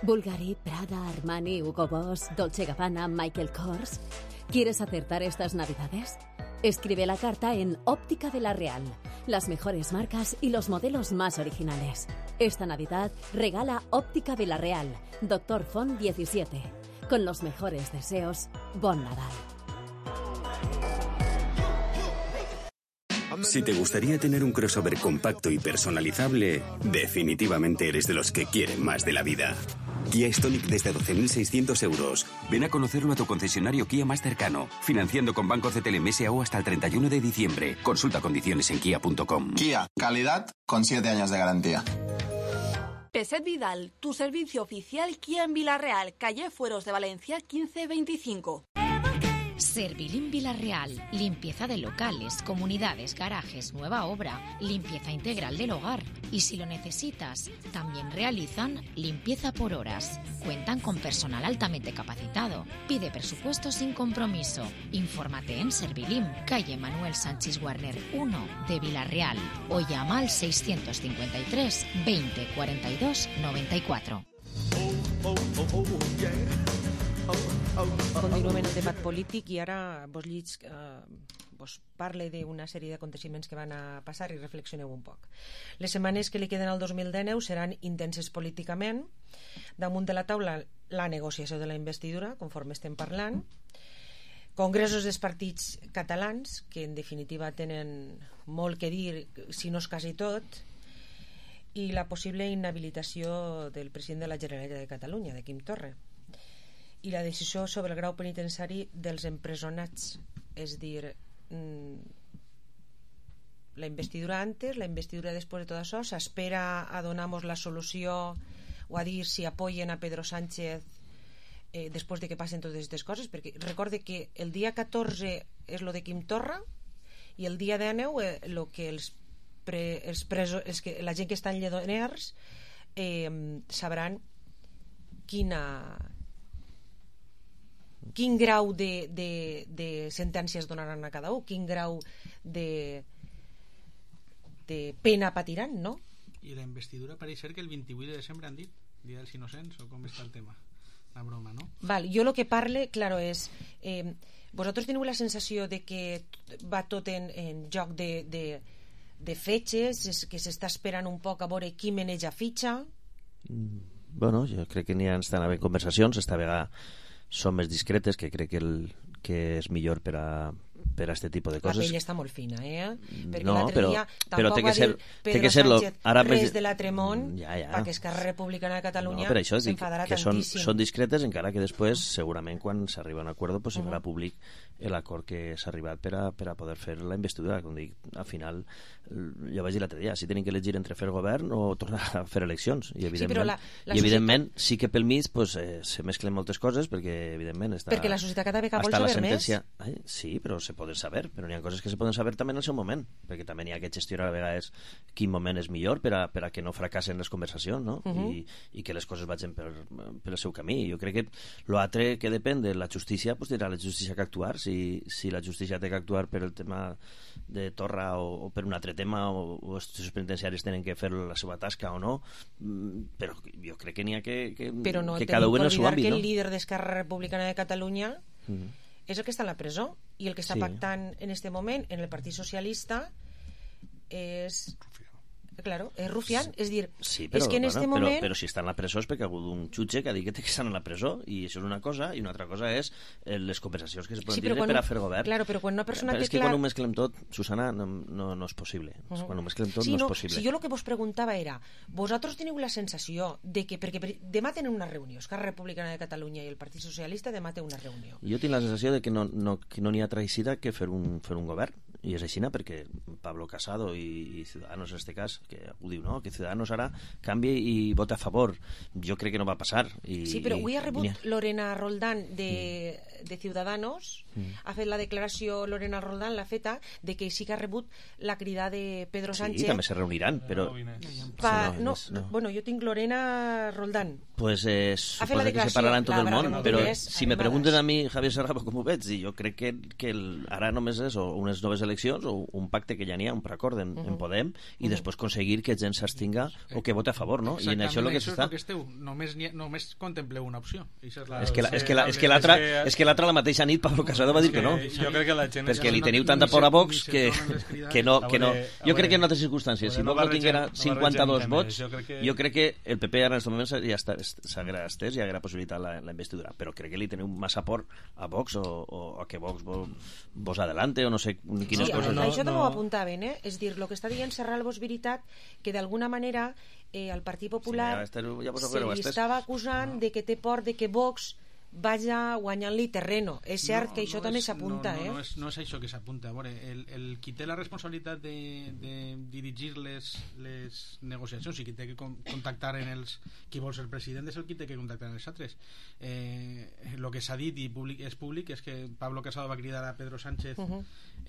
Bulgari, Prada, Armani, Hugo Boss, Dolce Gabbana, Michael Kors. ¿Quieres acertar estas Navidades? Escribe la carta en Óptica de la Real. Las mejores marcas y los modelos más originales. Esta Navidad regala Óptica de la Real, Doctor Font 17. Con los mejores deseos, Bon Nadal. Si te gustaría tener un crossover compacto y personalizable, definitivamente eres de los que quieren más de la vida. Kia Stonic desde 12.600 euros. Ven a conocerlo a tu concesionario Kia más cercano. Financiando con Banco CTLM SAO hasta el 31 de diciembre. Consulta condiciones en kia.com. Kia, calidad con 7 años de garantía. Peset Vidal, tu servicio oficial Kia en Villarreal, calle Fueros de Valencia 1525. Servilim Villarreal, limpieza de locales, comunidades, garajes, nueva obra, limpieza integral del hogar. Y si lo necesitas, también realizan limpieza por horas. Cuentan con personal altamente capacitado. Pide presupuesto sin compromiso. Infórmate en Servilim, calle Manuel Sánchez Warner 1 de Villarreal o llama al 653 20 42 94. Continuem en el debat polític i ara vos parle d'una sèrie d'aconteciments que van a passar i reflexioneu un poc. Les setmanes que li queden al 2019 seran intenses políticament. Damunt de la taula la negociació de la investidura, conforme estem parlant, congressos dels partits catalans, que en definitiva tenen molt que dir, si no és quasi tot, i la possible inhabilitació del president de la Generalitat de Catalunya, de Quim Torra, i la decisió sobre el grau penitenciari dels empresonats, és dir, la investidura antes, la investidura després de tot això, s'espera a donar-nos la solució o a dir si apoyen a Pedro Sánchez després de que passen totes aquestes coses, perquè recorde que el dia 14 és lo de Quim Torra i el dia 19 lo que la gent que està en Lledoners sabran quin grau de sentències donaran a cada un, quin grau de pena patiran, no? I la investidura pareix ser que el 28 de desembre han dit, dia dels innocents, o com està el tema? La broma, no? Val, jo lo que parle, claro, és vosaltres teniu la sensació de que va tot en joc de fetges, que s'està esperant un poc a veure qui maneja fitxa? Bueno, jo crec que n'hi ha estan havent conversacions, esta vegada són més discretes, que crec que és millor per a este tipus de coses. La pell està molt fina, perquè no, l'altre dia tampoc va dir Pedro Sánchez res de la Tremont, perquè Esquerra Republicana de Catalunya s'enfadarà tantíssim. Són discretes, encara que després, segurament, quan s'arriba a un acord, se farà públic l'acord que s'ha arribat per a poder fer la investidura. Com dic, al final, ja vaig dir l'altre dia, si tenim que elegir entre fer govern o tornar a fer eleccions. I evidentment, sí que pel mig se mesclen moltes coses, perquè evidentment està... Perquè la societat cada vegada vol saber més. Sí, però se poden saber, però n'hi ha coses que se poden saber també en el seu moment, perquè també n'hi ha que gestionar a vegades quin moment és millor per a que no fracassen les conversacions, no? I que les coses vagin per el seu camí. Jo crec que l'altre que depèn de la justícia, dirà la justícia que actuar, si la justícia té que actuar per el tema de Torra o per un altre tema, o els penitenciaris tenen que fer la seva tasca o no, però jo crec que n'hi ha que cada un en el seu àmbit, no? Que el líder d'Esquerra Republicana de Catalunya és el que està en la presó, i el que està pactant en este moment en el Partit Socialista és... Claro, és rufián, és dir, és que en este moment... Però si està en la presó és perquè ha hagut un jutge que ha dit que té que estar en la presó, i això és una cosa, i una altra cosa és les conversacions que se poden tindre per a fer govern. Claro, però quan una persona té clar... És que quan ho mesclem tot, Susana, no és possible. Quan ho mesclem tot no és possible. Si jo el que vos preguntava era, vosaltres teniu la sensació de que, perquè demà tenen una reunió, Esquerra Republicana de Catalunya i el Partit Socialista demà té una reunió. Jo tinc la sensació de que no n'hi ha traïcida que fer un govern, i és així, perquè Pablo Casado i Ciudadanos en este cas, que ho diu, no? Que Ciudadanos ara canvia i vota a favor. Jo crec que no va passar. Sí, però avui ha rebut Lorena Roldán de Ciudadanos, ha fet la declaració, Lorena Roldán l'ha feta, de que sí que ha rebut la crida de Pedro Sánchez. Sí, també se reuniran, però... Bueno, jo tinc Lorena Roldán. Pues suposo que se parlaran tot el món, però si me pregunten a mi, Javier Serrano, com ho veig, jo crec que ara només és unes noves eleccions o un pacte que ja n'hi ha, un preacord en Podem, i després aconseguir que gent s'abstinga o que vote a favor, no? I en això el que s'està... Només contempleu una opció. És que l'altra la mateixa nit Pablo Casado va dir que no. Jo crec que la gent... Perquè li teniu tanta por a Vox que no. Jo crec que en altres circumstàncies, si Vox no tinguera 52 vots, jo crec que el PP ara en aquest moment ja s'haguera estès i haguera possibilitat la investidura, però crec que li teniu massa por a Vox o a que Vox vos adelante, o no sé quin això també ho apuntaven, és dir, el que està dient Serralvo és veritat que d'alguna manera el Partit Popular se li estava acusant de que té por de que Vox vaya guanyant-li terreno. És cert que això també s'apunta, no és això que s'apunta. A veure, el qui té la responsabilitat de dirigir les negociacions i qui té que contactar en els qui vol ser president és el qui té que contactar en els altres. El que s'ha dit i és públic és que Pablo Casado va cridar a Pedro Sánchez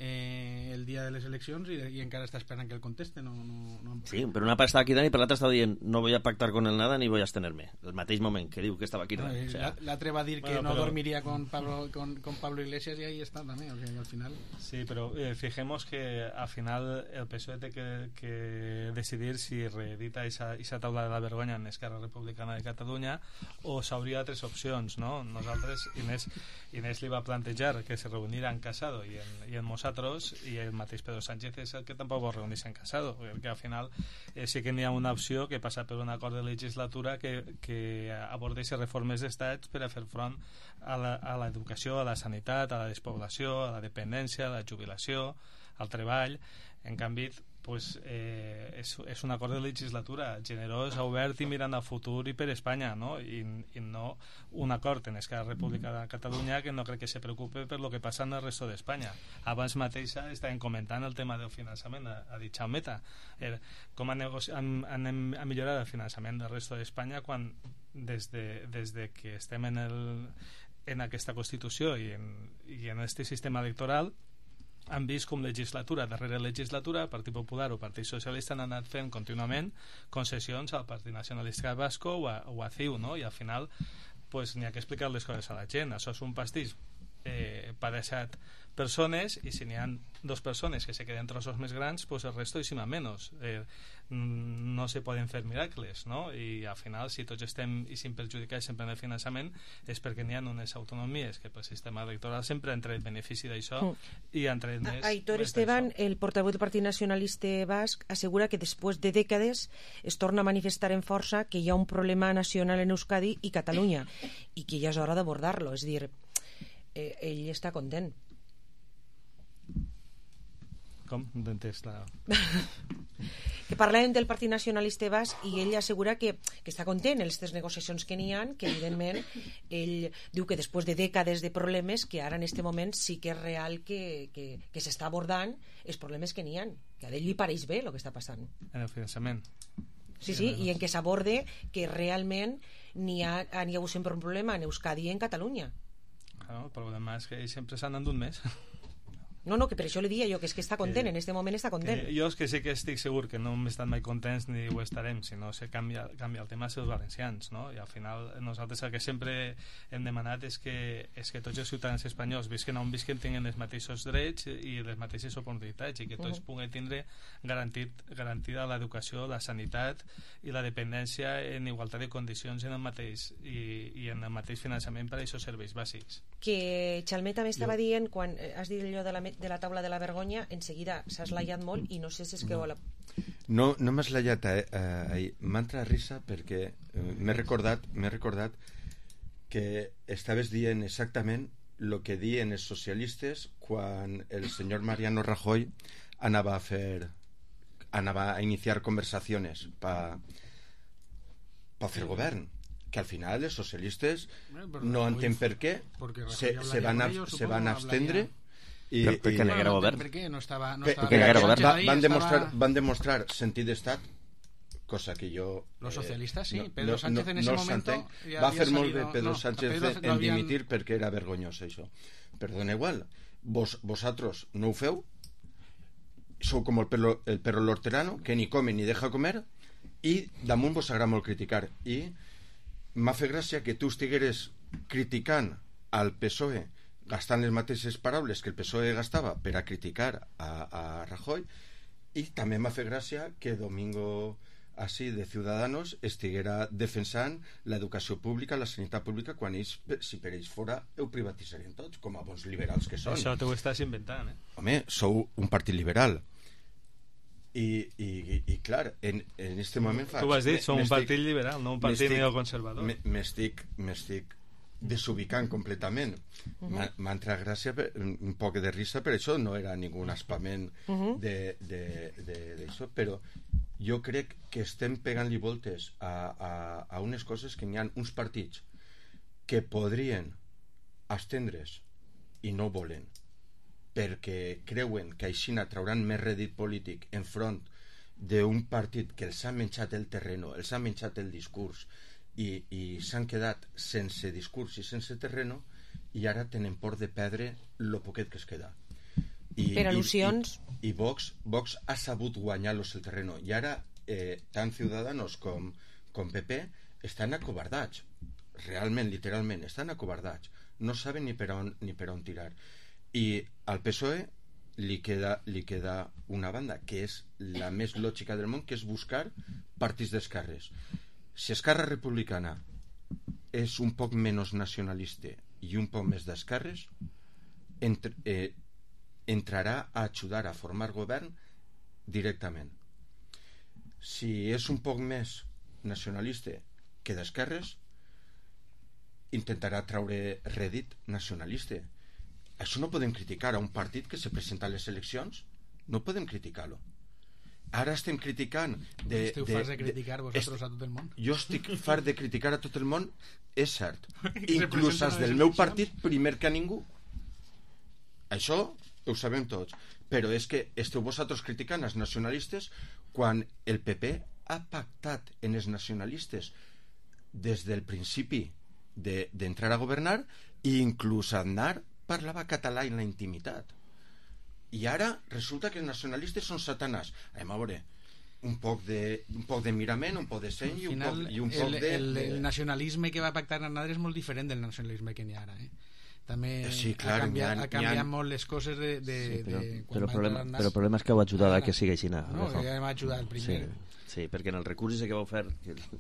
el dia de les eleccions i encara està esperant que el conteste. Sí, però una part estava cridant i per l'altra estava dient no voy a pactar con el nada ni voy a abstenerme. El mateix moment que diu que estava cridant. L'altre va dir que no dormiría con Pablo Iglesias y ahí está también, o sea, al final. Sí, pero fijemos que al final el PSOE té que decidir si reedita esa taula de la vergonya en Esquerra Republicana de Catalunya o s'hauria altres opcions, no? Nosaltres, Inés li va plantejar que se reunirà en Casado i en nosaltres, i el mateix Pedro Sánchez és el que tampoc vol reunir-se en Casado, perquè al final sí que n'hi ha una opció que passa per un acord de legislatura que abordeix reformes d'estats per a fer front a l'educació, a la sanitat, a la despoblació, a la dependència, a la jubilació, al treball. En canvi, pues, és un acord de legislatura generós, obert i mirant al futur i per Espanya, no? I no un acord en Esquerra Republicana de Catalunya que no crec que se preocupe per lo que passa en el resto d'Espanya. Abans mateixa estàvem comentant el tema del finançament, ha dit Chaumeta, com anem a millorar el finançament del resto d'Espanya quan des de que estem en aquesta Constitució i en este sistema electoral han vist com legislatura darrere legislatura el Partit Popular o el Partit Socialista han anat fent contínuament concessions al Partit Nacionalista Vasco o a CiU, no? I al final pues, n'hi ha que explicar les coses a la gent. Això és un pastís per a 7 persones i si n'hi ha 2 persones que se queden trossos més grans, pues el resto és menys. No se poden fer miracles, no? I al final, si tots estem i sin perjudicar sempre en el finançament és perquè n'hi ha unes autonomies que pel sistema electoral sempre han tret benefici d'això i han tret més. Aitor Esteban, el portaveu del Partit Nacionalista Basc, assegura que després de dècades es torna a manifestar en força que hi ha un problema nacional en Euskadi i Catalunya i que ja és hora d'abordar-lo, és a dir, ell està content. Com? No t'entens la... que parlàvem del Partit Nacionalista Basc i ell assegura que està content en les negociacions que n'hi ha, que evidentment ell diu que després de dècades de problemes que ara en aquest moment sí que és real que s'està abordant els problemes que n'hi ha, que a ell li pareix bé el que està passant en el finançament. Sí, i en què s'aborde que realment n'hi ha hagut sempre un problema en Euskadi i en Catalunya. El problema és que ells sempre s'han endut més. No, que per això li dia jo que és que està content, en aquest moment està content. Jo és que sí que estic segur que no hem estat mai contents ni ho estarem, sinó que canvia el tema dels valencians, no? I al final nosaltres el que sempre hem demanat és que tots els ciutadans espanyols visquen on visquen tinguin els mateixos drets i les mateixes oportunitats i que tots puguen tindre garantida l'educació, la sanitat i la dependència en igualtat de condicions en el mateix i en el mateix finançament per a aquests serveis bàsics. Que Chalmé també estava dient, quan has dit allò de la taula de la vergonya, en seguida s'ha eslayat molt i no sé si és que... No m'ha eslayat m'ha entrat risa perquè m'he recordat que estaves dient exactament el que diuen els socialistes quan el senyor Mariano Rajoy anava a iniciar conversaciones para hacer govern, que al final els socialistes no entén per què se van abstendre i perquè no era govern, van demostrar sentit d'estat, cosa que jo los socialistas sí, Pedro Sánchez en ese momento va fer molt bé Pedro Sánchez en dimitir perquè era vergonyós això, però dona igual, vosaltres no ho feu, sou com el perro lorterano que ni come ni deja comer i damunt vos agrada molt criticar i m'ha fet gràcia que tu estigueres criticant al PSOE gastant les mateixes paraules que el PSOE gastava per a criticar a Rajoy i també m'ha fet gràcia que Domingo així de Ciudadanos estiguera defensant l'educació pública, la sanitat pública quan ells, si per ells fora ho privatitzarien tots, com a bons liberals que són. Això t'ho estàs inventant, Home, sou un partit liberal i clar, en este moment tu has dit, som un partit liberal, no un partit neoconservador. M'estic desubicant completament. M'ha entrat gràcia, un poc de risa, per això no era ningú espament d'això, però jo crec que estem pegant-li voltes a unes coses que n'hi ha uns partits que podrien estendre's i no volen, perquè creuen que així trauran més rèdit polític enfront d'un partit que els ha menjat el terreno, els ha menjat el discurs i s'han quedat sense discurs i sense terreno, i ara tenen por de perdre lo poquet que es queda. Per al·lusions... I Vox ha sabut guanyar-los el terreno, i ara tant Ciudadanos com PP estan acobardats, realment, literalment, estan acobardats, no saben ni per on tirar. I al PSOE li queda una banda que és la més lògica del món, que és buscar partits d'esquerres. Si Esquerra Republicana és un poc menys nacionalista i un poc més d'esquerres, entrarà a ajudar a formar govern directament. Si és un poc més nacionalista que d'esquerres, intentarà treure rèdit nacionalista. Això no podem criticar a un partit que se presenta a les eleccions, no podem criticar-lo. Ara estem criticant esteu farts de criticar vosaltres a tot el món? Jo estic fart de criticar a tot el món, és cert, inclús els del meu partit primer que a ningú. Això ho sabem tots, però és que esteu vosaltres criticant els nacionalistes quan el PP ha pactat en els nacionalistes des del principi d'entrar a governar, i inclús Aznar parlava català en la intimitat. I ara resulta que els nacionalistes són satanàs. Anem a veure, un poc de mirament, un poc de seny i un poc de... El nacionalisme que va pactar Aznar és molt diferent del nacionalisme que n'hi ha ara, també clar, ha canviat molt les coses però el problema és que heu ajudat a que sigui així. No, que ja hem ajudat primer. Sí, perquè en el recurs que vau fer,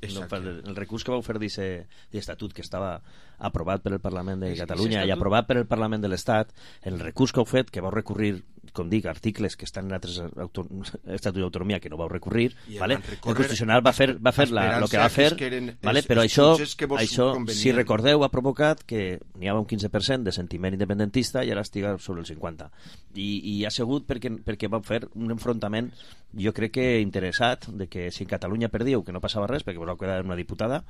el recurs que vau fer d'estatut, que estava aprovat per el Parlament de Catalunya i aprovat per el Parlament de l'Estat, en el recurs que heu fet, que vau recurrir, com dic, articles que estan en altres estatuts d'autonomia que no vau recurrir, el Constitucional va fer el que va fer, però això, si recordeu, ha provocat que n'hi havia un 15% de sentiment independentista i ara estiga sobre el 50%. I ha sigut perquè vau fer un enfrontament, jo crec que interessat, de que si en Catalunya perdíeu, que no passava res, perquè vos vau quedar una diputada,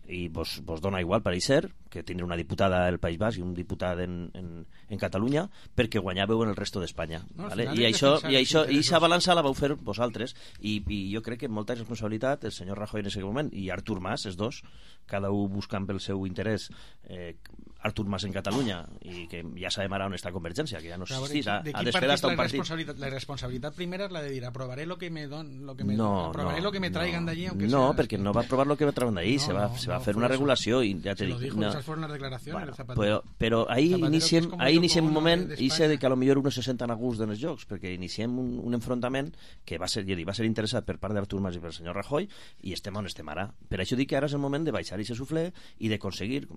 i vos dona igual, pareixer, que tindre una diputada al País Basc i un diputat en Catalunya, perquè guanyàveu en el resto d'Espanya. I aquesta balança la vau fer vosaltres, i jo crec que molta responsabilitat el senyor Rajoy en aquest moment i Artur Mas, els dos, cada un buscant pel seu interès, Artur Mas en Catalunya, i que ja sabem ara on està Convergència, que ja no existís, ha desfet hasta un partit. La responsabilitat primera és la de dir aprovaré lo que me aprovaré lo que me traigan d'allí, no, perquè no va aprovar lo que me traigan d'allí, se va fer una regulació i ja te dic, esas fueron las declaraciones, però ahí iniciem un moment i sé que a lo millor uno se senten a gust en els jocs, perquè iniciem un enfrontament que va ser interessat per part d'Artur Mas i per senyor Rajoy, i estem on estem ara. Per això dic que ara és el moment de baixar i se suflé i de aconseguir,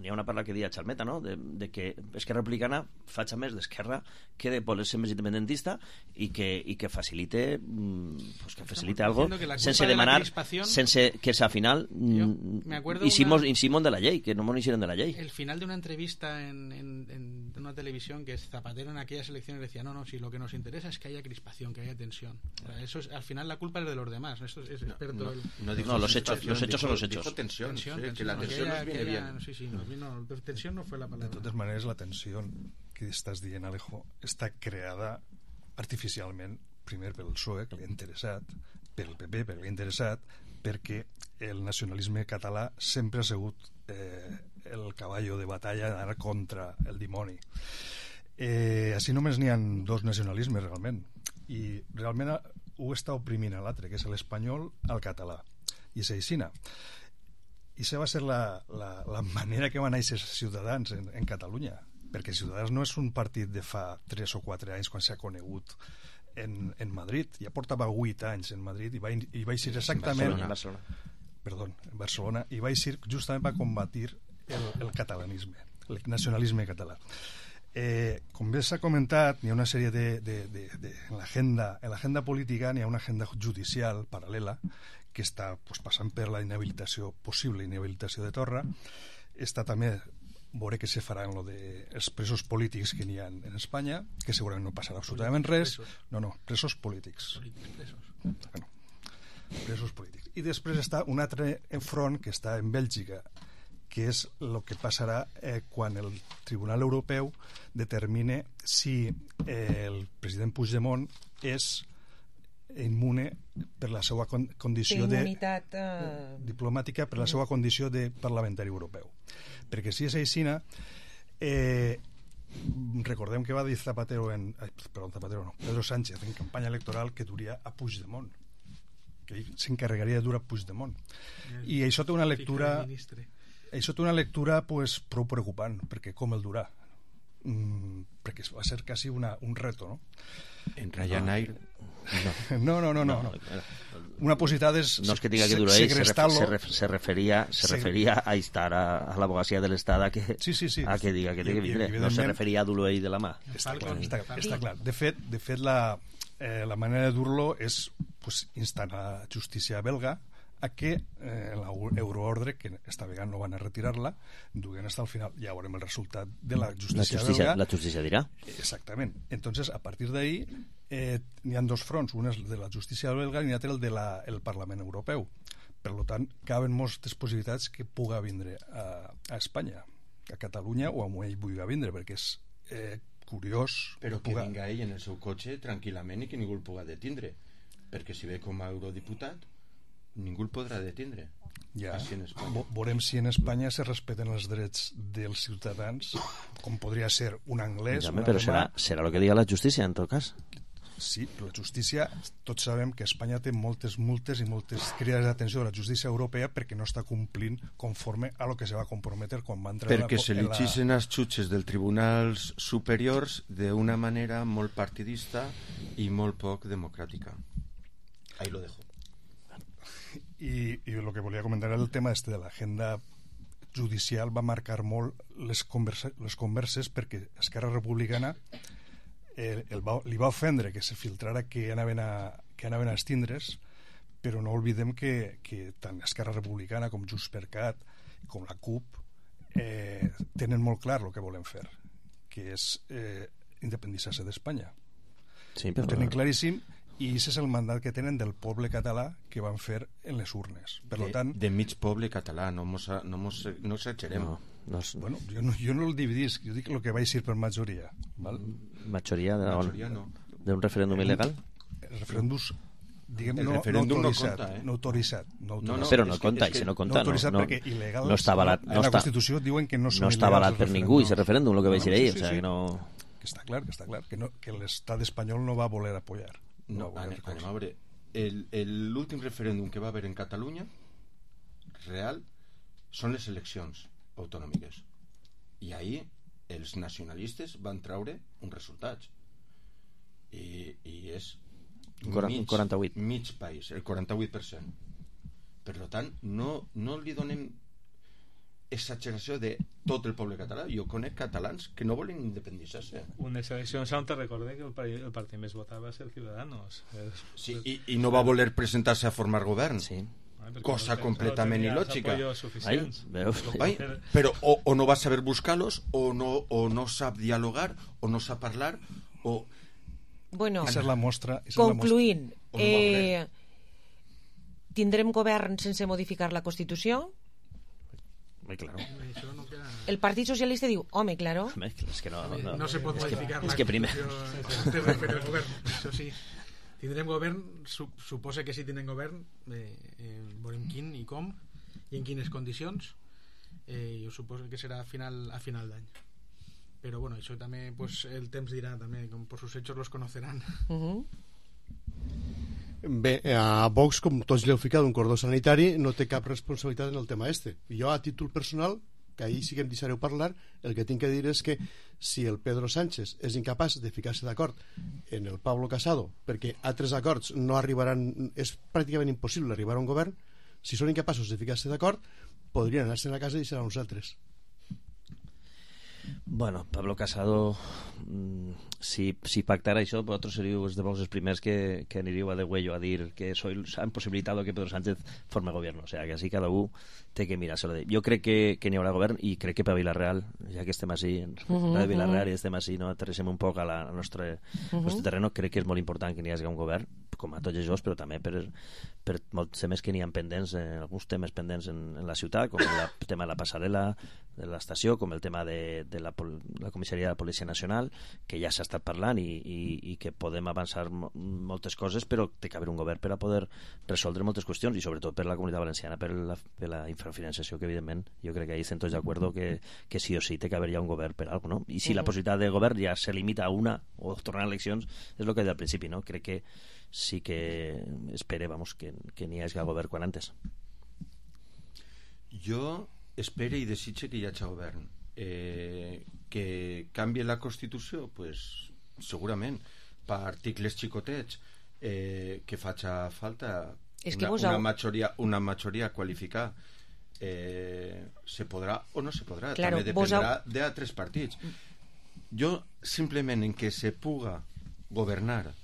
n'hi ha una parla que dia Xalmeta, no? de que Esquerra Republicana faci més d'esquerra que de voler ser més independentista i que facilite algo sense demanar, sense que al final hicimos de la llei, que no nos hicieron de la llei. El final de una entrevista en una televisión, que Zapatero en aquellas elecciones decía, no, si lo que nos interesa es que haya crispación, que haya tensión. Eso es, al final la culpa es de los demás. Esto es experto. No, los hechos son los hechos. Dijo tensión, que la tensión nos viene bien. Sí, tensión no fue la palabra. De totes maneres, la tensió que estàs dient, Alejo, està creada artificialment, primer pel PSOE, que li ha interessat, pel PP, que li ha interessat, perquè el nacionalisme català sempre ha sigut el caballo de batalla d'anar contra el dimoni. Així només n'hi ha dos nacionalismes, realment, i realment ho està oprimint a l'altre, que és l'espanyol al català, i és aixina. I això va ser la manera que van néixer Ciutadans en Catalunya, perquè Ciutadans no és un partit de fa 3 o 4 anys quan s'ha conegut en Madrid, ja portava 8 anys en Madrid i va eixir exactament en Barcelona, i va eixir justament per combatir el catalanisme, el nacionalisme català. Com bé s'ha comentat, n'hi ha una sèrie en l'agenda política n'hi ha una agenda judicial paral·lela que està passant per la possible inhabilitació de Torra, està també veure què se farà en lo de els presos polítics que n'hi ha en Espanya, que segurament no passarà absolutament res. No, presos polítics. Bueno, presos polítics. I després està un altre front que està en Bèlgica, que és el que passarà quan el Tribunal Europeu determine si el president Puigdemont és immune per la seva condició diplomàtica, per la seva condició de parlamentari europeu. Perquè si és aixina, recordem que va dir Pedro Sánchez en campanya electoral que duria a Puigdemont, que ell s'encarregaria de dur a Puigdemont. I això té una lectura pues, prou preocupant, perquè com el durà? Perquè va ser quasi un reto, no? En Ryanair no. Una posibilidad es no es que diga que duró ahí, se refería a estar a la abogacía del Estado a que diga que vindré, no se referia a dur-lo ahí de la mà. Està clar. De fet la manera de dur-lo és pues, instant a la justícia belga a que l'euroordre, que esta vegada no van a retirar-la, duguen hasta el final. Ja veurem el resultat de la justícia belga. La justícia dirà. Exactament. Entonces, a partir d'ahí, n'hi ha dos fronts. Un és el de la justícia belga i l'altre el del Parlament Europeu. Per tant, caben moltes possibilitats que puga vindre a Espanya, a Catalunya o on ell vulgui vindre, perquè és curiós... Però que vinga ell en el seu cotxe tranquil·lament i que ningú el puga detindre. Perquè si ve com a eurodiputat ningú el podrà detindre. Ja, veurem si en Espanya se respeten els drets dels ciutadans, com podria ser un anglès, un però serà el que diga la justícia, en tot cas. Sí, però la justícia, tots sabem que Espanya té moltes multes i moltes crides d'atenció de la justícia europea perquè no està complint conforme a lo que se va comprometer quan va entrar perquè se li xixen els xutxes dels tribunals superiors d'una manera molt partidista i molt poc democràtica. Ahí lo dejo. I el que volia comentar era el tema de l'agenda judicial. Va marcar molt les converses perquè Esquerra Republicana li va ofendre que se filtrara que anaven a estindre's, però no oblidem que tant Esquerra Republicana com Junts per Cat com la CUP tenen molt clar el que volen fer, que és independitzar-se d'Espanya. Ho tenen claríssim. I aquest és el mandat que tenen del poble català que van fer en les urnes. Per tant, de mig poble català, no exagerem. Bueno, jo no el dividisc, jo dic el que vaig dir per majoria. Majoria no. d'un referèndum il·legal? El referèndum, diguem, no autoritzat. Però no compta, i si no compta, no està avalat. En la Constitució diuen que no són il·legals. No està avalat per ningú, i ese referèndum, el que vaig dir ahir. Que està clar, que l'estat espanyol no va voler apoyar. Anem a veure, l'últim referèndum que va haver en Catalunya real són les eleccions autonòmiques, i ahir els nacionalistes van treure uns resultats i és 48. Mig país, el 48%. Per tant, no li donem exageració de tot el poble català. Jo conec catalans que no volen independitzar-se. Unes eleccions on te recordé que el partit més votat va ser Ciudadanos. Sí, i no va voler presentar-se a formar govern. Sí. Cosa completament il·lògica. Però o no va saber buscar-los, o no sap dialogar, o no sap parlar, o... Bueno, concluint, tindrem govern sense modificar la Constitució? Claro. El Partit Socialista diu, home, claro. Es que no se pot modificar la Constitució. Això sí. Tindrem govern, suposa que sí tindrem govern, veurem quin i com i en quines condicions. Jo suposo que serà a final d'any. Però bueno, això també pues, el temps dirà també, com por sus hechos los conocerán. Bé, a Vox, com tots li heu ficat un cordó sanitari, no té cap responsabilitat en el tema este. Jo, a títol personal, que ahir sí que em deixareu parlar, el que tinc que dir és que si el Pedro Sánchez és incapaç de ficar-se d'acord en el Pablo Casado, perquè altres acords no arribaran, és pràcticament impossible arribar a un govern, si són incapaços de ficar-se d'acord, podrien anar-se'n a casa i deixar a uns altres. Bueno, Pablo Casado si pactara això, vosaltres seríeu els primers que aniríeu a de huello a dir que han possibilitat que Pedro Sánchez forme gobierno. O sea, que així cada un té que mirar-se-lo. Jo crec que n'hi haurà govern i crec que per Vila-real, ja que estem així, de Vila-real i estem així, no aterrissem un poc al nostre terreno, crec que és molt important que n'hi hagi un govern, com a tots els, però també per molts temes que n'hi ha pendents, alguns temes pendents en la ciutat, com el tema de la passarel·la, de l'estació, com el tema de la comissaria de la Policia Nacional, que ja s'ha estat parlant i que podem avançar moltes coses, però té que haver un govern per a poder resoldre moltes qüestions, i sobretot per la Comunitat Valenciana, per la infrafinanciació, que evidentment jo crec que ahí estem tots d'acord que sí o sí té que haver ja un govern per alguna cosa, no? I si la possibilitat de govern ja se limita a una o tornar a eleccions, és el que he dit al principi, no? Crec que sí que espere, vamos, que n'hi hagi govern quan antes. Jo espere i desitge que hi hagi govern. Que canvi la Constitució, pues, segurament, per articles xicotets, que faci falta una majoria qualificada. Se podrà o no se podrà, claro, també dependrà d'altres partits. Jo simplement en que se puga governar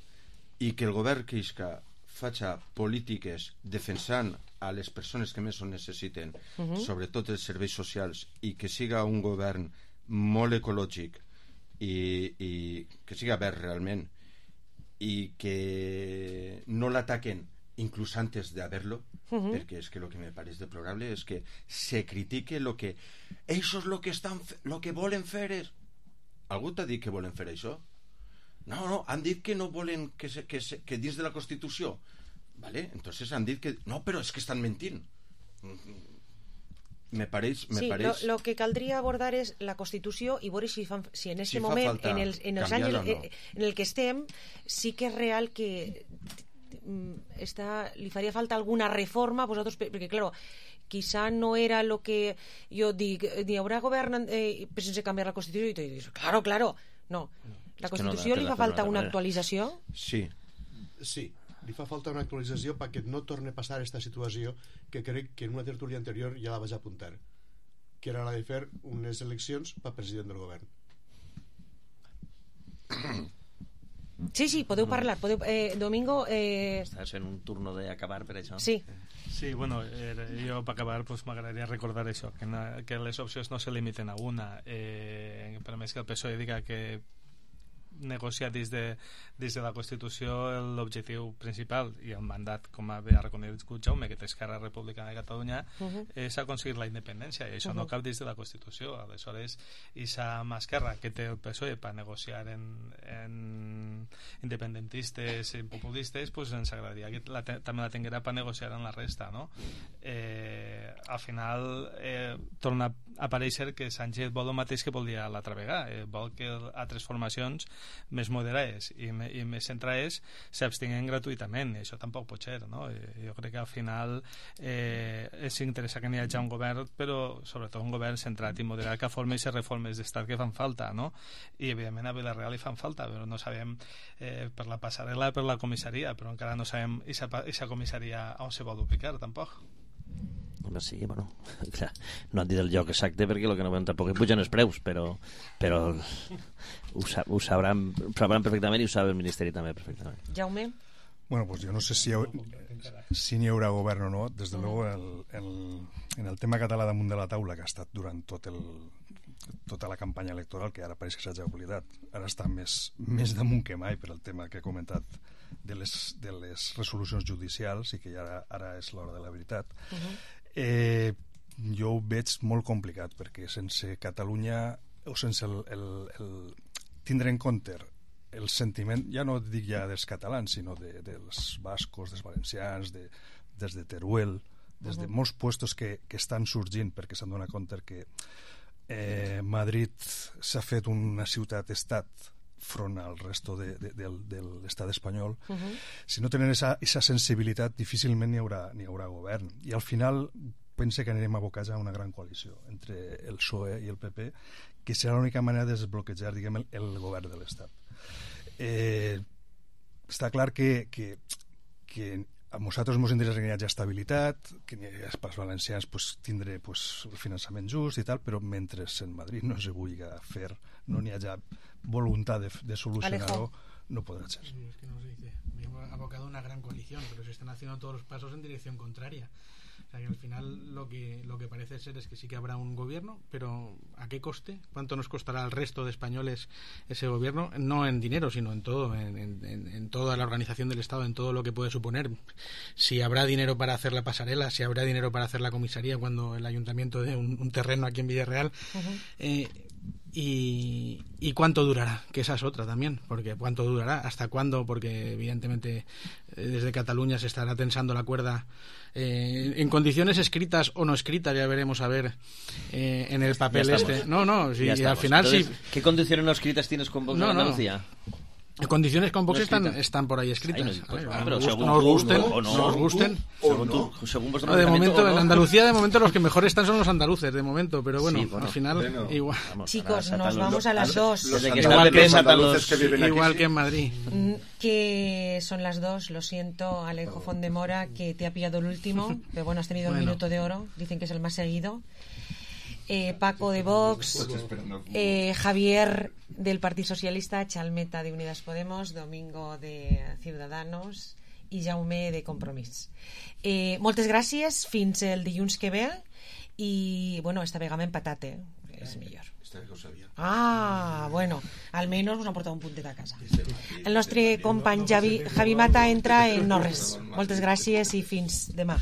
i que el govern que isca faci polítiques defensant a les persones que més ho necessiten, sobretot els serveis socials, i que siga un govern molt ecològic i que siga verd realment, i que no l'ataquen inclús antes de haberlo, perquè és que lo que me parece deplorable és que se critique lo que ells lo que volen fer és... Algú t'ha dit que volen fer això? No, han dit que no volen que dins de la Constitució, vale? Entonces han dit que no, però és que estan mentint. Me pareix... Lo que caldria abordar és la Constitució i veure si en aquest moment, en els anys en el que estem, sí que és real que li faria falta alguna reforma a vosaltres, perquè, claro, quizá no era lo que jo dic, hi haurà govern sense canviar la Constitució, i tu dius, claro, no. La Constitució li fa falta una actualització? Sí, li fa falta una actualització perquè no torni a passar aquesta situació que crec que en una tertúlia anterior ja la vaig apuntar, que era la de fer unes eleccions per president del govern. Sí, podeu parlar. Domingo... Estàs fent un turno d'acabar per això. Sí, bueno, jo per acabar m'agradaria recordar això, que les opcions no se limiten a una. Per més que el PSOE diga que negociar des de la Constitució l'objectiu principal i el mandat, com ha reconegut Jaume, que té Esquerra Republicana de Catalunya, és aconseguir la independència, i això no cap des de la Constitució. Aleshores, aquesta mà esquerra que té el PSOE per negociar en independentistes i populistes, pues ens agradaria que també la tinguera per negociar en la resta, no? Al final torna a aparèixer que Sánchez vol el mateix que volia l'altra vegada, vol que altres formacions més moderades i més centrades s'abstinguen gratuïtament, i això tampoc pot ser, no? Jo crec que al final és interessant que n'hi hagi un govern, però sobretot un govern centrat i moderat que formi aquestes reformes d'estat que fan falta, no? I evidentment a Vila-real hi fan falta, però no sabem per la passarel·la, per la comissaria, però encara no sabem aquesta comissaria on se vol ubicar tampoc. Sí, bueno, clar, no han dit el lloc exacte perquè el que no veuen tampoc és pugen els preus, però ho sabran perfectament, i ho sap el Ministeri també perfectament. Jaume? Bueno, pues yo no sé si n'hi haurà govern o no. Des de luego en el tema català damunt de la taula, que ha estat durant tota la campanya electoral, que ara pareix que s'ha oblidat, ara està més damunt que mai per el tema que he comentat de les resolucions judicials, i que ara és l'hora de la veritat. Jo ho veig molt complicat, perquè sense Catalunya, o sense tindre en compte el sentiment, ja no dic ja dels catalans, sinó dels bascos, dels valencians, des de Teruel, des de molts puestos que estan sorgint, perquè s'han donat compte que Madrid s'ha fet una ciutat-estat front al resto de l'estat espanyol. Si no tenen esa sensibilitat, difícilment n'hi haurà govern, i al final pense que anirem abocats a una gran coalició entre el PSOE i el PP, que serà l'única manera de desbloquejar, diguem, el govern de l'estat. Està clar que a nosaltres ens interessa que hi hagi estabilitat, que pels valencians pues, tindre pues, el finançament just i tal, però mentre en Madrid no se vulgui fer, no n'hi hagi voluntat de solucionar-ho, no podrà ser. Es que no se dice, hemos abocado una gran coalición, pero se están haciendo todos los pasos en dirección contraria. O sea que al final lo que parece ser es que sí que habrá un gobierno, pero ¿a qué coste? ¿Cuánto nos costará al resto de españoles ese gobierno? No en dinero, sino en todo, en toda la organización del Estado, en todo lo que puede suponer. Si habrá dinero para hacer la pasarela, si habrá dinero para hacer la comisaría cuando el ayuntamiento dé un terreno aquí en Villarreal. Y cuánto durará, que esa es otra también, porque cuánto durará, hasta cuándo, porque evidentemente desde Cataluña se estará tensando la cuerda en condiciones escritas o no escritas, ya veremos a ver en el papel este. No, si al final entonces, sí. ¿Qué condiciones no escritas tienes con Vox en Andalucía? Condiciones con Vox están por ahí escritas. Pero según nos tú, gusten, o no, nos gusten. Según vuestro De reglamento, momento, o no. en Andalucía, de momento los que mejor están son los andaluces, de momento, pero bueno, al final igual. Chicos, nos vamos a las 2. Igual que en Madrid. Que son las 2, lo siento, Alejo Fondemora, que te ha pillado el último, pero bueno, has tenido el minuto de oro, dicen que es el más seguido. Paco de Vox, Javier del Partido Socialista, Chalmeta de Unidas Podemos, Domingo de Ciudadanos i Jaume de Compromís. Moltes gràcies, fins el dilluns que ve i, bueno, esta vegada empatat, és millor. Bueno, almenys us han portat un puntet a casa. El nostre company Javi Mata entra en no res. Moltes gràcies i fins demà.